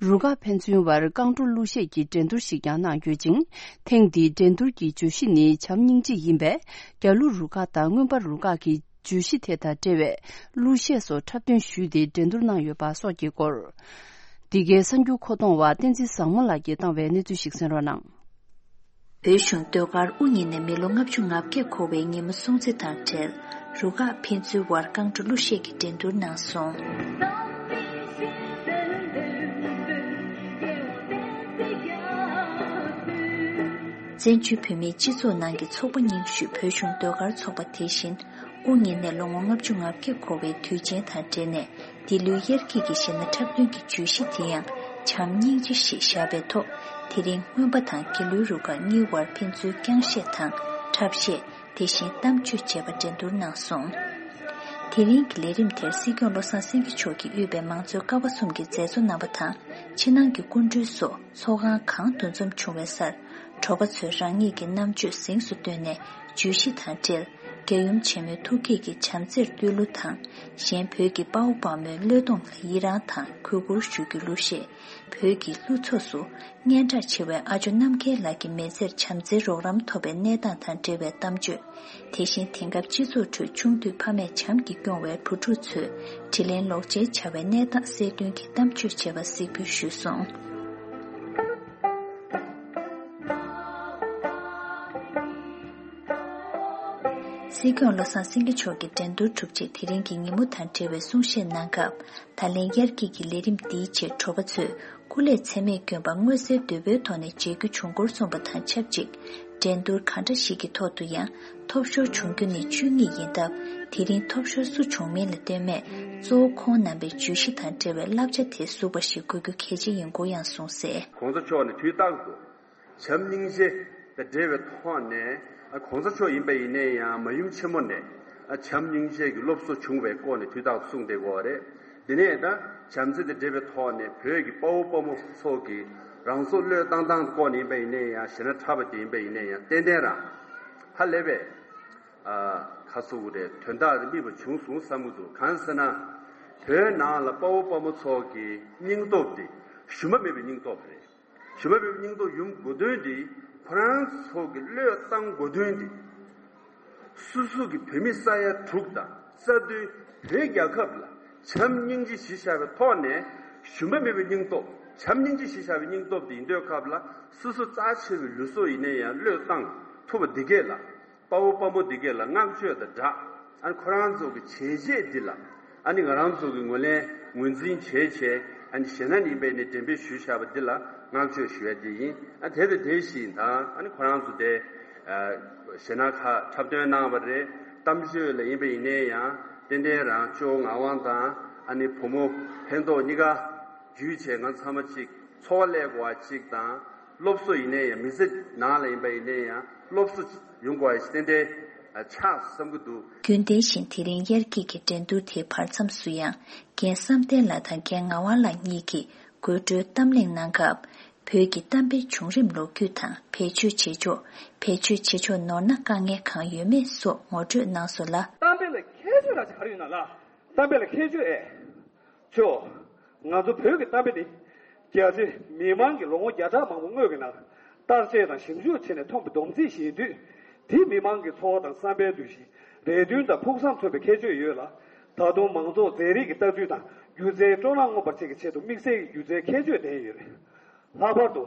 རུ་ཁག་ཕན་ཚུན་བར་རྐང་བྲོ་གླུ་གཞས་ཀྱི་འགྲན་བསྡུར་ཞིག་ཀྱང་གནང་ཡོད་ཅིང་། ཐེངས་འདིའི་འགྲན་བསྡུར་གྱི་བརྗོད་གཞི་ནི་བྱམས་སྙིང་རྗེ་ཡིན་པས། རྒྱ་ལུ་རུ་ཁག་དང་མངོན་པ་རུ་ཁག་གི་ བརྗོད་གཞི་དེ་དང་འབྲེལ་བའི་གླུ་གཞས་སོགས་འཁྲབ་སྟོན་ཞུས་ཏེ་འགྲན་བསྡུར་གནང་ཡོད་པ་སོགས་ཀྱི་སྐོར། འདི་གའི་གསར་འགྱུར་མཁོ་གཏོང་བ་བསྟན་འཛིན་བཟང་མོ་ལགས་ཀྱིས་བཏང་བའི་གནས་ཚུལ་ཞིག་གསན་རོགས་གནང་། བོད་གཞུང་ཟློས་གར་དབུ་བརྙེས་ནས་མི་ལོ་ལྔ་བཅུ་ང་བརྒྱད་འཁོར་བའི་ཉིན་མོ་སྲུང་བརྩི་དང་འབྲེལ། རུ་ཁག་ཕན་ཚུན་དབར་རྐང་བྲོ་གླུ་གཞས་ཀྱི་འགྲན་བསྡུར་གནང་སོང་། བཙན་བྱོལ་བོད་མིའི་སྤྱི་ཚོགས་ནང་གི་ཚོགས་པ་རྙིང་ཤོས་བོད་གཞུང་ཟློས་གར་ཚོགས་པ་དེ་བཞིན་དབུ་བརྙེས་ནས་ལོ་ངོ་ལྔ་བཅུ་ང་བརྒྱད་འཁོར་བའི་དུས་ཆེན་དང་འབྲེལ་ནས། འདི་ལོའི་དབྱར་སྐྱིད་ཀྱི་གཞས་སྣ་འཁྲབ་སྟོན་གྱི་བརྗོད་གཞི་དེ་ཡང་བྱམས་སྙིང་རྗེ་ཞེས་བཞག་པའི་ཐོག་དེ་རིང་རྔོན་པ་དང་དགེ་ལུགས་རུ་ཁག་གཉིས་དབར་ཕན་ཚུན་རྐྱང་གཞས་དང་འཁྲབ་གཞས། དེ་བཞིན་གཏམ་བརྗོད་བཅས་པ་འགྲན་བསྡུར་གནང་སོང་། དེ་རིང་གི་ལས་རིམ་དེར་སྲིད་སྐྱོང་བློ་བཟང་སེང་གེ་མཆོག་གིས་དབུས་པའི་མང་གཙོའི་ཀ་བ་གསུམ་གྱི་མཛད་གཙོ་རྣམ་པ་དང་ཕྱི་ནང་གི་སྐུ་མགྲོན་སོགས་ཚོགས་ཁང་གང་འདུ་འཛོམས་བྱུང་བའི་སར། དྲོ་པ་ཚོས་རང་ཉིད་ཀྱི་རྣམ་དཔྱོད་གཟེངས་སུ་བཏོན་ནས་བརྗོད་གཞི་དང་འབྲེལ། རྒྱལ་ཡུམ་ཆེན་མོའི་ཐུགས་བསྐྱེད་ཀྱི་བྱམས་བརྩེར་བསྟོད་གླུ་དང་། གཞན་བོད་ཀྱི་དཔའ་བོ་དཔའ་མོའི་བློས་གཏོང་ལ་ཡི་རངས་དང་གུས་བཀུར་ཞུ་རྒྱུའི་གླུ་གཞས། བོད་ཀྱི་གླུ་ཚོགས་སུ་སྙན་གྲགས་ཆེ་བའི་ཨ་ཇོ་རྣམ་རྒྱལ་ལགས་ཀྱི་མི་ཚེར་བྱམས་བརྩེའི་རོགས་རམ་ཐོབ་པའི་གནས་སྟངས་དང་འབྲེལ་བའི་གཏམ་བརྗོད། དེ་བཞིན་དེང་སྐབས་སྤྱི་ཚོགས་ཁྲོད་ཆུང་དུས་ཕ་མས་བྱམས་ཀྱིས་སྐྱོང་བའི་བུ་ཕྲུག་ཚོས་དྲིན་ལན་ལོག་འཇལ་བྱ་བའི་གནས་སྟངས་གསལ་སྟོན་གྱི་གཏམ་བརྗོད་བྱས་པ་གཟིགས་འབུལ་ཞུས་སོང་། སྲིད་སྐྱོང་བློ་བཟང་སེང་གེ་མཆོག་གིས་འགྲན་བསྡུར་གྲུབ་རྗེས་དེ་རིང་གི་ཉིན་མོ་དང་འབྲེལ་བའི་གསུང་བཤད་གནང་སྐབས། ད་ལན་དབྱར་སྐྱིད་ཀྱི་ལས་རིམ་འདིའི་ཆེད་དྲོ་པ་ཚོས་སྐུ་ལས་ཚད་མེད་བསྐྱོན་པ་མངོན་གསལ་དོད་པོའི་ཐོག་ནས་མཇལ་རྒྱུ་བྱུང་སྐོར་གསུངས་པ་དང་ཆབས་ཅིག་འགྲན་བསྡུར་གང་འདྲ་ཞིག་གི་ཐོག་ཏུ་ཡང་ཐོབ་ཤོར་བྱུང་རྒྱུ་ནི་བཅུ་གཉིས་ཡིན་སྟབས། དེ་རིང་ཐོབ་ཤོར་སུ་བྱུང་མིན་ལ་ལྟོས་མེད་གཙོ་བོ་ཁོང་རྣམ་པའི་བརྗོད་གཞི་དང་འབྲེལ་བའི་བསླབ་བྱ་དེ་ཟུག་པ་ཞིག་དགོས་རྒྱུ་གལ་ཆེ་ཡིན་སྐོར་ཡང་གསུངས་གསལ། གོང་ས་མཆོག་ནས་དུས་རྟག་ཏུ་བྱམས་སྙིང་རྗེ་དང་འབྲེལ་བའི་ཐོག་ནས། ཨ། གོང་ས་མཆོག་ཡིན་པ་ཡིན་ནའི་ཡང་མ་ཡུམ་ཆེན་མོ་ནས། ཨ། བྱམས་སྙིང་རྗེ་གི་སློབ་གསོ་བྱུང་བའི་སྐོར་ནས་དུས་རྟག་ཏུ་གསུངས་བསྡད་ཡོད་རེད། དེ་ནས་ད་བྱམས་བརྩེ་དང་འབྲེལ་བའི་ཐོག་ནས་བོད་ཀྱི་དཔའ་བོ་དཔའ་མོ་ཚོ་གི་རང་སྲོག་བློས་བཏང་སྟངས་སྐོར་ནས་ཡིན་པ་ཡིན་ནའི་ཡང་གཞས་སྣ་འཁྲབ་པ་དེ་ཡིན་པ་ཡིན་ནའི་ཡང་ཏན་ཏན་རང་ཧ་ལས་པའི། ཨ། ཁ་སོ་གི་རེད། དོན་དག་རེ་དམིགས་པ་བྱུང་སོང་བསམ་གྱི་འདུག་གང་ཟེར་ན། བོད་ནང་ལ་དཔའ་བོ་དཔའ་མོ་ཚོ་གི་སྙིང་སྟོབས་དེ་ཞུམ་པ་མེད་པའི་སྙིང་སྟོབས་རེད། ཞུམ་པ་མེད་པའི་སྙིང་སྟོབས་ཡོང་དགོས་དོན་དེ། ཁོ་རང་ཚོ་གི་བློས་བཏང་དགོས་དོན་དེ། སོ་སོ་གི་བོད་མི་ས་ཡ་དྲུག་དང་རྩ་དོན་བོད་རྒྱལ་ཁབ་ལ་བྱམས་སྙིང་རྗེ་གཞི་བཞག་པའི་ཐོག་ནས། ཞུམ་པ་མེད་པའི་སྙིང་སྟོབས། བྱམས་སྙིང་རྗེ་གཞི་བཞག་པའི་སྙིང་སྟོབས་དེ་ཡིན་དུས་སྐབས་ལ། སོ་སོ་རྩ་ཆེ་བའི་ལུས་སྲོག་ཡིན་ན་ཡང་བློས་བཏང་ཐུབ་པ་འདི་གས་ལ། དཔའ་བོ་དཔའ་མོ་འདི་གས་ལ་བསྔགས་བརྗོད་དང་སྦྲགས། ཨ་ནི་ཁོ་རང་ཚོ་གི་བྱས་རྗེས་འདི་ལ། ཨ་ནི་ང་རང་ཚོ་གི་ངོས་ལེན་ངོས་འཛིན་བྱས་བྱས། ཨ་ནི་གཞས་སྣ་ཡིན་པའི་ནི་འགྲེམས་སྤེལ་ཞུས་བཞག་པ་འདི་ལ་བསྔགས་བརྗོད་ཞུ་ཡ་འདི་ཡིན། ཨ། དེ་དང་དེ་བཞིན་དང་། ཨ་ནི་ཁོ་རང་ཚོ་དེ། ཨ། གཞས་སྣ་ཁག་འཁྲབ་སྟོན་གནང་བ་རེད། གཏམ་བརྗོད་ལ་ཡིན་པ་ཡིན་ནའི་ཡང་ཏན་ཏན་རང་ཅོ་ངག་དབང་དང་། ཨ་ནི་བུ་མོ་ཕན་ཐོགས་གཉིས་ཀ་བརྒྱུད་བྱས་ང་ཚང་མ་གཅིག་འཚོ་བ་ལས་དགོས་པ་གཅིག་དང་། སློབ་གསོ་ཡིན་ནའི་ཡང་མི་ཚེ་ནང་ལ་ཡིན་པ་ཡིན་ནའི་ཡང་སློབ་གསོ་ཡོང་དགོས་པ་ཞིག་ཏན་ཏན་ཆགས་བསམ་གྱི་འདུག་རྒྱུན་ལྡན་བཞིན་དེ་རིང་དབྱར་སྐྱིད་ཀྱི་འགྲན་བསྡུར་དེའི་བར་མཚམས་སུ་ཡང་རྒན་བསམ་གཏན་ལགས་དང་རྒན་ངག་དབང་ལགས་གཉིས་ཀྱིས་དགོད་བྲོའི་གཏམ་གླེང་གནང་སྐབས། བོད་ཀྱི་གཏམ་དཔེ་བྱུང་རིམ་ལོ་རྒྱུས་དང་བེད་སྤྱོད་བྱེད་ཕྱོགས། བེད་སྤྱོད་བྱེད་ཕྱོགས་ནོར་ན་དཀའ་ངལ་གང་ཡོད་མེད་སོགས་ངོ་སྤྲོད་གནང་སོང་ལ། གཏམ་དཔེ་ལ་ཁྱད་ཆོས་ར་ཅིག་ག་རེ་ཡོད་ན་ལགས། གཏམ་དཔེ་ལ་ཁྱད་ཆོས་ཨེ། ཆོག་ང་ཚོ་བོད་ཀྱི་གཏམ་དཔེ་འདི། རྒྱ་ཆེ་མི་མང་གིས་ལོ་ངོ་བརྒྱ་ཕྲག་མང་པོ་སྔོན་གྱི་ནང་། བརྟག་དཔྱད་དང་ཞིབ་འཇུག་བྱས་ནས་ཐོན་པའི་སྡོམ་རྩིས་ཤིག་ཡིན་དུས། དེས་མི་མང་གི་འཚོ་བ་དང་བསམ་པའི་འདུ་ཤེས། རེ་འདུན་དང་ཕུགས་བསམ་མཚོན་པའི་ཁྱད་ཆོས་ཡོད་ལ། ད་དུང་མང་ཚོགས་མཛེས་རིག་གི་ལྟ་ཚུལ་དང་སྒྱུ་རྩལ་སྤྲོ་སྣང་མངོན་པར་བྱེད་ཀྱི་ཆེད་དུ་དམིགས་བསལ་གྱི་སྒྱུ་རྩལ་ཁྱད་ཆོས་ལྡན་ཡོད་རེད། ལྷག་པར་དུ།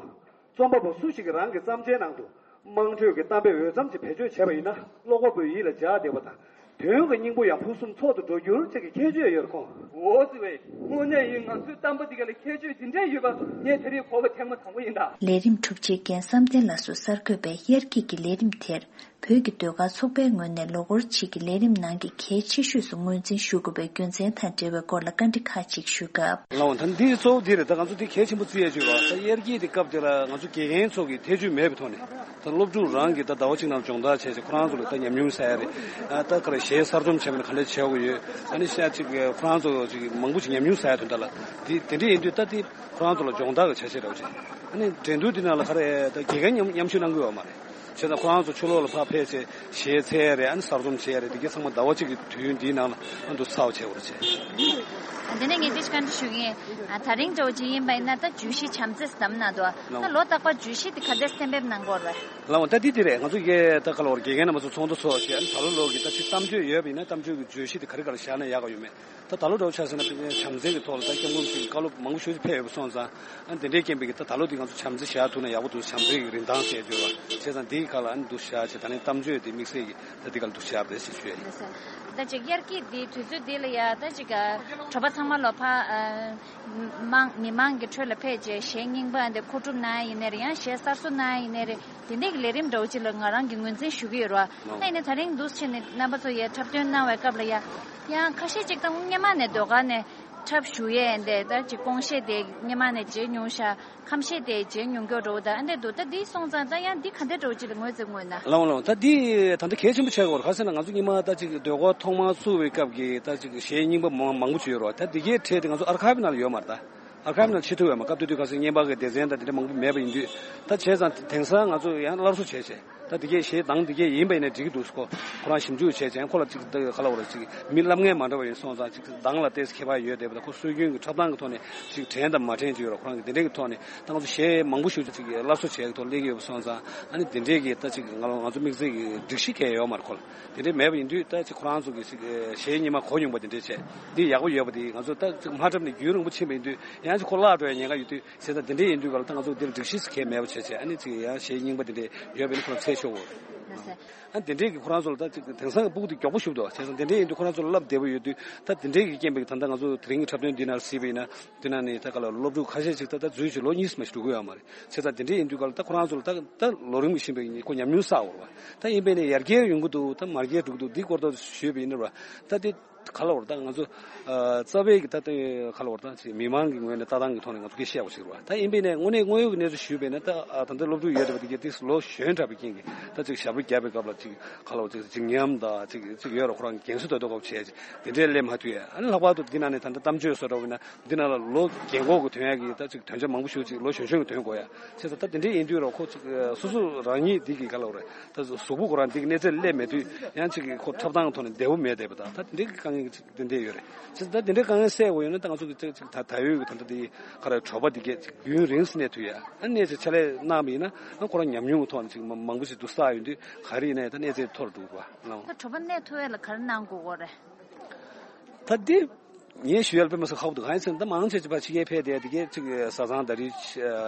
རྩོམ་པ་པོ་སུ་ཞིག་གིས་རང་གི་བརྩམས་ཆའི་ནང་དུ། དམངས་ཁྲོད་ཀྱི་གཏམ་དཔེ་འོས་འཚམ་ཅིག་བེད་སྤྱོད་བྱས་པ་ཡིན་ན། ཀློག་པ་པོའི་ཡིད་ལ་འཇགས་བསྡད་པ་དང་། དོན་གྱི་སྙིང་པོ་ཡང་ཕུན་སུམ་ཚོགས་སུ་འགྲོ་རྒྱུར་བཅས་ཀྱི་ཁྱད་ཆོས་ཡོད་རེད་ཁོང་། འོ་ཙི་བས། དངོས་གནས་ཡིན། ང་ཚོའི་གཏམ་དཔེ་འདི་ག་ལ་ཁྱད་ཆོས་འདི་འདྲས་ཡོད་པ་ངས་དེ་རིང་གོ་བ་ཐེངས་མ་དང་པོ་ཡིན་ད། ལས་རིམ་གྲུབ་རྗེས་རྒན་བསམ་གཏན་ལགས་སུ་གསར་འགོད་པས་དབྱར་སྐྱིད་ཀྱི་ལས་རིམ་དེར། བོད་ཀྱི་ཟློས་གར་ཚོགས་པའི་ངོས་ནས་ལོ་འཁོར་གཅིག་གི་ལས་རིམ་ནང་གི་གལ་ཆེ་ཤོས་སུ་ངོས་འཛིན་ཞུ་དགོས་པའི་རྒྱུ་མཚན་དང་འབྲེལ་བའི་སྐོར་ལ་བཀའ་འདྲི་ཁག་ཅིག་ཞུས་སྐབས། ལགས་འོང་། ད་འདི་གཙོ་བོ་འདི་རེད། ད་ང་ཚོ་འདི་གལ་ཆེན་པོ་བརྩི་ཡ་ཅིག་ཡོད་པ། ད་དབྱར་སྐྱིད་དེ་སྐབས་དེ་ལ་ང་ཚོ་དགེ་རྒན་ཚོ་གི་ཐེ་བྱུས་མེད་པའི་ཐོག་ནས། ད་སློབ་ཕྲུག་རང་གིས་ད་ཟླ་བ་གཅིག་ནང་སྦྱོང་བརྡར་བྱས་ཚེ་ཁོ་རང་ཚོ་ལ་ད་ཉམས་མྱོང་ཟ་ཡ་རེད། ཨ། ད་ག་རེ་གཞས་གསར་རྩོམ་བྱས་པ་ན་ག་འདྲ་བྱེད་དགོས་ཡོད། ཨ་ནི་ཤ་ཅིག་ཁོ་རང་ཚོ་ཅིག་མང་པོ་ཅིག་ཉམས་མྱོང་ཟ་ཡ་དོན་དག་ལ། འདི་དེ་འདྲ་ཡིན་དུས་ད་འདི་ཁོ་རང་ཚོ་ལ་སྦྱོང་བརྡར་གྱི་བྱ་བྱེད་རེད་བ་ཅིག་ཨ་ནི་འགྲན་བསྡུར་འདི་ནང་ལ་ག་རེ་ད་དགེ་རྒན་མཉམ་མཉམ་ཞུགས་གནང་གི་ཡོད་མ་རེད། བྱས་ཙང་ཁོ་རང་ཚོ་ཕྱི་ལོགས་ལ་ཕར་ཕེབས་བྱས་གཞས་འཚལ་ཡ་རེད། ཨ་ནི་གསར་རྩོམ་བྱས་ཡ་རེད། དེ་གའི་ཚང་མ་ཟླ་བ་གཅིག་གི་དུས་ཡུན་འདིའི་ནང་ལ་ཨ་འདུག་ཚར་བ་བྱས་པ་རེད་བྱས། དེ་ནས་ངས་དེ་བཀའ་འདྲི་ཞུ་གི་ཡིན། ཨ་ད་རིང་འདྲ་བོ་ཅིག་ཡིན་པ་ཡིན་ན་ད་བརྗོད་གཞི་བྱམས་བརྩེ་ཟེར་བསྡམས་ན་འདུག་ད་ལོ་རྟག་པར་བརྗོད་གཞི་དེ་ག་འདྲས་གཏན་འབེབས་གནང་གི་ཡོད་རེད། ལགས་འོང་། ད་འདི་འདི་རེད། ང་ཚོ་གིས་ད་ག་ལ་བར་དགེ་རྒན་རྣམ་པ་ཚོ་ཚོགས་འདུ་ཚོགས་བྱས། ཨ་ནི་ད་ལོ་ལོ་གི་ད་ཅིག་གཏམ་བརྗོད་ཡོད་པ་ཡིན་ན་གཏམ་བརྗོད་ཀྱི་བརྗོད་གཞི་དེ་ག་རེ་ག་རེ་བཞག་ན་ཡག་ག་ཡོད་མེད། ད་ད་ལོ་འདྲ་བོ་ཆ་བཞག་ན་དཔེར་ན་བྱམས་བརྩེ་གི་ཐོག་ལ་ད་སྐྱབས་མགོན་ཆེན་པོའི་བཀའ་སློབ་མང་པོ་ཞེ་པོ་ཅིག་ཕེབས་ཡོད་པ་སོང་ཙང་། ཨ་ནི་དེ་འདྲའི་རྐྱེན་པས་ཀྱི་ད་ད་ལོ་འདི་ང་ཚོ་བྱམས་བརྩེ་བཞག་ཐུབ་ན་ཡག་པོ་འདུག་བྱམས་བརྩེ་གི་རིན་ཐང་ཟེར་བརྗོད་པ། བྱས་ཙང་འདིའི་སྒང་ལ་ཨ་ནི་འདུག་བཞག་བྱས། ད་ནི་གཏམ་བརྗོད་འདི་དམིགས་བསལ་གྱི་ད་འདི་སྒང་ལ་འདུག་བཞག་པ་རེད་ཅེས་ཞུ་ཡ་ཡིན། ད་ཅིག་དབྱར་སྐྱིད་འདི་དུས་ཚོད་འདི་ལ་ཡ་ད་ཅིག་གྲོགས་པོ་ཚང་མ་ལོ་ཕ་ཨ་མང་མི་མང་གི་ཁྲོད་ལ་ཕེབས་བྱས་གཞས་རྙིང་པ་འདི་མཁོ་སྒྲུབ་གནང་ཡ་ཡིན་ནའི་རེད། ཡང་གཞས་གསར་བཟོ་གནང་ཡ་ཡིན་ནའི་རེད། དེ་འདྲའི་གི་ལས་རིམ་འདྲ་བོ་ཅིག་ལ་ང་རང་གིས་ངོས་འཛིན་ཞུ་གི་ཡོད་རེད་བ། ད་ཡིན་ནའི་ད་རིང་འདུག་སེ་བྱས་ནས་རྣམ་པ་ཚོ་ཡ་འཁྲབ་སྟོན་གནང་བའི་སྐབས་ལ་ཡ། ཡང་ཁ་ཤས་ཅིག་ད་སྔོན་མ་ནས་ཟློས་གར་ནས་འཁྲབ་ཞུགས་ཡས་འདི་ད་ཅིག་གོང་བཤད་དེ་སྔོན་མ་ནས་བྱས་མྱོང་ཤག་ཁམས་བཤད་དེ་བྱས་མྱོང་མཁན་འདྲ་བོ་ད་ཨ་འདྲས་འདུག་ད་འདི་སོང་ཙང་ད་ཡང་འདི་ག་འདྲས་འདྲ་བོ་ཅིག་ལ་ངོས་འཛིན་དགོས་ན། ལགས་འོང་ལགས་འོང་། ད་འདི་ད་ལྟ་གལ་ཆེན་པོ་ཆགས་ཀྱི་ཡོད་རེད། ག་རེ་ཟེར་ན་ང་ཚོ་སྔོན་མ་ད་ཅིག་ཟློས་གར་ཐོག་མར་བཙུགས་པའི་སྐབས་ཀྱི་ད་ཅིག་གཞས་རྙིང་པ་མང་མང་པོ་ཅིག་ཡོད་རེད་བ། ད་འདི་གའི་གྲས་དེ་ང་ཚོ་ཨར་ཁའིབ་ནང་ལ་ཡོད་མ་རེད། ད་ཨར་ཁའིབ་ནང་ལ་ཕྱིན་ཐུབ་ཡོད་མ་རེད། སྐབས་དེ་དུས་ག་ཟེར་སྔོན་མ་གི་སྡེ་ཚན་དང་དེ་འདྲ་མང་པོ་མེད་པ་ཡིན་དུས། ད་བྱས་ཙང་དེང་སང་ང་ཚོ་ཡང་སླར་གསོ་བྱས་བྱས། ད་དེ་གའི་གཞས་གདངས་དེ་གའི་ཡིན་པ་ཡིན་ནའི་འགྲིག་གི་འདུག་ཁོ་ཁོ་རང་ཞིབ་འཇུག་བྱས་བྱས། ཁོ་ལ་ཅིག་ད་ག་ལ་བར་ཅིག་མི་བསླབ་མཁན་མ་འདྲ་བ་ཡིན་སོང་ཙང་། ཅིག་གདངས་ལ་ཏོག་ཙམ་ཁྱད་པར་ཡོད་བསྡད་པ་དང་། ཁོ་སྲོལ་རྒྱུན་གྱི་འཁྲབ་སྟངས་ཀྱི་ཐོག་ནས་ཅིག་དྲན་དང་མ་དྲན་ཅིག་ཡོད་རེད། ཁོ་རང་གི་དེ་འདྲའི་གི་ཐོག་ནས་ད་ང་ཚོ་གཞས་མང་པོ་ཞིག་ཅིག་སླར་གསོ་བྱས་ཀྱི་ཐོག་སླེབས་ཀྱི་ཡོད་པ་སོང་ཙང་། ཨ་ནི་དེ་འདྲའི་གི་ད་ཅིག་ང་ང་ཚོ་དམིགས་བསལ་གྱི་སྒྲིག་གཞི་གང་ཡང་ཡོད་མ་རེད། ཁོ་ལ་དེ་འདྲའི་མེད་པ་ཡིན་དུས། ད་ཅིག་ཁོ་རང་ཚོ་གི་ཅིག་གཞས་སྔོན་མ་གོ་མྱོང་པ་དེ་འདྲའི་བྱས། འདི་ཡག་པོ་ཡོད་པ་དེ་ང་ཚོ་ད་ཅིག་མ་འཁྲབ་ནས་རྒྱུན་རིང་པོ་ཕྱིན་པ་ཡིན་དུས། ཡང་ཅིག་ཁོ་བརླག་འགྲོ་ཡ་ཉེན་ཁ་ཡོད་དུས། བྱས་ཙང་དེ་འདྲའི་ཡིན་དུས་ག་ལ་ད་ང་ཚོ་འདིར་སྒྲིག་གཞི་ཟེར་མཁན་མེད་པ་བྱས་བྱས། ཨ་ནི་ཅིག་ཡང་གཞས་རྙིང་པ་དེ་འདྲའི་ཡོད་པ་ཡིན་ན་ཁོ་རང་འཚོལ་ཆོག་གོ། ལགས་སོ། ཨ་དེ་འདྲའི་གི་ཁོ་རང་ཚོ་ལ་ད་ཅིག་དེང་སང་གི་ཕྲུ་གུ་དེ་མགྱོགས་པོ་ཞིག་འདུག་བྱས་ཙང་དེ་འདྲའི་ཡིན་དུས་ཁོ་རང་ཚོ་ལ་བསླབ་བདེ་པོ་ཡོད་དུས། ད་དེ་འདྲའི་གི་རྐྱེན་པས་ད་ལྟ་ང་ཚོ་དེ་རིང་གི་འཁྲབ་སྟོན་འདི་ནང་གཟིགས་པ་ཡིན་ན། དེ་ནང་ནས་ད་ག་ལ་སློབ་ཕྲུག་ཁ་ཤས་ཅིག་ད་ལྟ་འཛུལ་བྱས་ལོ་གཉིས་མ་ཞིག་འགྲོ་གི་ཡོད་མ་རེད། བྱས་ཙང་དེ་འདྲའི་ཡིན་དུས་ག་ལ་ད་ཁོ་རང་ཚོ་ལ་ད་ད་ལོ་རིམ་གྱི་ཕྱིན་པའི་ཁོ་ཉམས་མྱོང་བསགས་ཡོད་རེད་བ། ད་ཡིན་པས་ནས་ཡར་རྒྱས་ཡོང་གི་འདུག་ད་མར་རྒྱས་འགྲོ་གི་འདུག་འདི་སྐོར་ད་ཞུས་པ་ཡིན་ན་ར། ད་དེ་ག་ལ་བར་ད་ང་ཚོ་ཨ་རྩ་བའི་གི་ད་ལྟ་ག་ལ་བར་ད་ཅིག་མི་མང་གི་ངོས་ནས་ལྟ་སྟངས་ཀྱི་ཐོག་ནས་ང་ཚོ་སྐད་ཆ་བཤད་དགོས་ཞིག་རེད་བ། ད་ཡིན་པས་ནས་དངོས་གནས་དངོས་ཡོད་ཀྱི་གནས་ཚུལ་ཞུས་པས་ན། ད་ཨ་ད་ལྟ་སློབ་ཕྲུག་ཡོད་བསྡད་པ་དེ་གས་ཏིག་ལོ་གཞོན་དྲགས་པའི་རྐྱེན་གྱིས་ད་ཅིག་ཞབས་བྲོ་བརྒྱབ་པའི་སྐབས་ལ་ཅིག་ག་ལ་བར་ཅིག་འཇིགས་ཉམས་དང་ཅིག་ཅིག་ཡོད་རེད། ཁོ་རང་གི་རྒན་གསོ་ལྟ་ལྟ་སྐབས་བྱས་ཅིག་དེ་འདྲའི་སླེབས་མ་ཐུབ་ཡ། ཨ་ནི་ལྷག་པར་དུ་འདི་ནང་ནས་ད་ལྟ་གཏམ་བརྗོད་བཟོ་འདྲ་བོ་ཡིན་ན། འདི་ནང་ལ་ལོ་རྒན་གོག་གི་ཐོན་ཡ་གི་ད་ཅིག་དོན་ཆ་མང་པོ་ཞིག་ཅིག་ལོ་གཞོན་གཞོན་གྱི་ཐོན་དགོས་ཡ། བྱས་ཙང་ད་དེ་འདྲའི་ཡིན་དུས་ར་ཁོ་ཅིག་སོ་སོ་རང་ཉིད་འདི་གི་ག་ལ་བར་ད་གཟུགས་པོ་ཁོ་རང་འདི་གི་གནས་ཚད་སླེབས་མེད་དུས། ཡང་ཅིག་གི་ཁོ་འཁྲབ་སྟངས་ཐོག་ནས་བདེ་པོ་མེད་བསྡད་པ་དང་། ད་དེ་འདྲའི་གི་དཀའ་ངལ་ཅིག་དེ་འདྲ་ཡོད་རེད། བྱས་ཙང་ད་དེ་འདྲའི་དཀའ་ངལ་སེལ་དགོས་ཡོད་ན། ད་ང་ཚོ་གི་ཅིག་ཅིག་ད་ད་ཡོད་གི་ད་ལྟ་དེ་ག་རེ་གྲོགས་པོ་འདི་གས་ཅིག་རྒྱུན་རིང་སེ་གནས་ཐུབ་ཡ། ཨ་གནས་ཚེ་ཕྱག་ལས་གནང་བ་ཡིན་ན། ཨ་ཁོ་རང་ཉམས་མྱོང་གི་ཐོག་ནས་ཅིག་མ་མང་པོ་ཞིག་ཏུ་བསགས་ཡོང་དུས་ག་རེ་ཡིན་ན་ཡང་ད་གནས་ཚད་མཐོ་རུ་འགྲོ་གི་རེད་བ། ལགས་འོང་། ད་གྲོགས་པོ་གནས་ཐུབ་ཡ་ལ་ག་རེ་གནང་དགོས་གོ་རེད། ད་འདི་ངས་ཞུ་ཡ་ལ་དཔེ་མ་སྲིད་ཁག་པོ་འདུག་གང་ཡིན་ཟེར་ན། ད་མང་ཆེ་ཅིག་ཕར་ཕྱི་རྒྱལ་ཕེབས་བསྡད་དེ་གས་ཅིག་བཟའ་ཚང་ཟླ་སྒྲིལ་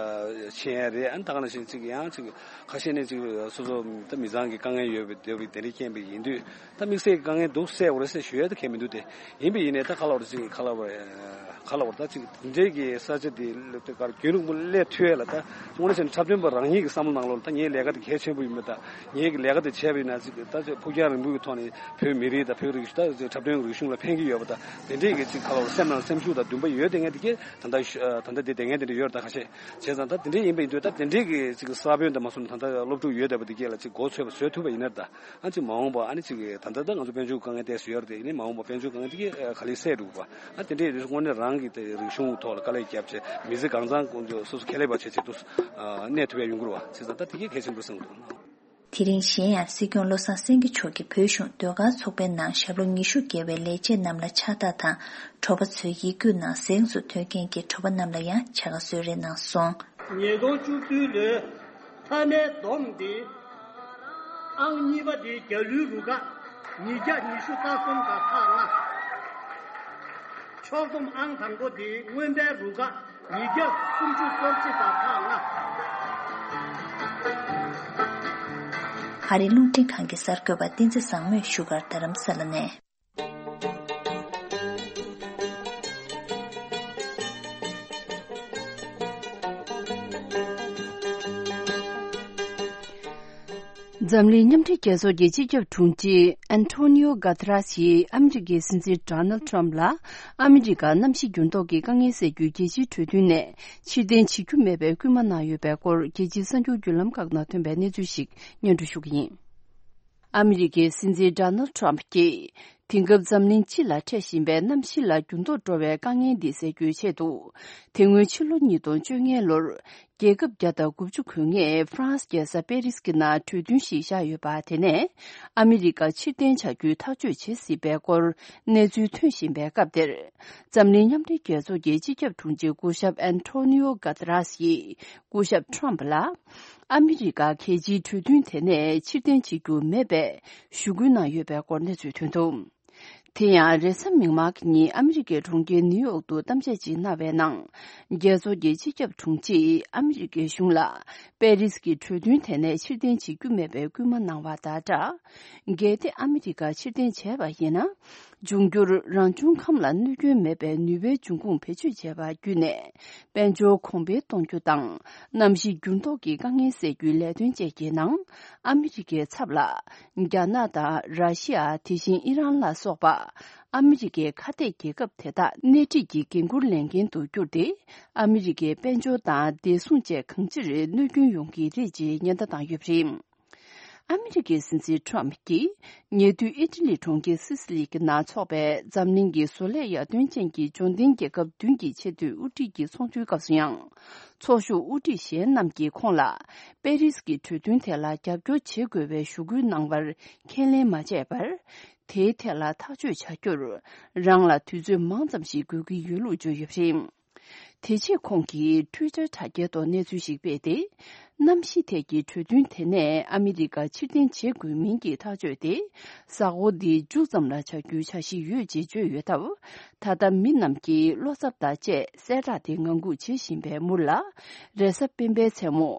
ཕྱིན་ཡ་རེད། ཨ་ནི་ད་ག་ནང་བཞིན་ཅིག་ཡང་ཅིག་ཁ་ཤས་ནས་ཅིག་སོ་སོ་ད་མི་ཚང་གི་དཀའ་ངལ་ཡོད་པའི་དེ་བའི་དེ་འདྲའི་རྐྱེན་པས་ཡིན་དུས། ད་དམིགས་བསལ་གྱི་དཀའ་ངལ་འདུག་སེལ་དགོས་རེད་ཟེར་ཞུ་ཡ་ད་གང་ཡང་མི་འདུག་སྟེ། ཡིན་པས་ཡིན་ནའི་ད་ག་ལ་བར་ཅིག་ག་ལ་བར་ག་ལ་བར་ད་ཅིག་འདི་འདྲའི་གི་ས་ཆ་འདི་ལ་ད་གར་རྒྱུན་རིང་པོ་སླེབས་ཐུབ་ཡ་ལ། ད་དངོས་གནས་བྱས་ན་འཁྲབ་སྟོན་པ་རང་ཉིད་ཀྱི་བསམ་བློ་ནང་ལོགས་ལ་ད་ངའི་ལས་ཀ་དེ་གལ་ཆེན་པོ་ཡིན་པ་དང་། ངའི་གི་ལས་ཀ་དེ་བྱས་པ་ཡིན་ན་ཅིག་ད་ཅིག་ཕུགས་རྒྱང་རིང་པོའི་གི་ཐོག་ནས་བོད་མི་རིགས་དང་བོད་རིག་གཞུང་། ད་ཅིག་འཁྲབ་སྟོན་རིག་གཞུང་ལ་ཕན་གྱི་ཡོད་པ་དང་། དེ་འདྲའི་གི་ཅིག་ག་ལ་བར་སེམས་ནང་སེམས་ཤུགས་དང་འདུན་པ་ཡོད་བསྡད་མཁན་དེ་གས་ད་ལྟ་ད་ལྟ་དེ་བསྡད་མཁན་དེ་འདྲ་ཡོད་རེད། ད་ཁ་ཤས། བྱས་ཙང་ད་དེ་འདྲའི་ཡིན་པ་ཡིན་དུས། ད་དེ་འདྲའི་གི་ཅིག་ས་བོན་དང་མ་སོང་ན་ད་ལྟ་སློབ་ཕྲུག་ཡོད་བསྡད་པ་དེ་གས་ལ་ཅིག་མགོ་ཚོས་པ་བཟོ་ཐུབ་པ་ཡིན་ན། ད་ཨ་ཅིག་མ་འོངས་པ་ཨ་ནི་ཅིག་ད་ལྟ་ད་ང་ཚོ་དཔལ་འབྱོར་དཀའ་ངལ་ཏོག་ཙམ་ཡོད་རེད་དེ། ཡིན་ནའི་མ་འོངས་པ་དཔལ་འབྱོར་དཀའ་ངལ་དེ་གས་ག་ལེར་སེལ་འགྲོ་གི་རེད་བ། ཨ་དེ་འདྲའི་དུས་དངོས་གནས་རང་གི་དེ་རིག་གཞུང་ཐོག་ལ་དཀའ་ལས་བརྒྱབ་བྱས། མི་ཚེ་གང་ཚང་ཀུན་སྤྱོད་སོ་སོ་ཁྱད་ལས་པ་བྱས་བྱས་དུ་གནས་ཐུབ་ཡ་ཡོང་གི་རེད་བ། བྱས་ཙང་ད་དེ་གས་གལ་ཆེན་པོ་བསམ་གྱི་འདུག་དེ་རིང་གཞན་ཡང་སྲིད་སྐྱོང་བློ་བཟང་སེང་གེ་མཆོག་གིས་བོད་གཞུང་ཟློས་གར་ཚོགས་པའི་ནང་ཞབས་ལོ་ཉི་ཤུ་བརྒལ་བའི་ལས་བྱེད་རྣམས་ལ་ཕྱག་རྟགས་དང་། གྲོགས་པོ་ཚོའི་ཡིག་སྒྱུར་ནང་གཟེངས་སུ་ཐོན་མཁན་གྱི་གྲོགས་པོ་རྣམས་ལ་ཡང་བྱ་དགའ་གསོལ་རས་གནང་སོང་། ཉིས་སྟོང་བཅུ་བདུན་ལོའི་མཐའ་མའི་བསྡོམས་འདི་ཨང་གཉིས་པ་འདི་རྒྱ་ལོའི་རུ་ཁག་ཉིས་བརྒྱ་ཉི་ཤུ་རྩ་གསུམ་དང་ཁག་ལྔ། ཕྱོགས་བསྡོམས་ཨང་དང་པོ་འདི་རྔོན་པའི་རུ་ཁག་ཉིས་བརྒྱ་སུམ་ཅུ་སོ་གཅིག་དང་ཁག་ལྔ། ཨ་རིའི་རླུང་འཕྲིན་ཁང་གི་གསར་འགོད་པ་བསྟན་འཛིན་བཟང་མོས་བཞུགས་སྒར་རྡ་རམ་ས་ལ་ནས། འཛམ་གླིང་མཉམ་འབྲེལ་རྒྱལ་ཚོགས་ཀྱི་སྤྱི་ཁྱབ་དྲུང་ཆེ་ཨན་ཐོ་ནིའོ་གྷ་ཐ་ར་སི་ཡིས་ཨ་མི་རི་ཀའི་སྲིད་འཛིན་ཌོ་ནལ་ཊམ་ལ་ཨ་མི་རི་ཀར་གནམ་གཤིས་འགྱུར་ལྡོག་གི་དཀའ་ངལ་སེལ་རྒྱུའི་རྒྱལ་སྤྱིའི་གྲོས་མཐུན་ནས་ཕྱིར་འཐེན་བྱེད་རྒྱུ་མེད་པའི་སྐུལ་མ་གནང་ཡོད་པའི་སྐོར། རྒྱལ་སྤྱིའི་གསར་འགྱུར་བརྒྱུད་ལམ་ཁག་ནང་ཐོན་པའི་གནས་ཚུལ་ཞིག་སྙན་སྒྲོན་ཞུ་གི་ཡིན། ཨ་མི་རི་ཀའི་སྲིད་འཛིན་ཌོ་ནལ་ཊམ་གྱིས་ དེང་སྐབས་འཛམ་གླིང་སྤྱི་ལ་འཕྲད་བཞིན་པའི་གནམ་གཤིས་ལ་འགྱུར་ལྡོག་འགྲོ་བའི་དཀའ་ངལ་འདི་སེལ་རྒྱུའི་ཆེད་དུ། དེ་སྔོན་ཕྱི་ལོ་ཉིས་སྟོང་བཅོ་ལྔའི་ལོར། རྒྱལ་ཁབ་བརྒྱ་དང་དགུ་བཅུ་གོ་ལྔས་ཧྥ་རན་སི་རྒྱལ་ས་པེ་རིས་ཀྱི་ནང་གྲོས་མཐུན་ཞིག་བཞག་ཡོད་པ། དེ་ནས་ཨ་མི་རི་ཀ་ཕྱིར་འཐེན་བྱ་རྒྱུའི་ཐག་གཅོད་བྱེད་སྲིད་པའི་སྐོར་གནས་ཚུལ་ཐོན་བཞིན་པའི་སྐབས་དེར། འཛམ་གླིང་མཉམ་འབྲེལ་རྒྱལ་ཚོགས་ཀྱི་སྤྱི་ཁྱབ་དྲུང་ཆེ་སྐུ་ཞབས་ཨན་ཐོ་ནི་ཡོ་གྷ་ཏ་རཱས་ཡིས། སྐུ་ཞབས་ཊྲམ་ཕ་ལ། ཨ་མི་རི་ཀ་གལ་ཆེའི་གྲོས་མཐུན་དེ་ནས་ཕྱིར་འཐེན་བྱེད་རྒྱུ་མེད་པའི་ཞུ་སྐུལ་གནང་ཡོད་པའི་སྐོར་གནས་ཚུལ་ཐོན་འདུག་དེ་ཡང་རེས་གཟའ་མིག་དམར་གྱི་ཉིན་ཨ་མི་རི་ཀའི་གྲོང་ཁྱེར་ནིའུ་ཡོག་ཏུ་གཏམ་བཤད་ཅིག་གནང་བའི་ནང་། རྒྱལ་ཚོགས་ཀྱི་སྤྱི་ཁྱབ་དྲུང་ཆེས་ཨ་མི་རི་ཀའི་གཞུང་ལ་པེ་རིས་ཀྱི་གྲོས་མཐུན་དེ་ནས་ཕྱིར་འཐེན་བྱེད་རྒྱུ་མེད་པའི་སྐུལ་མ་གནང་བ་དང་སྦྲགས། གལ་ཏེ་ཨ་མི་རི་ཀ་ཕྱིར་འཐེན་བྱས་པ་ཡིན་ན། འབྱུང་འགྱུར་རང་བྱུང་ཁམས་ལ་གནོད་སྐྱོན་མེད་པའི་ནུས་པའི་འབྱུང་ཁུངས་བེད་སྤྱོད་བྱས་པ་བརྒྱུད་ནས་དཔལ་འབྱོར་གོང་འཕེལ་གཏོང་རྒྱུ་དང་། གནམ་གཤིས་འགྱུར་ལྡོག་གི་དཀའ་ངལ་སེལ་རྒྱུའི་ལས་དོན་བཅས་ཀྱི་ནང་། ཨ་མི་རི་ཀའི་ཚབ་ལ། རྒྱ་ནག་དང་ར་ཤི་ཡ། དེ་བཞིན་ཨི་རན་ལ་སོགས་པ། ཨ་མི་རི་ཀའི་ཁ་གཏད་རྒྱལ་ཁབ་དེ་དག་སྣེ་ཁྲིད་ཀྱི་འགན་འཁུར་ལེན་མཁན་དུ་གྱུར་ཏེ། ཨ་མི་རི་ཀའི་དཔལ་འབྱོར་དང་བདེ་སྲུང་བཅས་གང་ཅིར་གནོད་སྐྱོན་ཡོང་གི་རེད་ཅེས་ཉེན་བརྡ་བཏང་ཡོད་པ་རེད། ཨ་མི་རི་ཀའི་སྲིད་འཛིན་ཊྲམ་ཕ་གྱིས། ཉེ་དུས་ཨི་ཊ་ལི་གྲོང་ཁྱེར་སི་སི་ལི་གི་ནང་འཚོགས་པའི་འཛམ་གླིང་གི་བཟོ་ལས་ཡར་ཐོན་ཅན་གྱི་འབྱོར་ལྡན་རྒྱལ་ཁབ་བདུན་གྱི་ཆེས་མཐོའི་དབུ་ཁྲིད་ཀྱི་ཚོགས་འདུའི་སྐབས་སུ་ཡང་། ཚོགས་ཞུགས་དབུ་ཁྲིད་གཞན་རྣམས་ཀྱིས་ཁོང་ལ། པེ་རིས་ཀྱི་གྲོས་མཐུན་དེ་ལ་རྒྱབ་སྐྱོར་བྱེད་དགོས་པའི་ཞུ་སྐུལ་གནང་བར་ཁས་ལེན་མ་བྱས་པར། དེའི་ཐད་ལ་ཐག་གཅོད་བྱ་རྒྱུར། རང་ལ་དུས་ཚོད་མང་ཙམ་ཞིག་དགོས་ཀྱི་ཡོད་ལུགས་བརྗོད་ཡོད་པ་རེད། དེ་རྗེས་ཁོང་གིས་ཊུའི་ཊར་དྲ་རྒྱའི་ཐོག་གནས་ཚུལ་ཞིག་སྤེལ་ཏེ། གནམ་གཤིས་ཐད་ཀྱི་གྲོས་མཐུན་དེ་ནས་ཨ་མི་རི་ཀ་ཕྱིར་འཐེན་བྱེད་དགོས་མིན་གྱི་ཐག་གཅོད་དེ། གཟའ་འཁོར་འདིའི་མཇུག་ཙམ་ལ་བྱ་རྒྱུའི་འཆར་གཞི་ཡོད་ཅེས་བརྗོད་ཡོད་སྟབས། ད་ལྟ་མི་རྣམས་ཀྱིས་བློ་འཚབ་དང་བཅས་གསལ་བསྒྲགས་དེ་ངང་སྒུག་བྱེད་བཞིན་པའི་མུར་ལ། རེས་གཟའ་སྤེན་པའི་མཚན་མོ།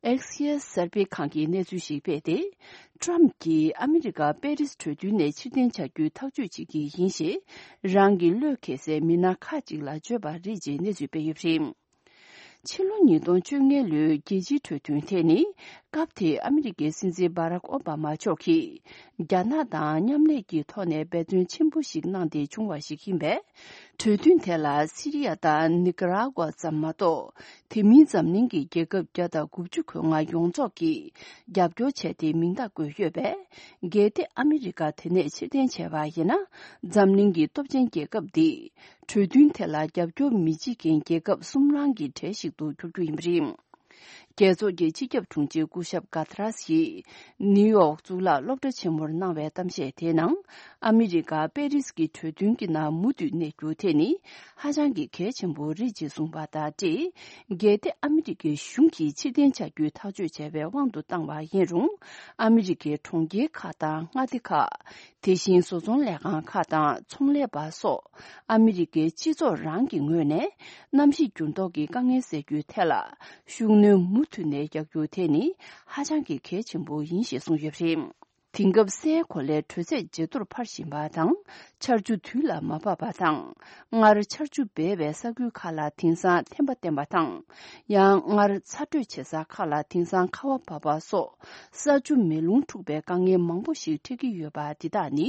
ཨེག་སི་ཡེས་གསར་སྤེལ་ཁང་གིས་གནས་ཚུལ་ཞིག་སྤེལ་ཏེ། ཊྲམ་ཕ་གྱིས་ཨ་མི་རི་ཀ་པེ་རིས་གྲོས་མཐུན་ནས་ཕྱིར་འཐེན་བྱ་རྒྱུའི་ཐག་གཅོད་བྱེད་ཀྱི་ཡིན་ཞེས། རང་གི་བློས་འཁེལ་སའི་མི་སྣ་ཁག་ཅིག་ལ་བརྗོད་པ་རེད་ཅེས་གནས་ཚུལ་སྤེལ་ཡོད་པ་རེད། ཕྱི་ལོ་ཉིས་སྟོང་བཅོ་ལྔའི་ལོའི་རྒྱལ་སྤྱིའི་གྲོས་མཐུན་དེ་ནི། སྐབས་དེའི་ཨ་མི་རི་ཀའི་སྲིད་འཛིན་སྦ་རག་ཨོ་བྷ་མ་མཆོག་གིས། རྒྱ་ནག་དང་མཉམ་ལས་ཀྱི་ཐོག་ནས་འབད་བརྩོན་ཆེན་པོ་ཞིག་གནང་སྟེ་བྱུང་བ་ཞིག་ཡིན་པས། གྲོས་མཐུན་དེ་ལ་སི་རི་ཡ་དང་ནི་ཀ་ར་ཀུ་ཝ་ཙམ་མ་གཏོགས། དེ་མིན་འཛམ་གླིང་གི་རྒྱལ་ཁབ་བརྒྱ་དང་དགུ་བཅུ་གོ་ལྔ་ཡོངས་རྫོགས་ཀྱིས་རྒྱབ་སྐྱོར་བྱས་ཏེ་མིང་རྟགས་བཀོད་ཡོད་པས། གལ་ཏེ་ཨ་མི་རི་ཀ་དེ་ནས་ཕྱིར་འཐེན་བྱས་པ་ཡིན་ན། འཛམ་གླིང་གི་སྟོབས་ཆེན་རྒྱལ་ཁབ་འདི། གྲོས་མཐུན་དེ་ལ་རྒྱབ་སྐྱོར་མི་བྱེད་མཁན་རྒྱལ་ཁབ་གསུམ་རང་གི་གྲས་ཤིག་ཏུ་འགྱུར་རྒྱུ་ཡིན་པ་རེད། རྒྱལ་ཚོགས་ཀྱི་སྤྱི་ཁྱབ་དྲུང་ཆེ་སྐུ་ཞབས་གྷ་ཐ་རཱས་ཡིས་ནིའུ་ཡོག་གཙུག་ལག་སློབ་གྲྭ་ཆེན་མོར་གནང་བའི་གཏམ་བཤད་དེའི་ནང་། ཨ་མི་རི་ཀ་པེ་རིས་ཀྱི་གྲོས་མཐུན་གྱི་ནང་མུ་མཐུད་གནས་རྒྱུ་དེ་ནི་ཧ་ཅང་གི་གལ་ཆེན་པོ་རེད་ཅེས་གསུངས་པ་དང་འབྲེལ། གལ་ཏེ་ཨ་མི་རི་ཀའི་གཞུང་གིས་ཕྱིར་འཐེན་བྱ་རྒྱུའི་ཐག་གཅོད་བྱས་པའི་དབང་དུ་བཏང་བ་ཡིན་རུང་། ཨ་མི་རི་ཀའི་གྲོང་ཁྱེར་ཁག་དང་མངའ་སྡེ་ཁག་དེ་བཞིན་བཟོ་ཚོང་ལས་ཁང་ཁག་དང་ཚོང་ལས་པ་སོགས། ཨ་མི་རི་ཀའི་སྤྱི་ཚོགས་རང་གི་ངོས་ནས། གནམ་གཤིས་འགྱུར་ལྡོག་གི་དཀའ་ངལ་སེལ་རྒྱུའི་ཐད་ལ། ཤུགས་སྣོན་མུ་མཐུད་ནས་རྒྱག་རྒྱུ་དེ་ནི། ཧ་ཅང་གི་གལ་ཆེན་པོ་ཡིན་ཞེས་གསུངས་ཡོད་པ་རེད། དེང་སྐབས་སའི་གོ་ལའི་དྲོད་ཚད་ཇེ་མཐོར་འཕར་བཞིན་པ་དང་། ཆར་ཆུ་དུས་ལ་མ་བབས་པ་དང་། སྔར་ཆར་ཆུ་སྦས་པའི་ས་ཁུལ་ཁག་ལ་དེང་སང་ཐན་པ་བསྟེན་པ་དང་། ཡང་སྔར་ཚ་དྲོད་ཆེ་ས་ཁག་ལ་དེང་སང་ཁ་བ་བབས་པ་སོགས། ས་ཆུ་མེ་རླུང་འཁྲུགས་པའི་དཀའ་ངལ་མང་པོ་ཞིག་འཕྲད་ཀྱི་ཡོད་པ་འདི་དག་ནི།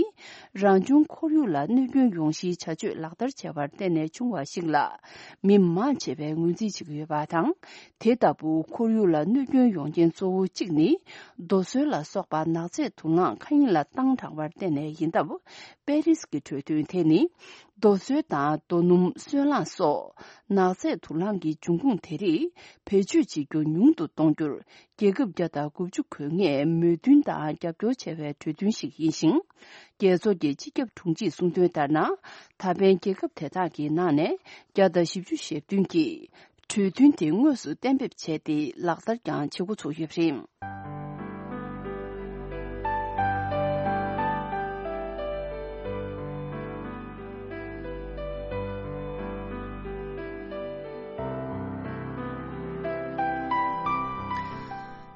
རང་བྱུང་ཁོར་ཡུག་ལ་གནོད་སྐྱོན་ཡོང་གཞིའི་བྱ་སྤྱོད་ལག་བསྟར་བྱས་པར་བརྟེན་ནས་བྱུང་བ་ཞིག་ལ། མི་མང་ཆེ་བས་ངོས་འཛིན་བྱེད་ཀྱི་ཡོད་པ་དང་། དེ་ལྟ་བུ་ཁོར་ཡུག་ལ་གནོད་སྐྱོན་ཡོང་རྐྱེན་གཙོ་བོ་གཅིག་ནི། རྡོ་སོལ་ལ་སོགས་པ་ནག་རྫས་དུག་རླངས་མཁའ་དབྱིངས་ལ་བཏང་དྲགས་པར་བརྟེན་ནས་ཡིན་སྟབས། པེ་རིས་ཀྱི་གྲོས་མཐུན་དེ་ནི། རྡོ་སོལ་དང་རྡོ་སྣུམ། སོལ་རླངས་སོགས། ནག་རྫས་དུག་རླངས་ཀྱི་འབྱུང་ཁུངས་དེ་རིགས་བེད་སྤྱོད་བྱེད་རྒྱུ་ཉུང་དུ་གཏོང་རྒྱུར། རྒྱལ་ཁབ་བརྒྱ་དང་དགུ་བཅུ་གོ་ལྔས་མོས་མཐུན་དང་རྒྱབ་སྐྱོར་བྱ་བའི་གྲོས་མཐུན་ཞིག་ཡིན་ཞིང་། རྒྱལ་ཚོགས་ཀྱི་སྤྱི་ཁྱབ་དྲུང་ཆེས་གསུངས་དོན་ལྟར་ན། ད་ཕན་རྒྱལ་ཁབ་དེ་དག་གི་ནང་ནས་བརྒྱ་དང་བཞི་བཅུ་ཞེ་བདུན་གྱིས། གྲོས་མཐུན་དེ་དངོས་སུ་གཏན་འབེབས་བྱས་ཏེ་ལག་བསྟར་ཀྱང་བྱེད་འགོ་ཚུགས་ཡོད་པ་རེད།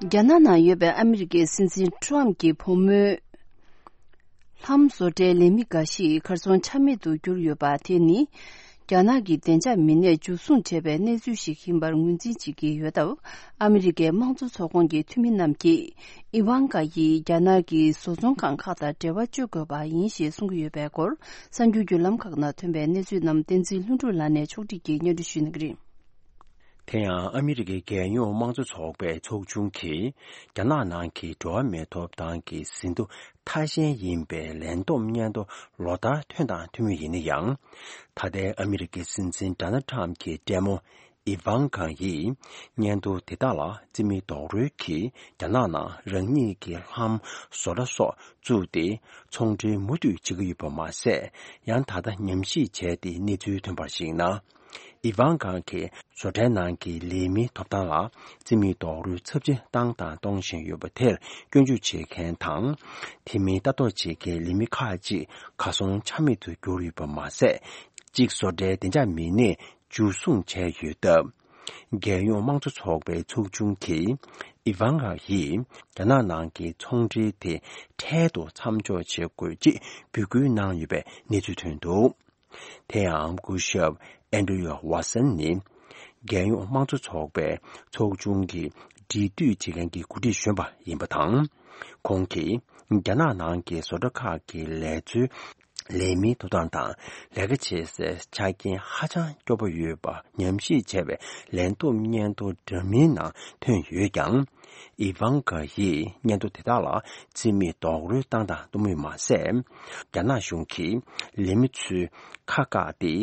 རྒྱ་ནག་ནང་ཡོད་པའི་ཨ་མི་རི་ཀའི་སྲིད་འཛིན་ཊྲམ་གྱི་བུ་མོའི་ལྷམ་བཟོ་གྲྭའི་ལས་མི་འགའ་ཞིག་གར་སོང་ཆ་མེད་དུ་གྱུར་ཡོད་པ་དེ་ནི། རྒྱ་ནག་གི་བདེ་འཇགས་མི་སྣས་འཇུ་བཟུང་བྱས་པའི་གནས་ཚུལ་ཞིག་ཡིན་པར་ངོས་འཛིན་བྱེད་ཀྱི་ཡོད་སྟབས། ཨ་མི་རི་ཀའི་དམངས་གཙོ་ཚོགས་ཁོངས་ཀྱི་འཐུས་མི་རྣམས་ཀྱིས། ཨི་ཝང་ཀ་ཡིས་རྒྱ་ནག་གི་བཟོ་ཚོང་ཁང་ཁག་དང་འབྲེལ་བ་གཅོད་དགོས་པ་ཡིན་ཞེས་གསུང་གི་ཡོད་པའི་སྐོར། གསར་འགྱུར་བརྒྱུད་ལམ་ཁག་ནང་ཐོན་པའི་གནས་ཚུལ་རྣམས་བསྟན་འཛིན་ལྷུན་གྲུབ་ལགས་ནས་ཕྱོགས་སྒྲིག་གིས་སྙན་སྒྲོན་ཞུ་གནང་གི་རེད། དེ་ཡང་ཨ་མི་རི་ཀའི་རྒྱལ་ཡོངས་དམངས་གཙོ་ཚོགས་པའི་ཚོགས་ཆུང་གིས་རྒྱ་ནག་ནང་གི་འགྲོ་བ་མིའི་ཐོབ་ཐང་གི་ཟིན་ཐོ་མཐའ་ཅན་ཡིན་པའི་ལན་འདེབས་སྙན་ཐོ་ལོ་ལྟར་ཐོན་དང་ཐོན་མུས་ཡིན་ན་ཡང་། ད་ལྟའི་ཨ་མི་རི་ཀའི་སྲིད་འཛིན་ཌོ་ནལ་ཊམ་གྱི་སྲས་མོ་ཨི་ཝང་ཀ་ཡིས་སྙན་ཐོ་དེ་དག་ལ་རྩིས་མེད་རྡོག་རོལ་གྱིས་རྒྱ་ནག་ནང་རང་ཉིད་ཀྱི་ལྷམ་བཟོ་གྲྭ་སོགས་བཙུགས་ཏེ་ཚོང་འབྲེལ་མུ་མཐུད་བྱེད་ཀྱི་ཡོད་པ་མ་ཟད། ཡང་ད་ལྟ་ཉམས་ཞིབ་བྱས་ཏེ་གནས་ཚུལ་ཐོན་པར་གཞིགས་ན། ཨི་ཝང་ཀ་གིས་བཟོ་གྲྭའི་ནང་གི་ལས་མིའི་ཐོབ་ཐང་ལ་རྩིས་མེད་རྡོག་རོལ་ཚབས་ཆེ་བཏང་དང་གཏོང་བཞིན་ཡོད་པ་དེར་སྐྱོན་བརྗོད་བྱེད་མཁན་དང་། དེ་མིན་ལྟ་རྟོག་བྱེད་མཁན་ལས་མི་ཁག་ཅིག་གར་སོང་ཆ་མེད་དུ་གྱུར་ཡོད་པ་མ་ཟད། གཅིག་བཟོ་གྲྭའི་བདེ་འཇགས་མི་སྣས་འཇུ་བཟུང་བྱས་ཡོད་སྟབས། རྒྱལ་ཡོངས་དམངས་གཙོ་ཚོགས་པའི་ཚོགས་ཆུང་གིས་ཨི་ཝང་ཀ་ཡིས་རྒྱ་ནག་ནང་གི་ཚོང་འབྲེལ་དེ་འཕྲལ་དུ་མཚམས་འཇོག་བྱེད་དགོས་ཅེས་འབོད་སྐུལ་གནང་ཡོད་པའི་གནས་ཚུལ་ཐོན་འདུག་དེ་ཡང་སྐུ་ཞབས་ཨན་ཌྲུ་ཝ་སན་ནི་རྒྱལ་ཡོངས་དམངས་གཙོ་ཚོགས་པའི་ཚོགས་ཆུང་གི་འབྲེལ་མཐུད་བྱེད་མཁན་གྱི་འགོ་ཁྲིད་གཞོན་པ་ཡིན་པ་དང་། ཁོང་གིས་རྒྱ་ནག་ནང་གི་བཟོ་གྲྭ་ཁག་གི་ལས་བཟོའི་ལས་མིའི་ཐོབ་ཐང་དང་ལས་ཀ་བྱེད་སའི་ཆ་རྐྱེན་ཧ་ཅང་སྐྱོ་པོ་ཡོད་པ་ཉམས་ཞིབ་བྱས་པའི་ལན་འདེབས་སྙན་ཐོ་འདྲ་མིན་ནང་ཐོན་ཡོད་ཀྱང་། ཨི་ཝང་ཀ་ཡིས་སྙན་ཐོ་དེ་དག་ལ་རྩིས་མེད་རྡོག་རོལ་བཏང་དང་གཏོང་མུས་མ་ཟད། རྒྱ་ནག་གཞུང་གིས་ལས་མི་ཚོའི་ཁ་བཀག་སྟེ་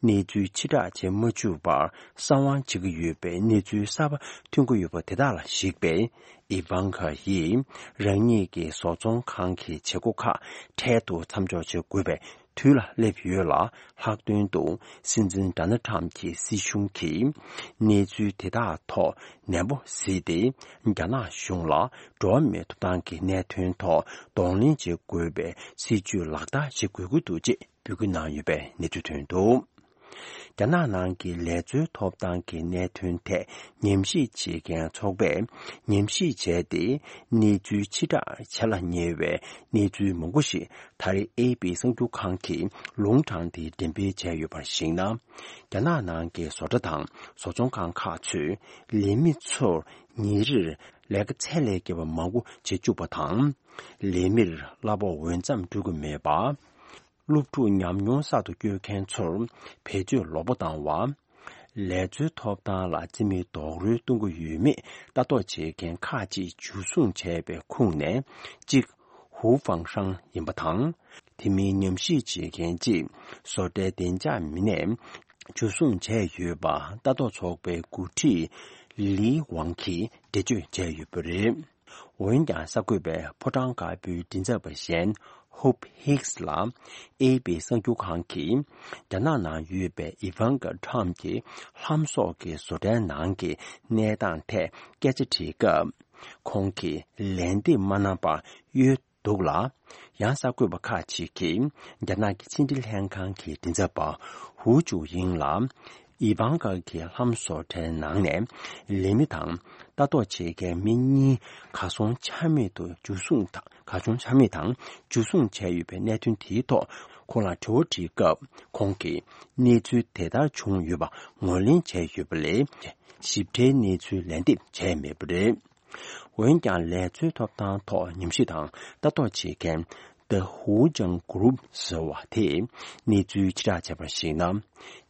གནས་ཚུལ་ཕྱིར་བསྒྲགས་བྱེད་མ་བཅུག་པར་གསང་བ་བྱེད་ཀྱི་ཡོད་པའི་གནས་ཚུལ་གསར་པ་ཐོན་གྱི་ཡོད་པ་དེ་དག་ལ་གཞིགས་པས། ཨི་ཝང་ཀ་ཡིས་རང་ཉིད་ཀྱི་བཟོ་ཚོང་ཁང་གི་བྱེད་སྒོ་ཁག་འཕྲལ་དུ་མཚམས་འཇོག་བྱེད་དགོས་པའི་དུས་ལ་སླེབས་ཡོད་ལ། ལྷག་དོན་དུ་སྲིད་འཛིན་ཌོ་ནལ་ཊམ་གྱི་སྲིད་གཞུང་གིས་གནས་ཚུལ་དེ་དག་ཐོག་ནན་པོ་གཟིགས་ཏེ། རྒྱ་ནག་གཞུང་ལ་འགྲོ་བ་མིའི་ཐོབ་ཐང་གི་གནད་དོན་ཐོག་གདོང་ལེན་བྱེད་དགོས་པའི་སྲིད་ཇུས་ལག་བསྟར་བྱེད་དགོས་ཀྱི་འདུག་ཅེས་འབོད་སྐུལ་གནང་ཡོད་པའི་གནས་ཚུལ་ཐོན་འདུག་རྒྱ་ནག་ནང་གི་ལས་བཟོའི་ཐོབ་ཐང་གི་གནད་དོན་ཐད་ཉམས་ཞིབ་བྱེད་མཁན་ཚོགས་པས་ཉམས་ཞིབ་བྱས་ཏེ། གནས་ཚུལ་ཕྱིར་བསྒྲགས་བྱེད་ལ་ཉེ་བའི་གནས་ཚུལ་མང་པོ་ཞིག་ད་རེས་ཨེ་པི་གསར་འགྱུར་ཁང་གིས་ལུང་དྲངས་ཏེ་འགྲེམས་སྤེལ་བྱས་ཡོད་པར་གཞིགས་ན། རྒྱ་ནག་ནང་གི་བཟོ་གྲྭ་དང་བཟོ་ཚོང་ཁང་ཁག་ཚོས་ལས་མི་ཚོར་ཉིན་རེར་ལས་ཀ་ཚད་ལས་བརྒལ་བ་མང་པོ་བྱེད་བཅུག་པ་དང་། ལས་མིར་གླ་ཕོགས་འོས་འཚམ་སྤྲོད་ཀྱི་མེད་པ། སློབ་ཕྲུག་ཉམས་མྱོང་གསར་དུ་བསྐྱོད་མཁན་ཚོར་བེད་སྤྱོད་ལོག་པ་བཏང་བ། ལས་བཟོའི་ཐོབ་ཐང་ལ་རྩིས་མེད་རྡོག་རོལ་གཏོང་གི་ཡོད་མེད་ལྟ་རྟོག་བྱེད་མཁན་ཁག་ཅིག་འཇུ་བཟུང་བྱས་པའི་ཁོངས་ནས་གཅིག་ཧུའུ་ཧྥང་ཧྲང་ཡིན་པ་དང་། དེ་མིན་ཉམས་ཞིབ་བྱེད་མཁན་གཅིག་བཟོ་གྲྭའི་བདེ་འཇགས་མི་སྣས་འཇུ་བཟུང་བྱས་ཡོད་པ་ལྟ་རྟོག་ཚོགས་པའི་འགོ་ཁྲིད་ལི་ཝང་གིས་འགྲེལ་བརྗོད་བྱས་ཡོད་པ་རེད། འོན་ཀྱང་གསར་འགོད་པས་ཕོ་བྲང་དཀར་པོའི་མགྲིན་ཚབ་པ་གཞན་ཧོབ་ཧིགས་ལ་ཨེ་པི་གསར་འགྱུར་ཁང་གིས་རྒྱ་ནག་ནང་ཡོད་པའི་ཨི་ཝང་ཀ་ཁྲམ་གྱི་ལྷམ་སོགས་ཀྱི་བཟོ་གྲྭའི་ནང་གི་གནས་སྟངས་ཐད་སྐད་ཆ་དྲིས་སྐབས། ཁོང་གིས་ལན་འདེབས་མ་གནང་བར་གཡོལ་འདུག་ལ། ཡང་གསར་འགོད་པ་ཁག་ཅིག་གིས་རྒྱ་ནག་གི་ཕྱི་འབྲེལ་ལྷན་ཁང་གི་མགྲིན་ཚབ་པ་ཧུའུ་ཅུ་ཡིང་ལ། ཨི་ཝང་ཀ་གི་ལྷམ་བཟོ་གྲྭའི་ནང་ནས་ལས་མི་དང་ལྟ་རྟོག་བྱེད་མཁན་མི་གཉིས་གར་སོང་ཆ་མེད་དུ་འཇུ་བཟུང་དང་། གར་སོང་ཆ་མེད་དང་འཇུ་བཟུང་བྱས་ཡོད་པའི་གནད་དོན་དེའི་ཐོག་ཁོང་ལ་དྲི་བ་དྲིས་སྐབས། ཁོང་གིས་གནས་ཚུལ་དེ་ལྟར་བྱུང་ཡོད་པ་ངོས་ལེན་བྱས་ཡོད་པ་ལས། ཞིབ་ཕྲའི་གནས་ཚུལ་ལན་འདེབས་བྱས་མེད་པ་རེད། འོན་ཀྱང་ལས་བཟོའི་ཐོབ་ཐང་ཐོག་ཉམས་ཞིབ་དང་ལྟ་རྟོག་བྱེད་མཁན་The Hujiang Group ཟེར་བ་དེས་གནས་ཚུལ་ཕྱིར་བསྒྲགས་བྱས་པར་གཞིགས་ན།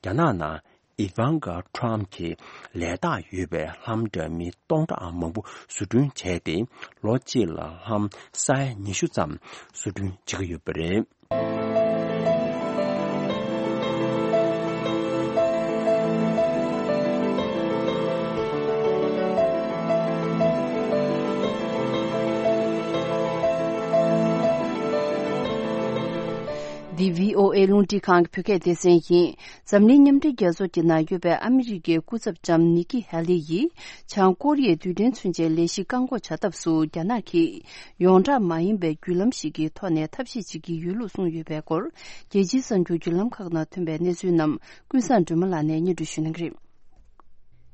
རྒྱ་ནག་ནང་ཨི་ཝང་ཀ་ཁྲམ་གྱི་ལས་རྟགས་ཡོད་པའི་ལྷམ་འདྲ་མིན་སྟོང་ཕྲག་མང་པོ་བཟོ་སྐྲུན་བྱས་ཏེ། ལོ་གཅིག་ལ་ལྷམ་ས་ཡ་ཉི་ཤུ་ཙམ་བཟོ་སྐྲུན་བྱེད་ཀྱི་ཡོད་པ་རེད། འདི་བྷི་ཨོ་ཨེ་རླུང་འཕྲིན་ཁང་གི་བོད་སྐད་སྡེ་ཚན་ཡིན། འཛམ་གླིང་མཉམ་འབྲེལ་རྒྱལ་ཚོགས་ཀྱི་ནང་ཡོད་པའི་ཨ་མི་རི་ཀའི་སྐུ་ཚབ་ལྕམ་ནི་ཀི་ཧེ་ལི་ཡིས། བྱང་ཀོ་རི་ཡའི་རྡུལ་ཕྲན་མཚོན་ཆའི་ལས་གཞི་བཀག་འགོག་བྱ་ཐབས་སུ་རྒྱ་ནག་གིས་ཡོངས་གྲགས་མ་ཡིན་པའི་བརྒྱུད་ལམ་ཞིག་གི་ཐོག་ནས་ཐབས་ཤེས་བྱེད་ཀྱི་ཡོད་ལུགས་གསུངས་ཡོད་པའི་སྐོར། རྒྱལ་སྤྱིའི་གསར་འགྱུར་བརྒྱུད་ལམ་ཁག་ནང་ཐོན་པའི་གནས་ཚུལ་རྣམས་ཀུན་བཟང་སྒྲོལ་མ་ལགས་ནས་སྙན་སྒྲོན་ཞུ་གནང་གི་རེད།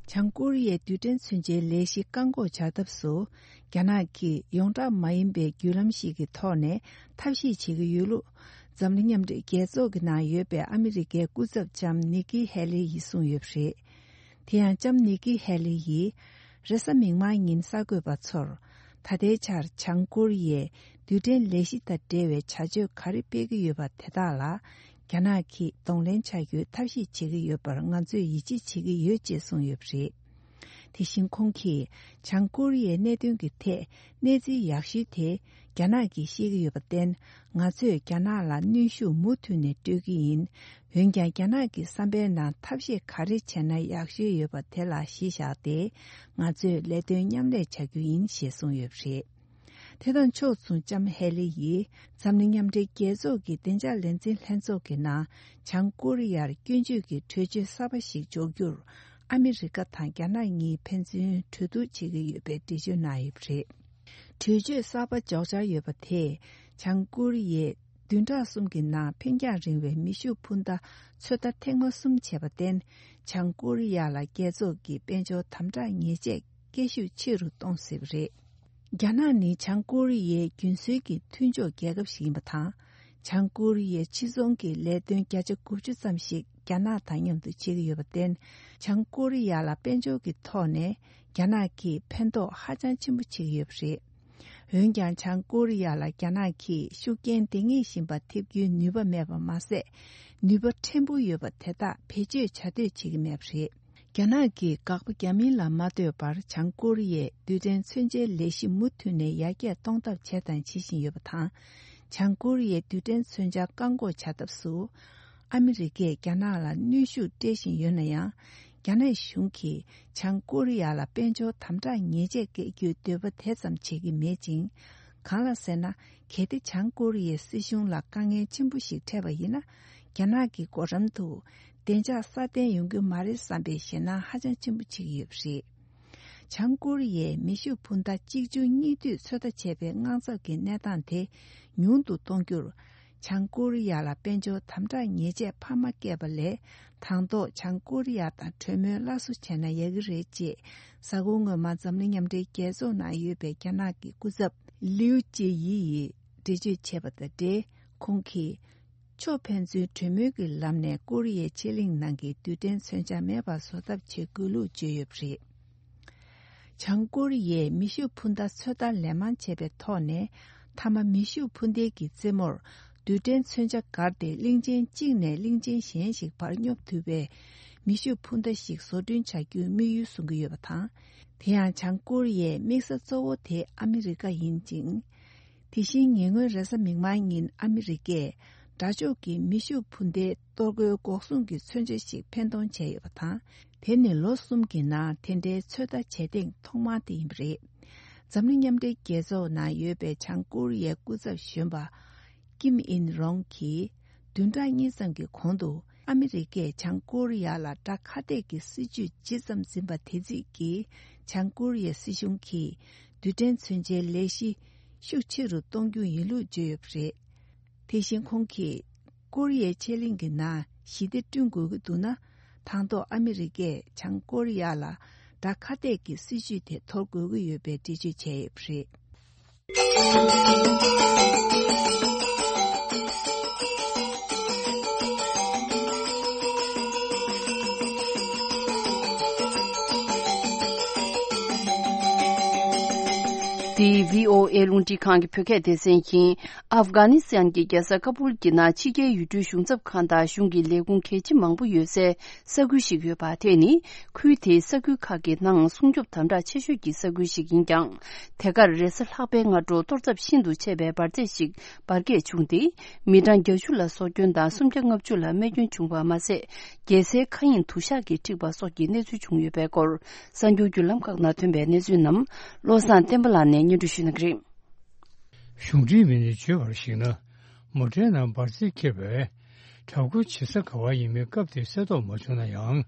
བྱང་ཀོ་རི་ཡའི་རྡུལ་ཕྲན་མཚོན་ཆའི་ལས་གཞི་བཀག་འགོག་བྱ་ཐབས་སུ། རྒྱ་ནག་གིས་ཡོངས་གྲགས་མ་ཡིན་པའི་བརྒྱུད་ལམ་ཞིག་གི་ཐོག་ནས་ཐབས་ཤེས་བྱེད་ཀྱི་ཡོད་ལུགས། འཛམ་གླིང་མཉམ་འབྲེལ་རྒྱལ་ཚོགས་ཀྱི་ནང་ཡོད་པའི་ཨ་མི་རི་ཀའི་སྐུ་ཚབ་ལྕམ་ནི་ཀི་ཧེ་ལི་ཡིས་གསུངས་ཡོད་པ་རེད། དེ་ཡང་ལྕམ་ནི་ཀི་ཧེ་ལི་ཡིས་རེས་གཟའ་མིག་དམར་ཉིན་གསར་འགོད་པ་ཚོར། ད་ལྟའི་ཆར་བྱང་ཀོ་རི་ཡས་རྡུལ་ཕྲན་ལས་གཞི་དང་འབྲེལ་བའི་བྱ་སྤྱོད་ག་རེ་སྤེལ་གྱི་ཡོད་པ་དེ་དག་ལ། རྒྱ་ནག་གིས་གདོང་ལེན་བྱ་རྒྱུའི་ཐབས་ཤེས་བྱེད་ཀྱི་ཡོད་པར་ང་ཚོས་ཡིད་ཆེས་བྱེད་ཀྱི་ཡོད་ཅེས་གསུངས་ཡོད་པ་རེད། དེ་བཞིན་ཁོང་གིས་བྱང་ཀོ་རི་ཡའི་གནད་དོན་གྱི་ཐད་གནས་ཚུལ་ཡག་ཤོས་དེ་རྒྱ་ནག་གིས་ཤེས་ཀྱི་ཡོད་པར་བརྟེན། ང་ཚོས་རྒྱ་ནག་ལ་གནོན་ཤུགས་མུ་མཐུད་ནས་སྤྲོད་ཀྱི་ཡིན། འོན་ཀྱང་རྒྱ་ནག་གི་བསམ་པའི་ནང་ཐབས་ཤེས་ག་རེ་བྱས་ན་ཡག་ཤོས་ཡོད་པ་དེ་ལ་གཞི་བཞག་སྟེ། ང་ཚོས་ལས་དོན་མཉམ་ལས་བྱ་རྒྱུ་ཡིན་ཞེས་གསུངས་ཡོད་པ་རེད། དེ་དང་ཕྱོགས་མཚུངས་ལྕམ་ཧེ་ལི་ཡིས་འཛམ་གླིང་མཉམ་འབྲེལ་རྒྱལ་ཚོགས་ཀྱི་བདེ་འཇགས་ལས་འཛིན་ལྷན་ཚོགས་ཀྱི་ནང་བྱང་ཀོ་རི་ཡར་སྐྱོན་བརྗོད་ཀྱི་གྲོས་ཆོད་གསར་པ་ཞིག་འཇོག་རྒྱུར་ཨ་མི་རི་ཀ་དང་རྒྱ་ནག་གཉིས་ཕན་ཚུན་གྲོས་བསྡུར་བྱེད་ཀྱི་ཡོད་པའི་འགྲེལ་བརྗོད་གནང་ཡོད་པ་རེད། གྲོས་ཆོད་གསར་པ་འཇོག་འཆར་ཡོད་པ་དེས་བྱང་ཀོ་རི་ཡས་བདུན་ཕྲག་གསུམ་གྱི་ནང་འཕེན་རྒྱང་རིང་བའི་མེ་ཤུགས་འཕུར་མདའ་ཚོད་ལྟ་ཐེངས་མ་གསུམ་བྱས་པར་བརྟེན། བྱང་ཀོ་རི་ཡ་ལ་རྒྱལ་ཚོགས་ཀྱི་དཔལ་འབྱོར་དམ་དྲག་ཉེས་ཆད་སྐད་ཤུགས་ཆེ་རུ་གཏོང་སྲིད་པ་རེད། རྒྱ་ནག་ནི་བྱང་ཀོ་རི་ཡའི་རྒྱུན་སྲོལ་གྱི་མཐུན་ཕྱོགས་རྒྱལ་ཁབ་ཞིག་ཡིན་པ་དང་། བྱང་ཀོ་རི་ཡའི་ཕྱི་ཚོང་གི་ལས་དོན་བརྒྱ་ཆ་དགུ་བཅུ་ཙམ་ཞིག་རྒྱ་ནག་དང་མཉམ་དུ་བྱེད་ཀྱི་ཡོད་པར་བརྟེན། བྱང་ཀོ་རི་ཡ་ལ་དཔལ་འབྱོར་གྱི་ཐོག་ནས་རྒྱ་ནག་གིས་ཕན་ཐོགས་ཧ་ཅང་ཆེན་པོ་བྱེད་ཀྱི་ཡོད་པ་རེད། འོན་ཀྱང་། བྱང་ཀོ་རི་ཡ་ལ་རྒྱ་ནག་གིས་ཤུགས་རྐྱེན་འདི་ཉིད་བཞིན་པ་ཐེབས་རྒྱུའི་ནུས་པ་མེད་པ་མ་ཟད། ནུས་པ་ཕྲན་བུ་ཡོད་པ་དེ་དག་བེད་སྤྱོད་བྱ་འདོད་བྱེད་ཀྱི་མེད་པ་རེད། རྒྱ་ནག་གིས་དགག་པ་རྒྱག་མིན་ལ་མ་ལྟོས་པར། བྱང་ཀོ་རི་ཡས་རྡུལ་ཕྲན་མཚོན་ཆའི་ལས་གཞི་མུ་མཐུད་ནས་ཡར་རྒྱས་གཏོང་ཐབས་བྱས་དང་བྱེད་བཞིན་ཡོད་པ་དང་། བྱང་ཀོ་རི་ཡའི་རྡུལ་ཕྲན་མཚོན་ཆ་བཀག་འགོག་བྱ་ཐབས་སུ། ཨ་མི་རི་ཀས་རྒྱ་ནག་ལ་གནོན་ཤུགས་སྤྲད་བཞིན་ཡོད་ན་ཡང་། རྒྱ་ནག་གཞུང་གིས་བྱང་ཀོ་རི་ཡ་ལ་དཔལ་འབྱོར་དམ་དྲག་ཉེས་ཆད་བཀལ་རྒྱུའི་འདོད་པ་དེ་ཙམ་བྱེད་ཀྱི་མེད་ཅིང་། གང་ལ་ཟེར་ན། གལ་ཏེ་བྱང་ཀོ་རི་ཡའི་སྲིད་གཞུང་ལ་དཀའ་ངལ་ཆེན་པོ་ཞིག་འཕྲད་པ་ཡིན་ན། རྒྱ་ནག་གི་འགོ་འགྲམ་དུ་བདེ་འཇགས་སྲ་བརྟན་ཡོང་གི་མ་རེད་བསམ་པའི་ཞེད་སྣང་ཧ་ཅང་ཆེན་པོ་བྱེད་ཀྱི་ཡོད་པ་རེད། བྱང་ཀོ་རི་ཡས་མེ་ཤུགས་འཕུར་མདའ་གཅིག་མཇུག་གཉིས་མཐུད་ཚོད་ལྟ་བྱས་པའི་དངངས་འཚབ་ཀྱི་གནས་སྟངས་དེ་ཉུང་དུ་གཏོང་རྒྱུར། བྱང་ཀོ་རི་ཡ་ལ་དཔལ་འབྱོར་དམ་དྲག་ཉེས་ཆད་འཕར་མ་བཀལ་བ་ལས། དང་ཐོག་བྱང་ཀོ་རི་ཡ་དང་གྲོས་མོལ་སླར་གསོ་བྱས་ན་ཡག་གི་རེད་ཅེས། གཟའ་འཁོར་སྔོན་མ་འཛམ་གླིང་མཉམ་འབྲེལ་རྒྱལ་ཚོགས་ནང་ཡོད་པའི་རྒྱ་ནག་གི་སྐུ་ཚབ་ལིའུ་ཅེ་ཡི་ཡིས་འགྲེལ་བརྗོད་བྱས་པ་དང་འབྲེལ། ཁོང་གིས། ཕྱོགས་ཕན་ཚུན་གྲོས་མོལ་གྱི་ལམ་ནས་ཀོ་རི་ཡའི་ཕྱེད་གླིང་ནང་གི་རྡུལ་ཕྲན་མཚོན་ཆ་མེད་པར་བཟོ་ཐབས་བྱེད་དགོས་ལུགས་བརྗོད་ཡོད་པ་རེད། བྱང་ཀོ་རི་ཡས་མེ་ཤུགས་འཕུར་མདའ་ཚོད་ལྟ་ལན་མང་བྱས་པའི་ཐོག་ནས། མཐའ་མ་མེ་ཤུགས་འཕུར་མདའི་གི་རྩེ་མོར་རྡུལ་ཕྲན་མཚོན་ཆ་བསྒར་ཏེ། གླིང་ཆེན་གཅིག་ནས་གླིང་ཆེན་གཞན་ཞིག་བར་སྙོབ་ཐུབ་པའི་མེ་ཤུགས་འཕུར་མདའ་ཞིག་བཟོ་སྐྲུན་བྱ་རྒྱུའི་དམིགས་ཡུལ་བཟུང་གི་ཡོད་པ་དང་། དེ་ཡང་། བྱང་ཀོ་རི་ཡའི་དམིགས་ས་གཙོ་བོ་དེ་ཨ་མི་རི་ཀ་ཡིན་ཅིང་། དེ་བཞིན། ཉེ་སྔོན་རེས་གཟའ་མིག་དམར་ཉིན་ཨ་མི་རི་ཀས་དགྲ་ཕྱོགས་ཀྱི་མེ་ཤུགས་འཕུར་མདའི་གཏོར་རྒོལ་འགོག་སྲུང་གི་མཚོན་ཆ་ཞིག་འཕེན་གཏོང་བྱས་ཡོད་པ་དང་། དེ་ནི་ལོ་གསུམ་གྱི་ནང་དེ་འདྲའི་ཚོད་ལྟ་བྱེད་ཐེངས་ཐོག་མ་དེ་ཡིན་པ་རེད། འཛམ་གླིང་མཉམ་འབྲེལ་རྒྱལ་ཚོགས་ནང་ཡོད་པའི་བྱང་ཀོ་རི་ཡའི་སྐུ་ཚབ་གཞོན་པ་ཀིམ་ཨིན་རོང་གིས། བདུན་ཕྲག་གཉིས་ཙམ་གྱི་གོང་དུ། ཨ་མི་རི་ཀས་བྱང་ཀོ་རི་ཡ་ལ་དགྲ་ཁ་གཏད་ཀྱི་སྲིད་ཇུས་ཇི་ཙམ་འཛིན་པ་དེ་རྩིས་ཀྱིས། བྱང་ཀོ་རི་ཡའི་སྲིད་གཞུང་གིས་རྡུལ་ཕྲན་མཚོན་ཆའི་ལས་གཞི་ཤུགས་ཆེ་རུ་གཏོང་རྒྱུ་ཡིན་ལུགས་བརྗོད་ཡོད་པ་རེད། དེ་བཞིན་ཁོང་གིས། ཀོ་རི་ཡའི་ཕྱེད་གླིང་གི་ནང་ཞི་བདེ་བསྐྲུན་དགོས་ཀྱི་འདུག་ན། དང་ཐོག་ཨ་མི་རི་ཀས་བྱང་ཀོ་རི་ཡ་ལ་དགྲ་ཁ་གཏད་ཀྱི་སྲིད་ཇུས་དེ་དོར་དགོས་ཀྱི་ཡོད་པའི་འགྲེལ་བརྗོད་བྱས་ཡོད་པ་རེད། འདི་བྷི་ཨོ་ཨེ་རླུང་འཕྲིན་ཁང་གི་བོད་སྐད་སྡེ་ཚན་ཡིན། ཨབ་གྷ་ནི་སི་ཐན་གྱི་རྒྱལ་ས་ཀ་བུལ་གྱི་ནང་ཕྱི་རྒྱལ་ཡུལ་གྲུའི་གཞུང་ཚབ་ཁང་དང་གཞུང་གི་ལས་ཁུངས་གལ་ཆེ་མང་པོ་ཡོད་སའི་ས་ཁུལ་ཞིག་ཡོད་པ། དེ་ནི་ཁུལ་དེའི་ས་ཁུལ་ཁག་གི་ནང་སྲུང་སྐྱོབ་དམ་དྲག་ཆེ་ཤོས་ཀྱི་ས་ཁུལ་ཞིག་ཡིན་ཀྱང་། དེ་གར་རེས་གཟའ་ལྷག་པའི་སྔ་དྲོ་གཏོར་ཚབས་ཤིན་ཏུ་ཆེ་བའི་འབར་རྫས་ཤིག་འབར་གས་བྱུང་སྟེ། མི་གྲངས་བརྒྱད་ཅུ་ལ་སྲོག་སྐྱོན་དང་སུམ་བརྒྱ་ལྔ་བཅུ་ལ་རྨས་སྐྱོན་བྱུང་བ་མ་ཟད། རྒྱལ་སའི་མཁའ་དབྱིངས་དུ་ཞག་གིས་འཁྲིགས་པ་སོགས་ཀྱི་གནས་ཚུལ་བྱུང་ཡོད་པའི་སྐོར། གསར་འགྱུར་བརྒྱུད་ལམ་ཁག་ནང་ཐོན་པའི་གནས་ཚུལ་རྣམས་བློ་བཟང་བསྟན་པ་ལགས་ནས་སྙན་སྒྲོན་ཞུ་གནང་གི་རེད། གཞུང་འབྲེལ་མི་སྣས་བརྗོད་པར་གཞིགས་ན། མོ་ཊའི་ནང་འབར་རྫས་འཁྱེར་བའི་དྲག་རྒོལ་བྱེད་ས་ག་བ་ཡིན་མིན་སྐབས་དེར་གསལ་རྟོགས་མ་བྱུང་ན་ཡང་།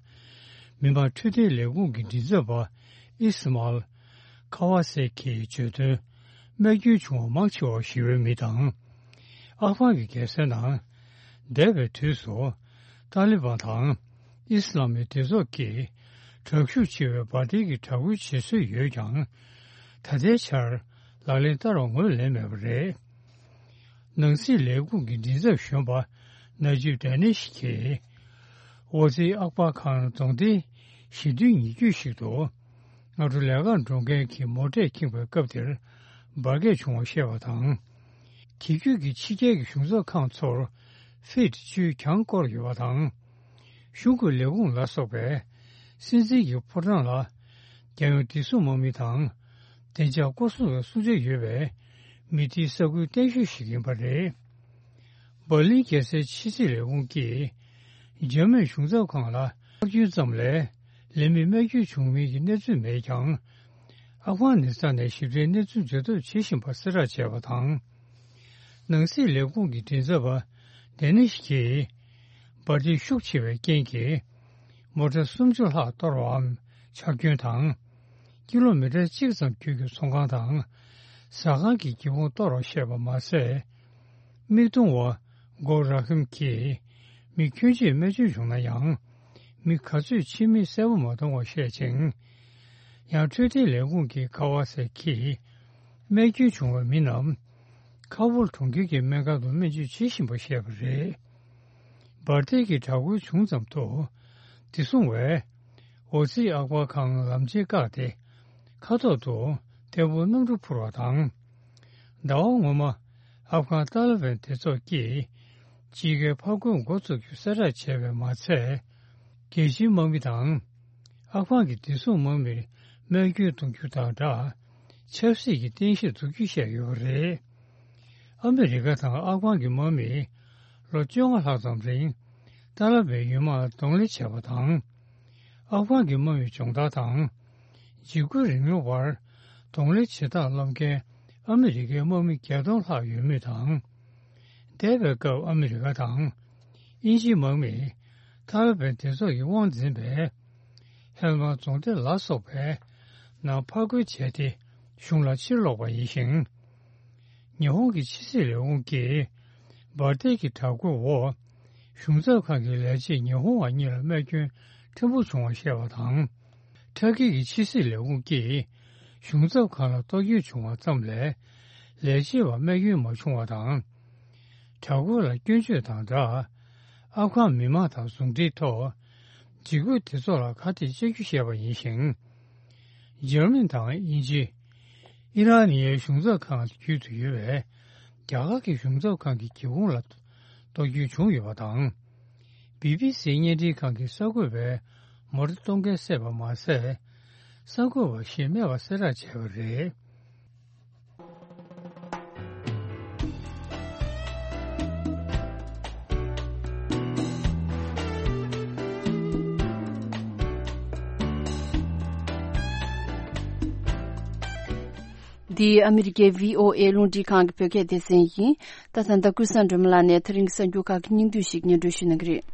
མི་དམངས་འཕྲོད་བསྟེན་ལས་ཁུངས་ཀྱི་མགྲིན་ཚབ་པ་ཨིས་མཱལ་ཁ་ཝ་སེ་ཁིས་བརྗོད་དོན། རྨས་སྐྱོན་བྱུང་བ་མང་ཆེ་བ་ཞི་བའི་མི་དང་། ཨབ་གྷན་གྱི་རྒྱལ་སའི་ནང་། འདས་པའི་དུས་སུ། ཏཱ་ལི་བན་དང་། ཨིས་ལམ་མི་སྡེ་ཚོགས་ཀྱིས། དྲག་ཤུགས་ཆེ་བའི་འབར་མདེལ་གྱི་དྲག་རྒོལ་བྱེད་སྲོལ་ཡོད་ཀྱང་། ད་ལྟའི་ཆར། ལག་ལེན་བསྟར་བ་ངོས་ལེན་མེད་པ་རེད། ནང་སྲིད་ལས་ཁུངས་ཀྱི་མགྲིན་ཚབ་གཞོན་པ་ན་ཇིབ་ཌེ་ནིཤ་གིས། ཝོ་ཛི་ཨག་པར་ཁཱན་རྫོང་སྡེའི་ཞི་མཐུན་ཉེ་བརྒྱུད་ཞིག་ཏུ། སྔ་དྲོ་ལས་ཀར་འགྲོ་མཁན་གྱི་མོ་ཊས་ཁེངས་པའི་སྐབས་དེར། འབར་གས་བྱུང་བ་བཤད་པ་དང་། དེ་བརྒྱུད་ཀྱི་ཕྱི་རྒྱལ་གྱི་གཞུང་ཚབ་ཁང་ཚོར་ཧྥིཊ་བཅུས་གྱང་བསྐོར་ཡོད་པ་དང་། གཞུང་གི་ལས་ཁུངས་ལ་སོགས་པས་སྲིད་འཛིན་གྱི་ཕོ་བྲང་ལ་ རྒྱལ་ཡོངས་བདེ་སྲུང་དམག་མི་དང་། བདེ་འཇགས་སྐོར་སྲུང་བའི་སྲུང་བྱ་ཡོད་པའི་མི་སྡེའི་ས་ཁུལ་བརྟན་ཤོས་ཤིག་ཡིན་པ་རེད། འབར་ལིན་རྒྱལ་སའི་ཕྱི་སྲིད་ལས་ཁུངས་ཀྱིས། འཇར་མན་གཞུང་ཚབ་ཁང་ལ་ཐག་གཅོད་ཙམ་ལས་ལས་མི་རྨས་སྐྱོན་བྱུང་མིན་གྱི་གནས་ཚུལ་མེད་ཀྱང་། ཨབ་གྷ་ནི་སི་ཐན་ནས་ཞིབ་ཕྲའི་གནས་ཚུལ་འཛོལ་ཐབས་བྱེད་བཞིན་པ་གསལ་བསྒྲགས་བྱས་པ་དང་། ནང་སྲིད་ལས་ཁུངས་ཀྱི་མགྲིན་ཚབ་པ་ཌེ་ནིཤ་གིས། འབར་མདེལ་ཤུགས་ཆེ་བའི་རྐྱེན་གྱིས། མོ་ཊ་སུམ་ཅུ་ལྷག་གཏོར་བའམ་ཆག་སྐྱོན་དང་། ཀི་ལོ་མི་ཊར་གཅིག་ཙམ་རྒྱུད་ཀྱི་ཚོང་ཁང་དང་། ཟ་ཁང་གི་སྒེའུ་ཁུང་གཏོར་བར་བཤད་པ་མ་ཟད། མིག་མཐོང་བ་སྒོ་ར་ཧིམ་གྱིས་མི་ཁྱོན་ཆེ་རྨས་སྐྱོན་བྱུང་ན་ཡང་། མི་ག་ཚོད་ཕྱི་མིག་གསལ་པོ་མ་མཐོང་བ་བཤད་ཅིང་། ཡང་འཕྲོད་བསྟེན་ལས་ཁུངས་ཀྱི་ཀ་ཝ་སེ་གིས་རྨས་སྐྱོན་བྱུང་བའི་མི་རྣམས་ཁ་ཧྥོར་གྲོང་ཁྱེར་གྱི་སྨན་ཁང་དུ་སྨན་བཅོས་བྱེད་བཞིན་པ་བཤད་པ་རེད། འབར་མདེལ་གྱི་དྲག་རྒོལ་བྱུང་ཙམ་དུ་བདེ་སྲུང་བས་འོ་ཙི་ཨག་བར་ཁང་ལམ་ཆེན་བཀག་སྟེ་མཁའ་ཐོག་ཏུ་ཐལ་འབུ་གནམ་གྲུ་འཕུར་བ་དང་། ཟླ་བ་སྔོན་མ་ཨབ་གྷན་ཏཱ་ལི་བན་སྡེ་ཚོགས་ཀྱིས་དཔྱིད་ཀའི་ཕར་རྒོལ་འགོ་བཙུགས་རྒྱུ་གསལ་བསྒྲགས་བྱས་པས་མ་ཚད། རྒྱལ་སྤྱིའི་དམག་མི་དང་། ཨབ་གྷན་གྱི་བདེ་སྲུང་དམག་མིར་རྨས་སྐྱོན་གཏོང་རྒྱུ་དང་སྦྲགས། ཆབ་སྲིད་ཀྱི་རྟེན་གཞིར་འཛུགས་རྒྱུ་བཤད་ཡོད་པ་རེད། ཨ་མི་རི་ཀ་དང་ཨབ་གྷན་གྱི་དམག་མིས་ལོ་བཅོ་ལྔ་ལྷག་ཙམ་རིང་ཏཱ་ལི་བན་ཡུལ་དམག་ལ་གདོང་ལེན་བྱས་པ་དང་། ཨབ་གྷན་གྱི་དམག་མིའི་སྦྱོང་བརྡར་དང་། འཇིགས་སྐུལ་རིང་ལུགས་བར་གདོང་ལེན་བྱེད་སྟངས་བསླབ་མཁན་ཨ་མི་རི་ཀའི་དམག་མི་བརྒྱད་སྟོང་ལྷག་ཡོད་མུས་དང་། འདས་པའི་སྐབས་ཨ་མི་རི་ཀ་དང་དབྱིན་ཇིའི་དམག་མིས་ཏཱ་ལི་བན་སྡེ་ཚོགས་ཀྱི་དབང་འཛིན་པའི་ཧེལ་མ་རྫོང་སྡེ་ལ་སོགས་པའི་ནང་ཕར་རྒོལ་བྱས་ཏེ་གཞུང་ལ་ཕྱིར་ལོག་པ་ཡིན་ཞིང་། ཉི་ཧོང་གི་ཕྱི་སྲིད་ལས་ཁུངས་ཀྱིས་འབར་མདེལ་གྱི་དྲག་རྒོལ་འོག་གཞུང་ཚབ་ཁང་གི་ལས་བྱེད་ཉི་ཧོང་བ་གཉིས་ལ་རྨས་སྐྱོན་ཕྲན་བུ་བྱུང་བ་བཤད་པ་དང་། ཊར་ཀི་གི་ཕྱི་སྲིད་ལས་ཁུངས་ཀྱིས་གཞུང་ཚབ་ཁང་ལ་གཏོར་སྐྱོན་བྱུང་བ་ཙམ་ལས་ལས་བྱེད་པ་རྨས་སྐྱོན་མ་བྱུང་བ་དང་། དྲག་རྒོལ་ལ་སྐྱོན་བརྗོད་དང་སྦྲགས། ཨབ་གྷན་མི་མང་དང་ཟུང་འབྲེལ་ཐོག་འཇིགས་སྐུལ་སྡེ་ཚོགས་ལ་ཁ་གཏད་བཅག་རྒྱུ་བཤད་པ་ཡིན་ཞིང་། འཇར་མན་དང་དབྱིན་ཇི། ཨི་རན་ནི་ཡའི་གཞུང་ཚབ་ཁང་བརྒྱུད་དུ་ཡོད་པའི་རྒྱ་གར་གྱི་གཞུང་ཚབ་ཁང་གི་སྒེའུ་ཁུང་ལ་གཏོར་སྐྱོན་བྱུང་ཡོད་པ་དང་། བི་བི་སི་བརྙན་འཕྲིན་ཁང་གི་གསར་འགོད་པས་མོ་ཊ་གཏོང་མཁན་བསད་པ་མ་ཟད། གསར་འགོད་པ་ཞིག་རྨས་པ་གསལ་བསྒྲགས་བྱས་པ་རེད། འདི་ཨ་མི་རི་ཀའི་བྷི་ཨོ་ཨེ་རླུང་འཕྲིན་ཁང་གི་བོད་སྐད་སྡེ་ཚན་ཡིན། ད་ད་ལྟ་ཀུན་བཟང་སྒྲོལ་མ་ལགས་ནས་ད་རིང་གི་གསར་འགྱུར་ཁག་གི་སྙིང་བསྡུས་ཤིག་སྙན་སྒྲོན་ཞུ་གནང་གི་རེད།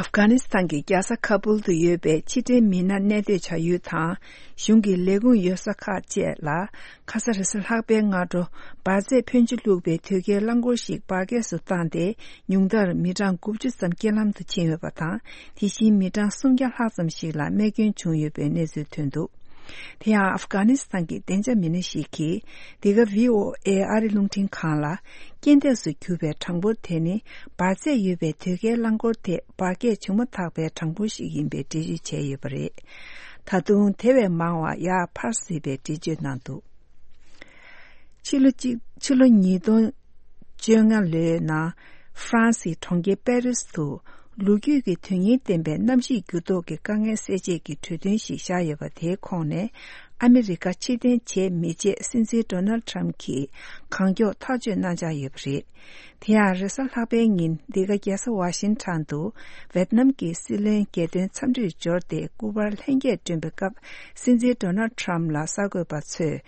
ཨབ་གྷ་ནི་སི་ཐན་གྱི་རྒྱལ་ས་ཁ་པུལ་དུ་ཡོད་པའི་ཕྱི་འབྲེལ་མི་སྣ་གནས་སྡོད་བྱ་ཡུལ་དང་། གཞུང་གི་ལས་ཁུངས་ཡོད་ས་ཁག་བཅས་ལ། ཁ་ས་རེས་གཟའ་ལྷག་པའི་སྔ་དྲོ། འབར་རྫས་ཕོན་ཆེ་བླུགས་པའི་དོས་སྐྱེལ་རླངས་འཁོར་ཞིག་འབར་གས་སུ་བཏང་སྟེ། ཉུང་མཐར་མི་གྲངས་དགུ་བཅུ་ཙམ་རྐྱེན་ལམ་དུ་ཕྱིན་ཡོད་པ་དང་། དེ་བཞིན་མི་གྲངས་སུམ་བརྒྱ་ལྷག་ཙམ་ཞིག་ལ་རྨས་སྐྱོན་བྱུང་ཡོད་པའི་གནས་ཚུལ་ཐོན་འདུག་དེ་ཡང་ཨབ་གྷ་ནི་སི་ཐན་གྱི་བདེ་འཇགས་མི་སྣ་ཞིག་གིས། འདི་ག་བྷི་ཨོ་ཨེ་ཨ་རི་རླུང་འཕྲིན་ཁང་ལ། རྐྱེན་འདས་སུ་གྱུར་པའི་གྲངས་འབོར་དེ་ནི། འབར་རྫས་ཡོད་པའི་དོས་སྐྱེལ་རླངས་འཁོར་དེ་འབར་གས་བྱུང་མ་ཐག་པའི་གྲངས་འབོར་ཞིག་ཡིན་པའི་འགྲེལ་བརྗོད་བྱས་ཡོད་པ་རེད། ད་དུང་དེ་བས་མང་བ་ཡར་འཕར་སྲིད་པའི་འགྲེལ་བརྗོད་གནང་འདུག་ཕྱི་ལོ་གཅིག་ཕྱི་ལོ་ཉིས་སྟོང་བཅོ་ལྔ་ལོའི་ནང་། ཧྥ་རན་སིའི་གྲོང་ཁྱེར་པེ་རིས་དུ། ལོ་རྒྱུས་ཀྱི་དོན་སྙིང་ལྡན་པའི་གནམ་གཤིས་འགྱུར་ལྡོག་གི་དཀའ་ངལ་སེལ་ཆེད་ཀྱི་གྲོས་མཐུན་ཞིག་བཞག་ཡོད་པ། དེའི་ཁོངས་ནས། ཨ་མི་རི་ཀ་ཕྱིར་འཐེན་བྱེད་མི་བྱེད་སྲིད་འཛིན་ཌོ་ནལ་ཌི་ཊརམ་གྱིས་གང་མགྱོགས་ཐག་གཅོད་གནང་འཆར་ཡོད་པ་རེད། དེ་ཡང་རེས་གཟའ་ལྷག་པའི་ཉིན། འདི་ག་རྒྱལ་ས་ཝ་ཤིང་ཊོན་དུ། ཝེད་ནམ་གྱི་སྲིད་བློན་རྒྱལ་དོན་འཚམས་འདྲིར་འབྱོར་ཏེ། སྐུ་པར་ལྷན་རྒྱས་བསྐྲུན་པའི་སྐབས། སྲིད་འཛིན་ཌོ་ནལ་ཌི་ཊརམ་ལ་གསར་འགོད་པ་ཚོས།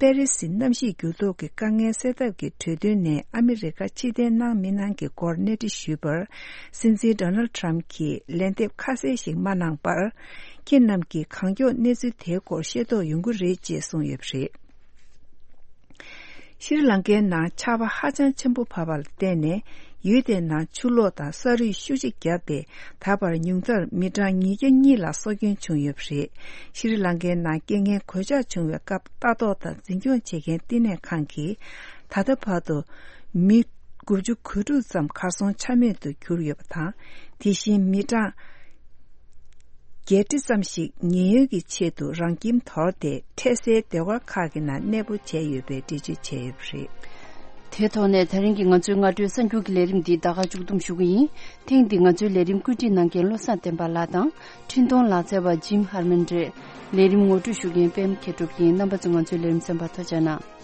པེ་རི་སི་གནམ་གཤིས་འགྱུར་ལྡོག་གི་དཀའ་ངལ་སེལ་ཐབས་ཀྱི་གྲོས་མཐུན་ནས་ཨ་མི་རི་ཀ་ཕྱིར་འཐེན་གནང་མི་གནང་གི་སྐོར་གནས་འདྲི་ཞུས་པར། སྲིད་འཛིན་ཌོ་ནལ་ཌི་ཊརམ་གྱིས་ལན་འདེབས་ཁ་གསལ་ཞིག་མ་གནང་བར། ཁྱེད་རྣམས་ཀྱིས་གང་མགྱོགས་གནས་ཚུལ་དེའི་སྐོར་ཤེས་རྟོགས་ཡོང་གི་རེད་ཅེས་གསུངས་ཡོད་པ་རེད། ཤྲི་ལང་ཀའི་ནང་ཆར་པ་ཧ་ཅང་ཆེན་པོ་བབས་པ་ལ་བརྟེན་ནས། ཡུལ་དེའི་ནང་ཆུ་ལོག་དང་ས་རུད་ཤུགས་ཆེ་བརྒྱབ་སྟེ། ད་བར་ཉུང་མཐར་མི་གྲངས་ཉིས་བརྒྱ་གཉིས་ལ་སྲོག་སྐྱོན་བྱུང་ཡོད་པ་རེད། ཤྲི་ལང་ཀའི་ནང་རྐྱེན་ངན་གོད་ཆག་བྱུང་བའི་སྐབས། ལྟ་རྟོག་དང་འཛིན་སྐྱོང་བྱེད་མཁན་བསྟི་གནས་ཁང་གིས། ད་ལྟ་བར་དུ་མི་དགུ་བཅུ་གོ་དྲུག་ཙམ་གར་སོང་ཆ་མེད་དུ་གྱུར་ཡོད་པ་དང་། དེ་བཞིན་མི་གྲངས་བརྒྱད་ཁྲི་ཙམ་ཞིག་ཉེན་གཡོལ་གྱི་ཆེད་དུ་རང་ཁྱིམ་དོར་ཏེ། འཕྲལ་སེལ་སྡེ་ཁག་ཁག་གི་ནང་གནས་སྤོ་བྱས་ཡོད་པའི་འགྲེལ་བརྗོད་བྱས་ཡོད་པ་རེད། དེའི་ཐོག་ནས་ད་རིང་གི་ང་ཚོའི་སྔ་དྲོའི་གསར་འགྱུར་གྱི་ལས་རིམ་འདི་ད་ག་མཇུག་བསྡོམས་ཞུ་གི་ཡིན། ཐེངས་འདིའི་ང་ཚོའི་ལས་རིམ་བཀོད་སྒྲིག་གནང་མཁན་བློ་བཟང་བསྟན་པ་ལགས་དང་འཕྲིན་གཏོང་ལག་རྩལ་བ་ཇིམ་ཧར་མན་རེད། ལས་རིམ་ངོ་སྤྲོད་ཞུ་མཁན་པད་མ་མཁས་གྲུབ་ཡིན། རྣམ་པ་ཚོས་ང་ཚོའི་ལས་རིམ་གསན་པར་ཐུགས་རྗེ་གནང་།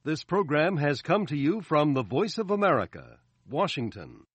This program has come to you from the Voice of America, Washington.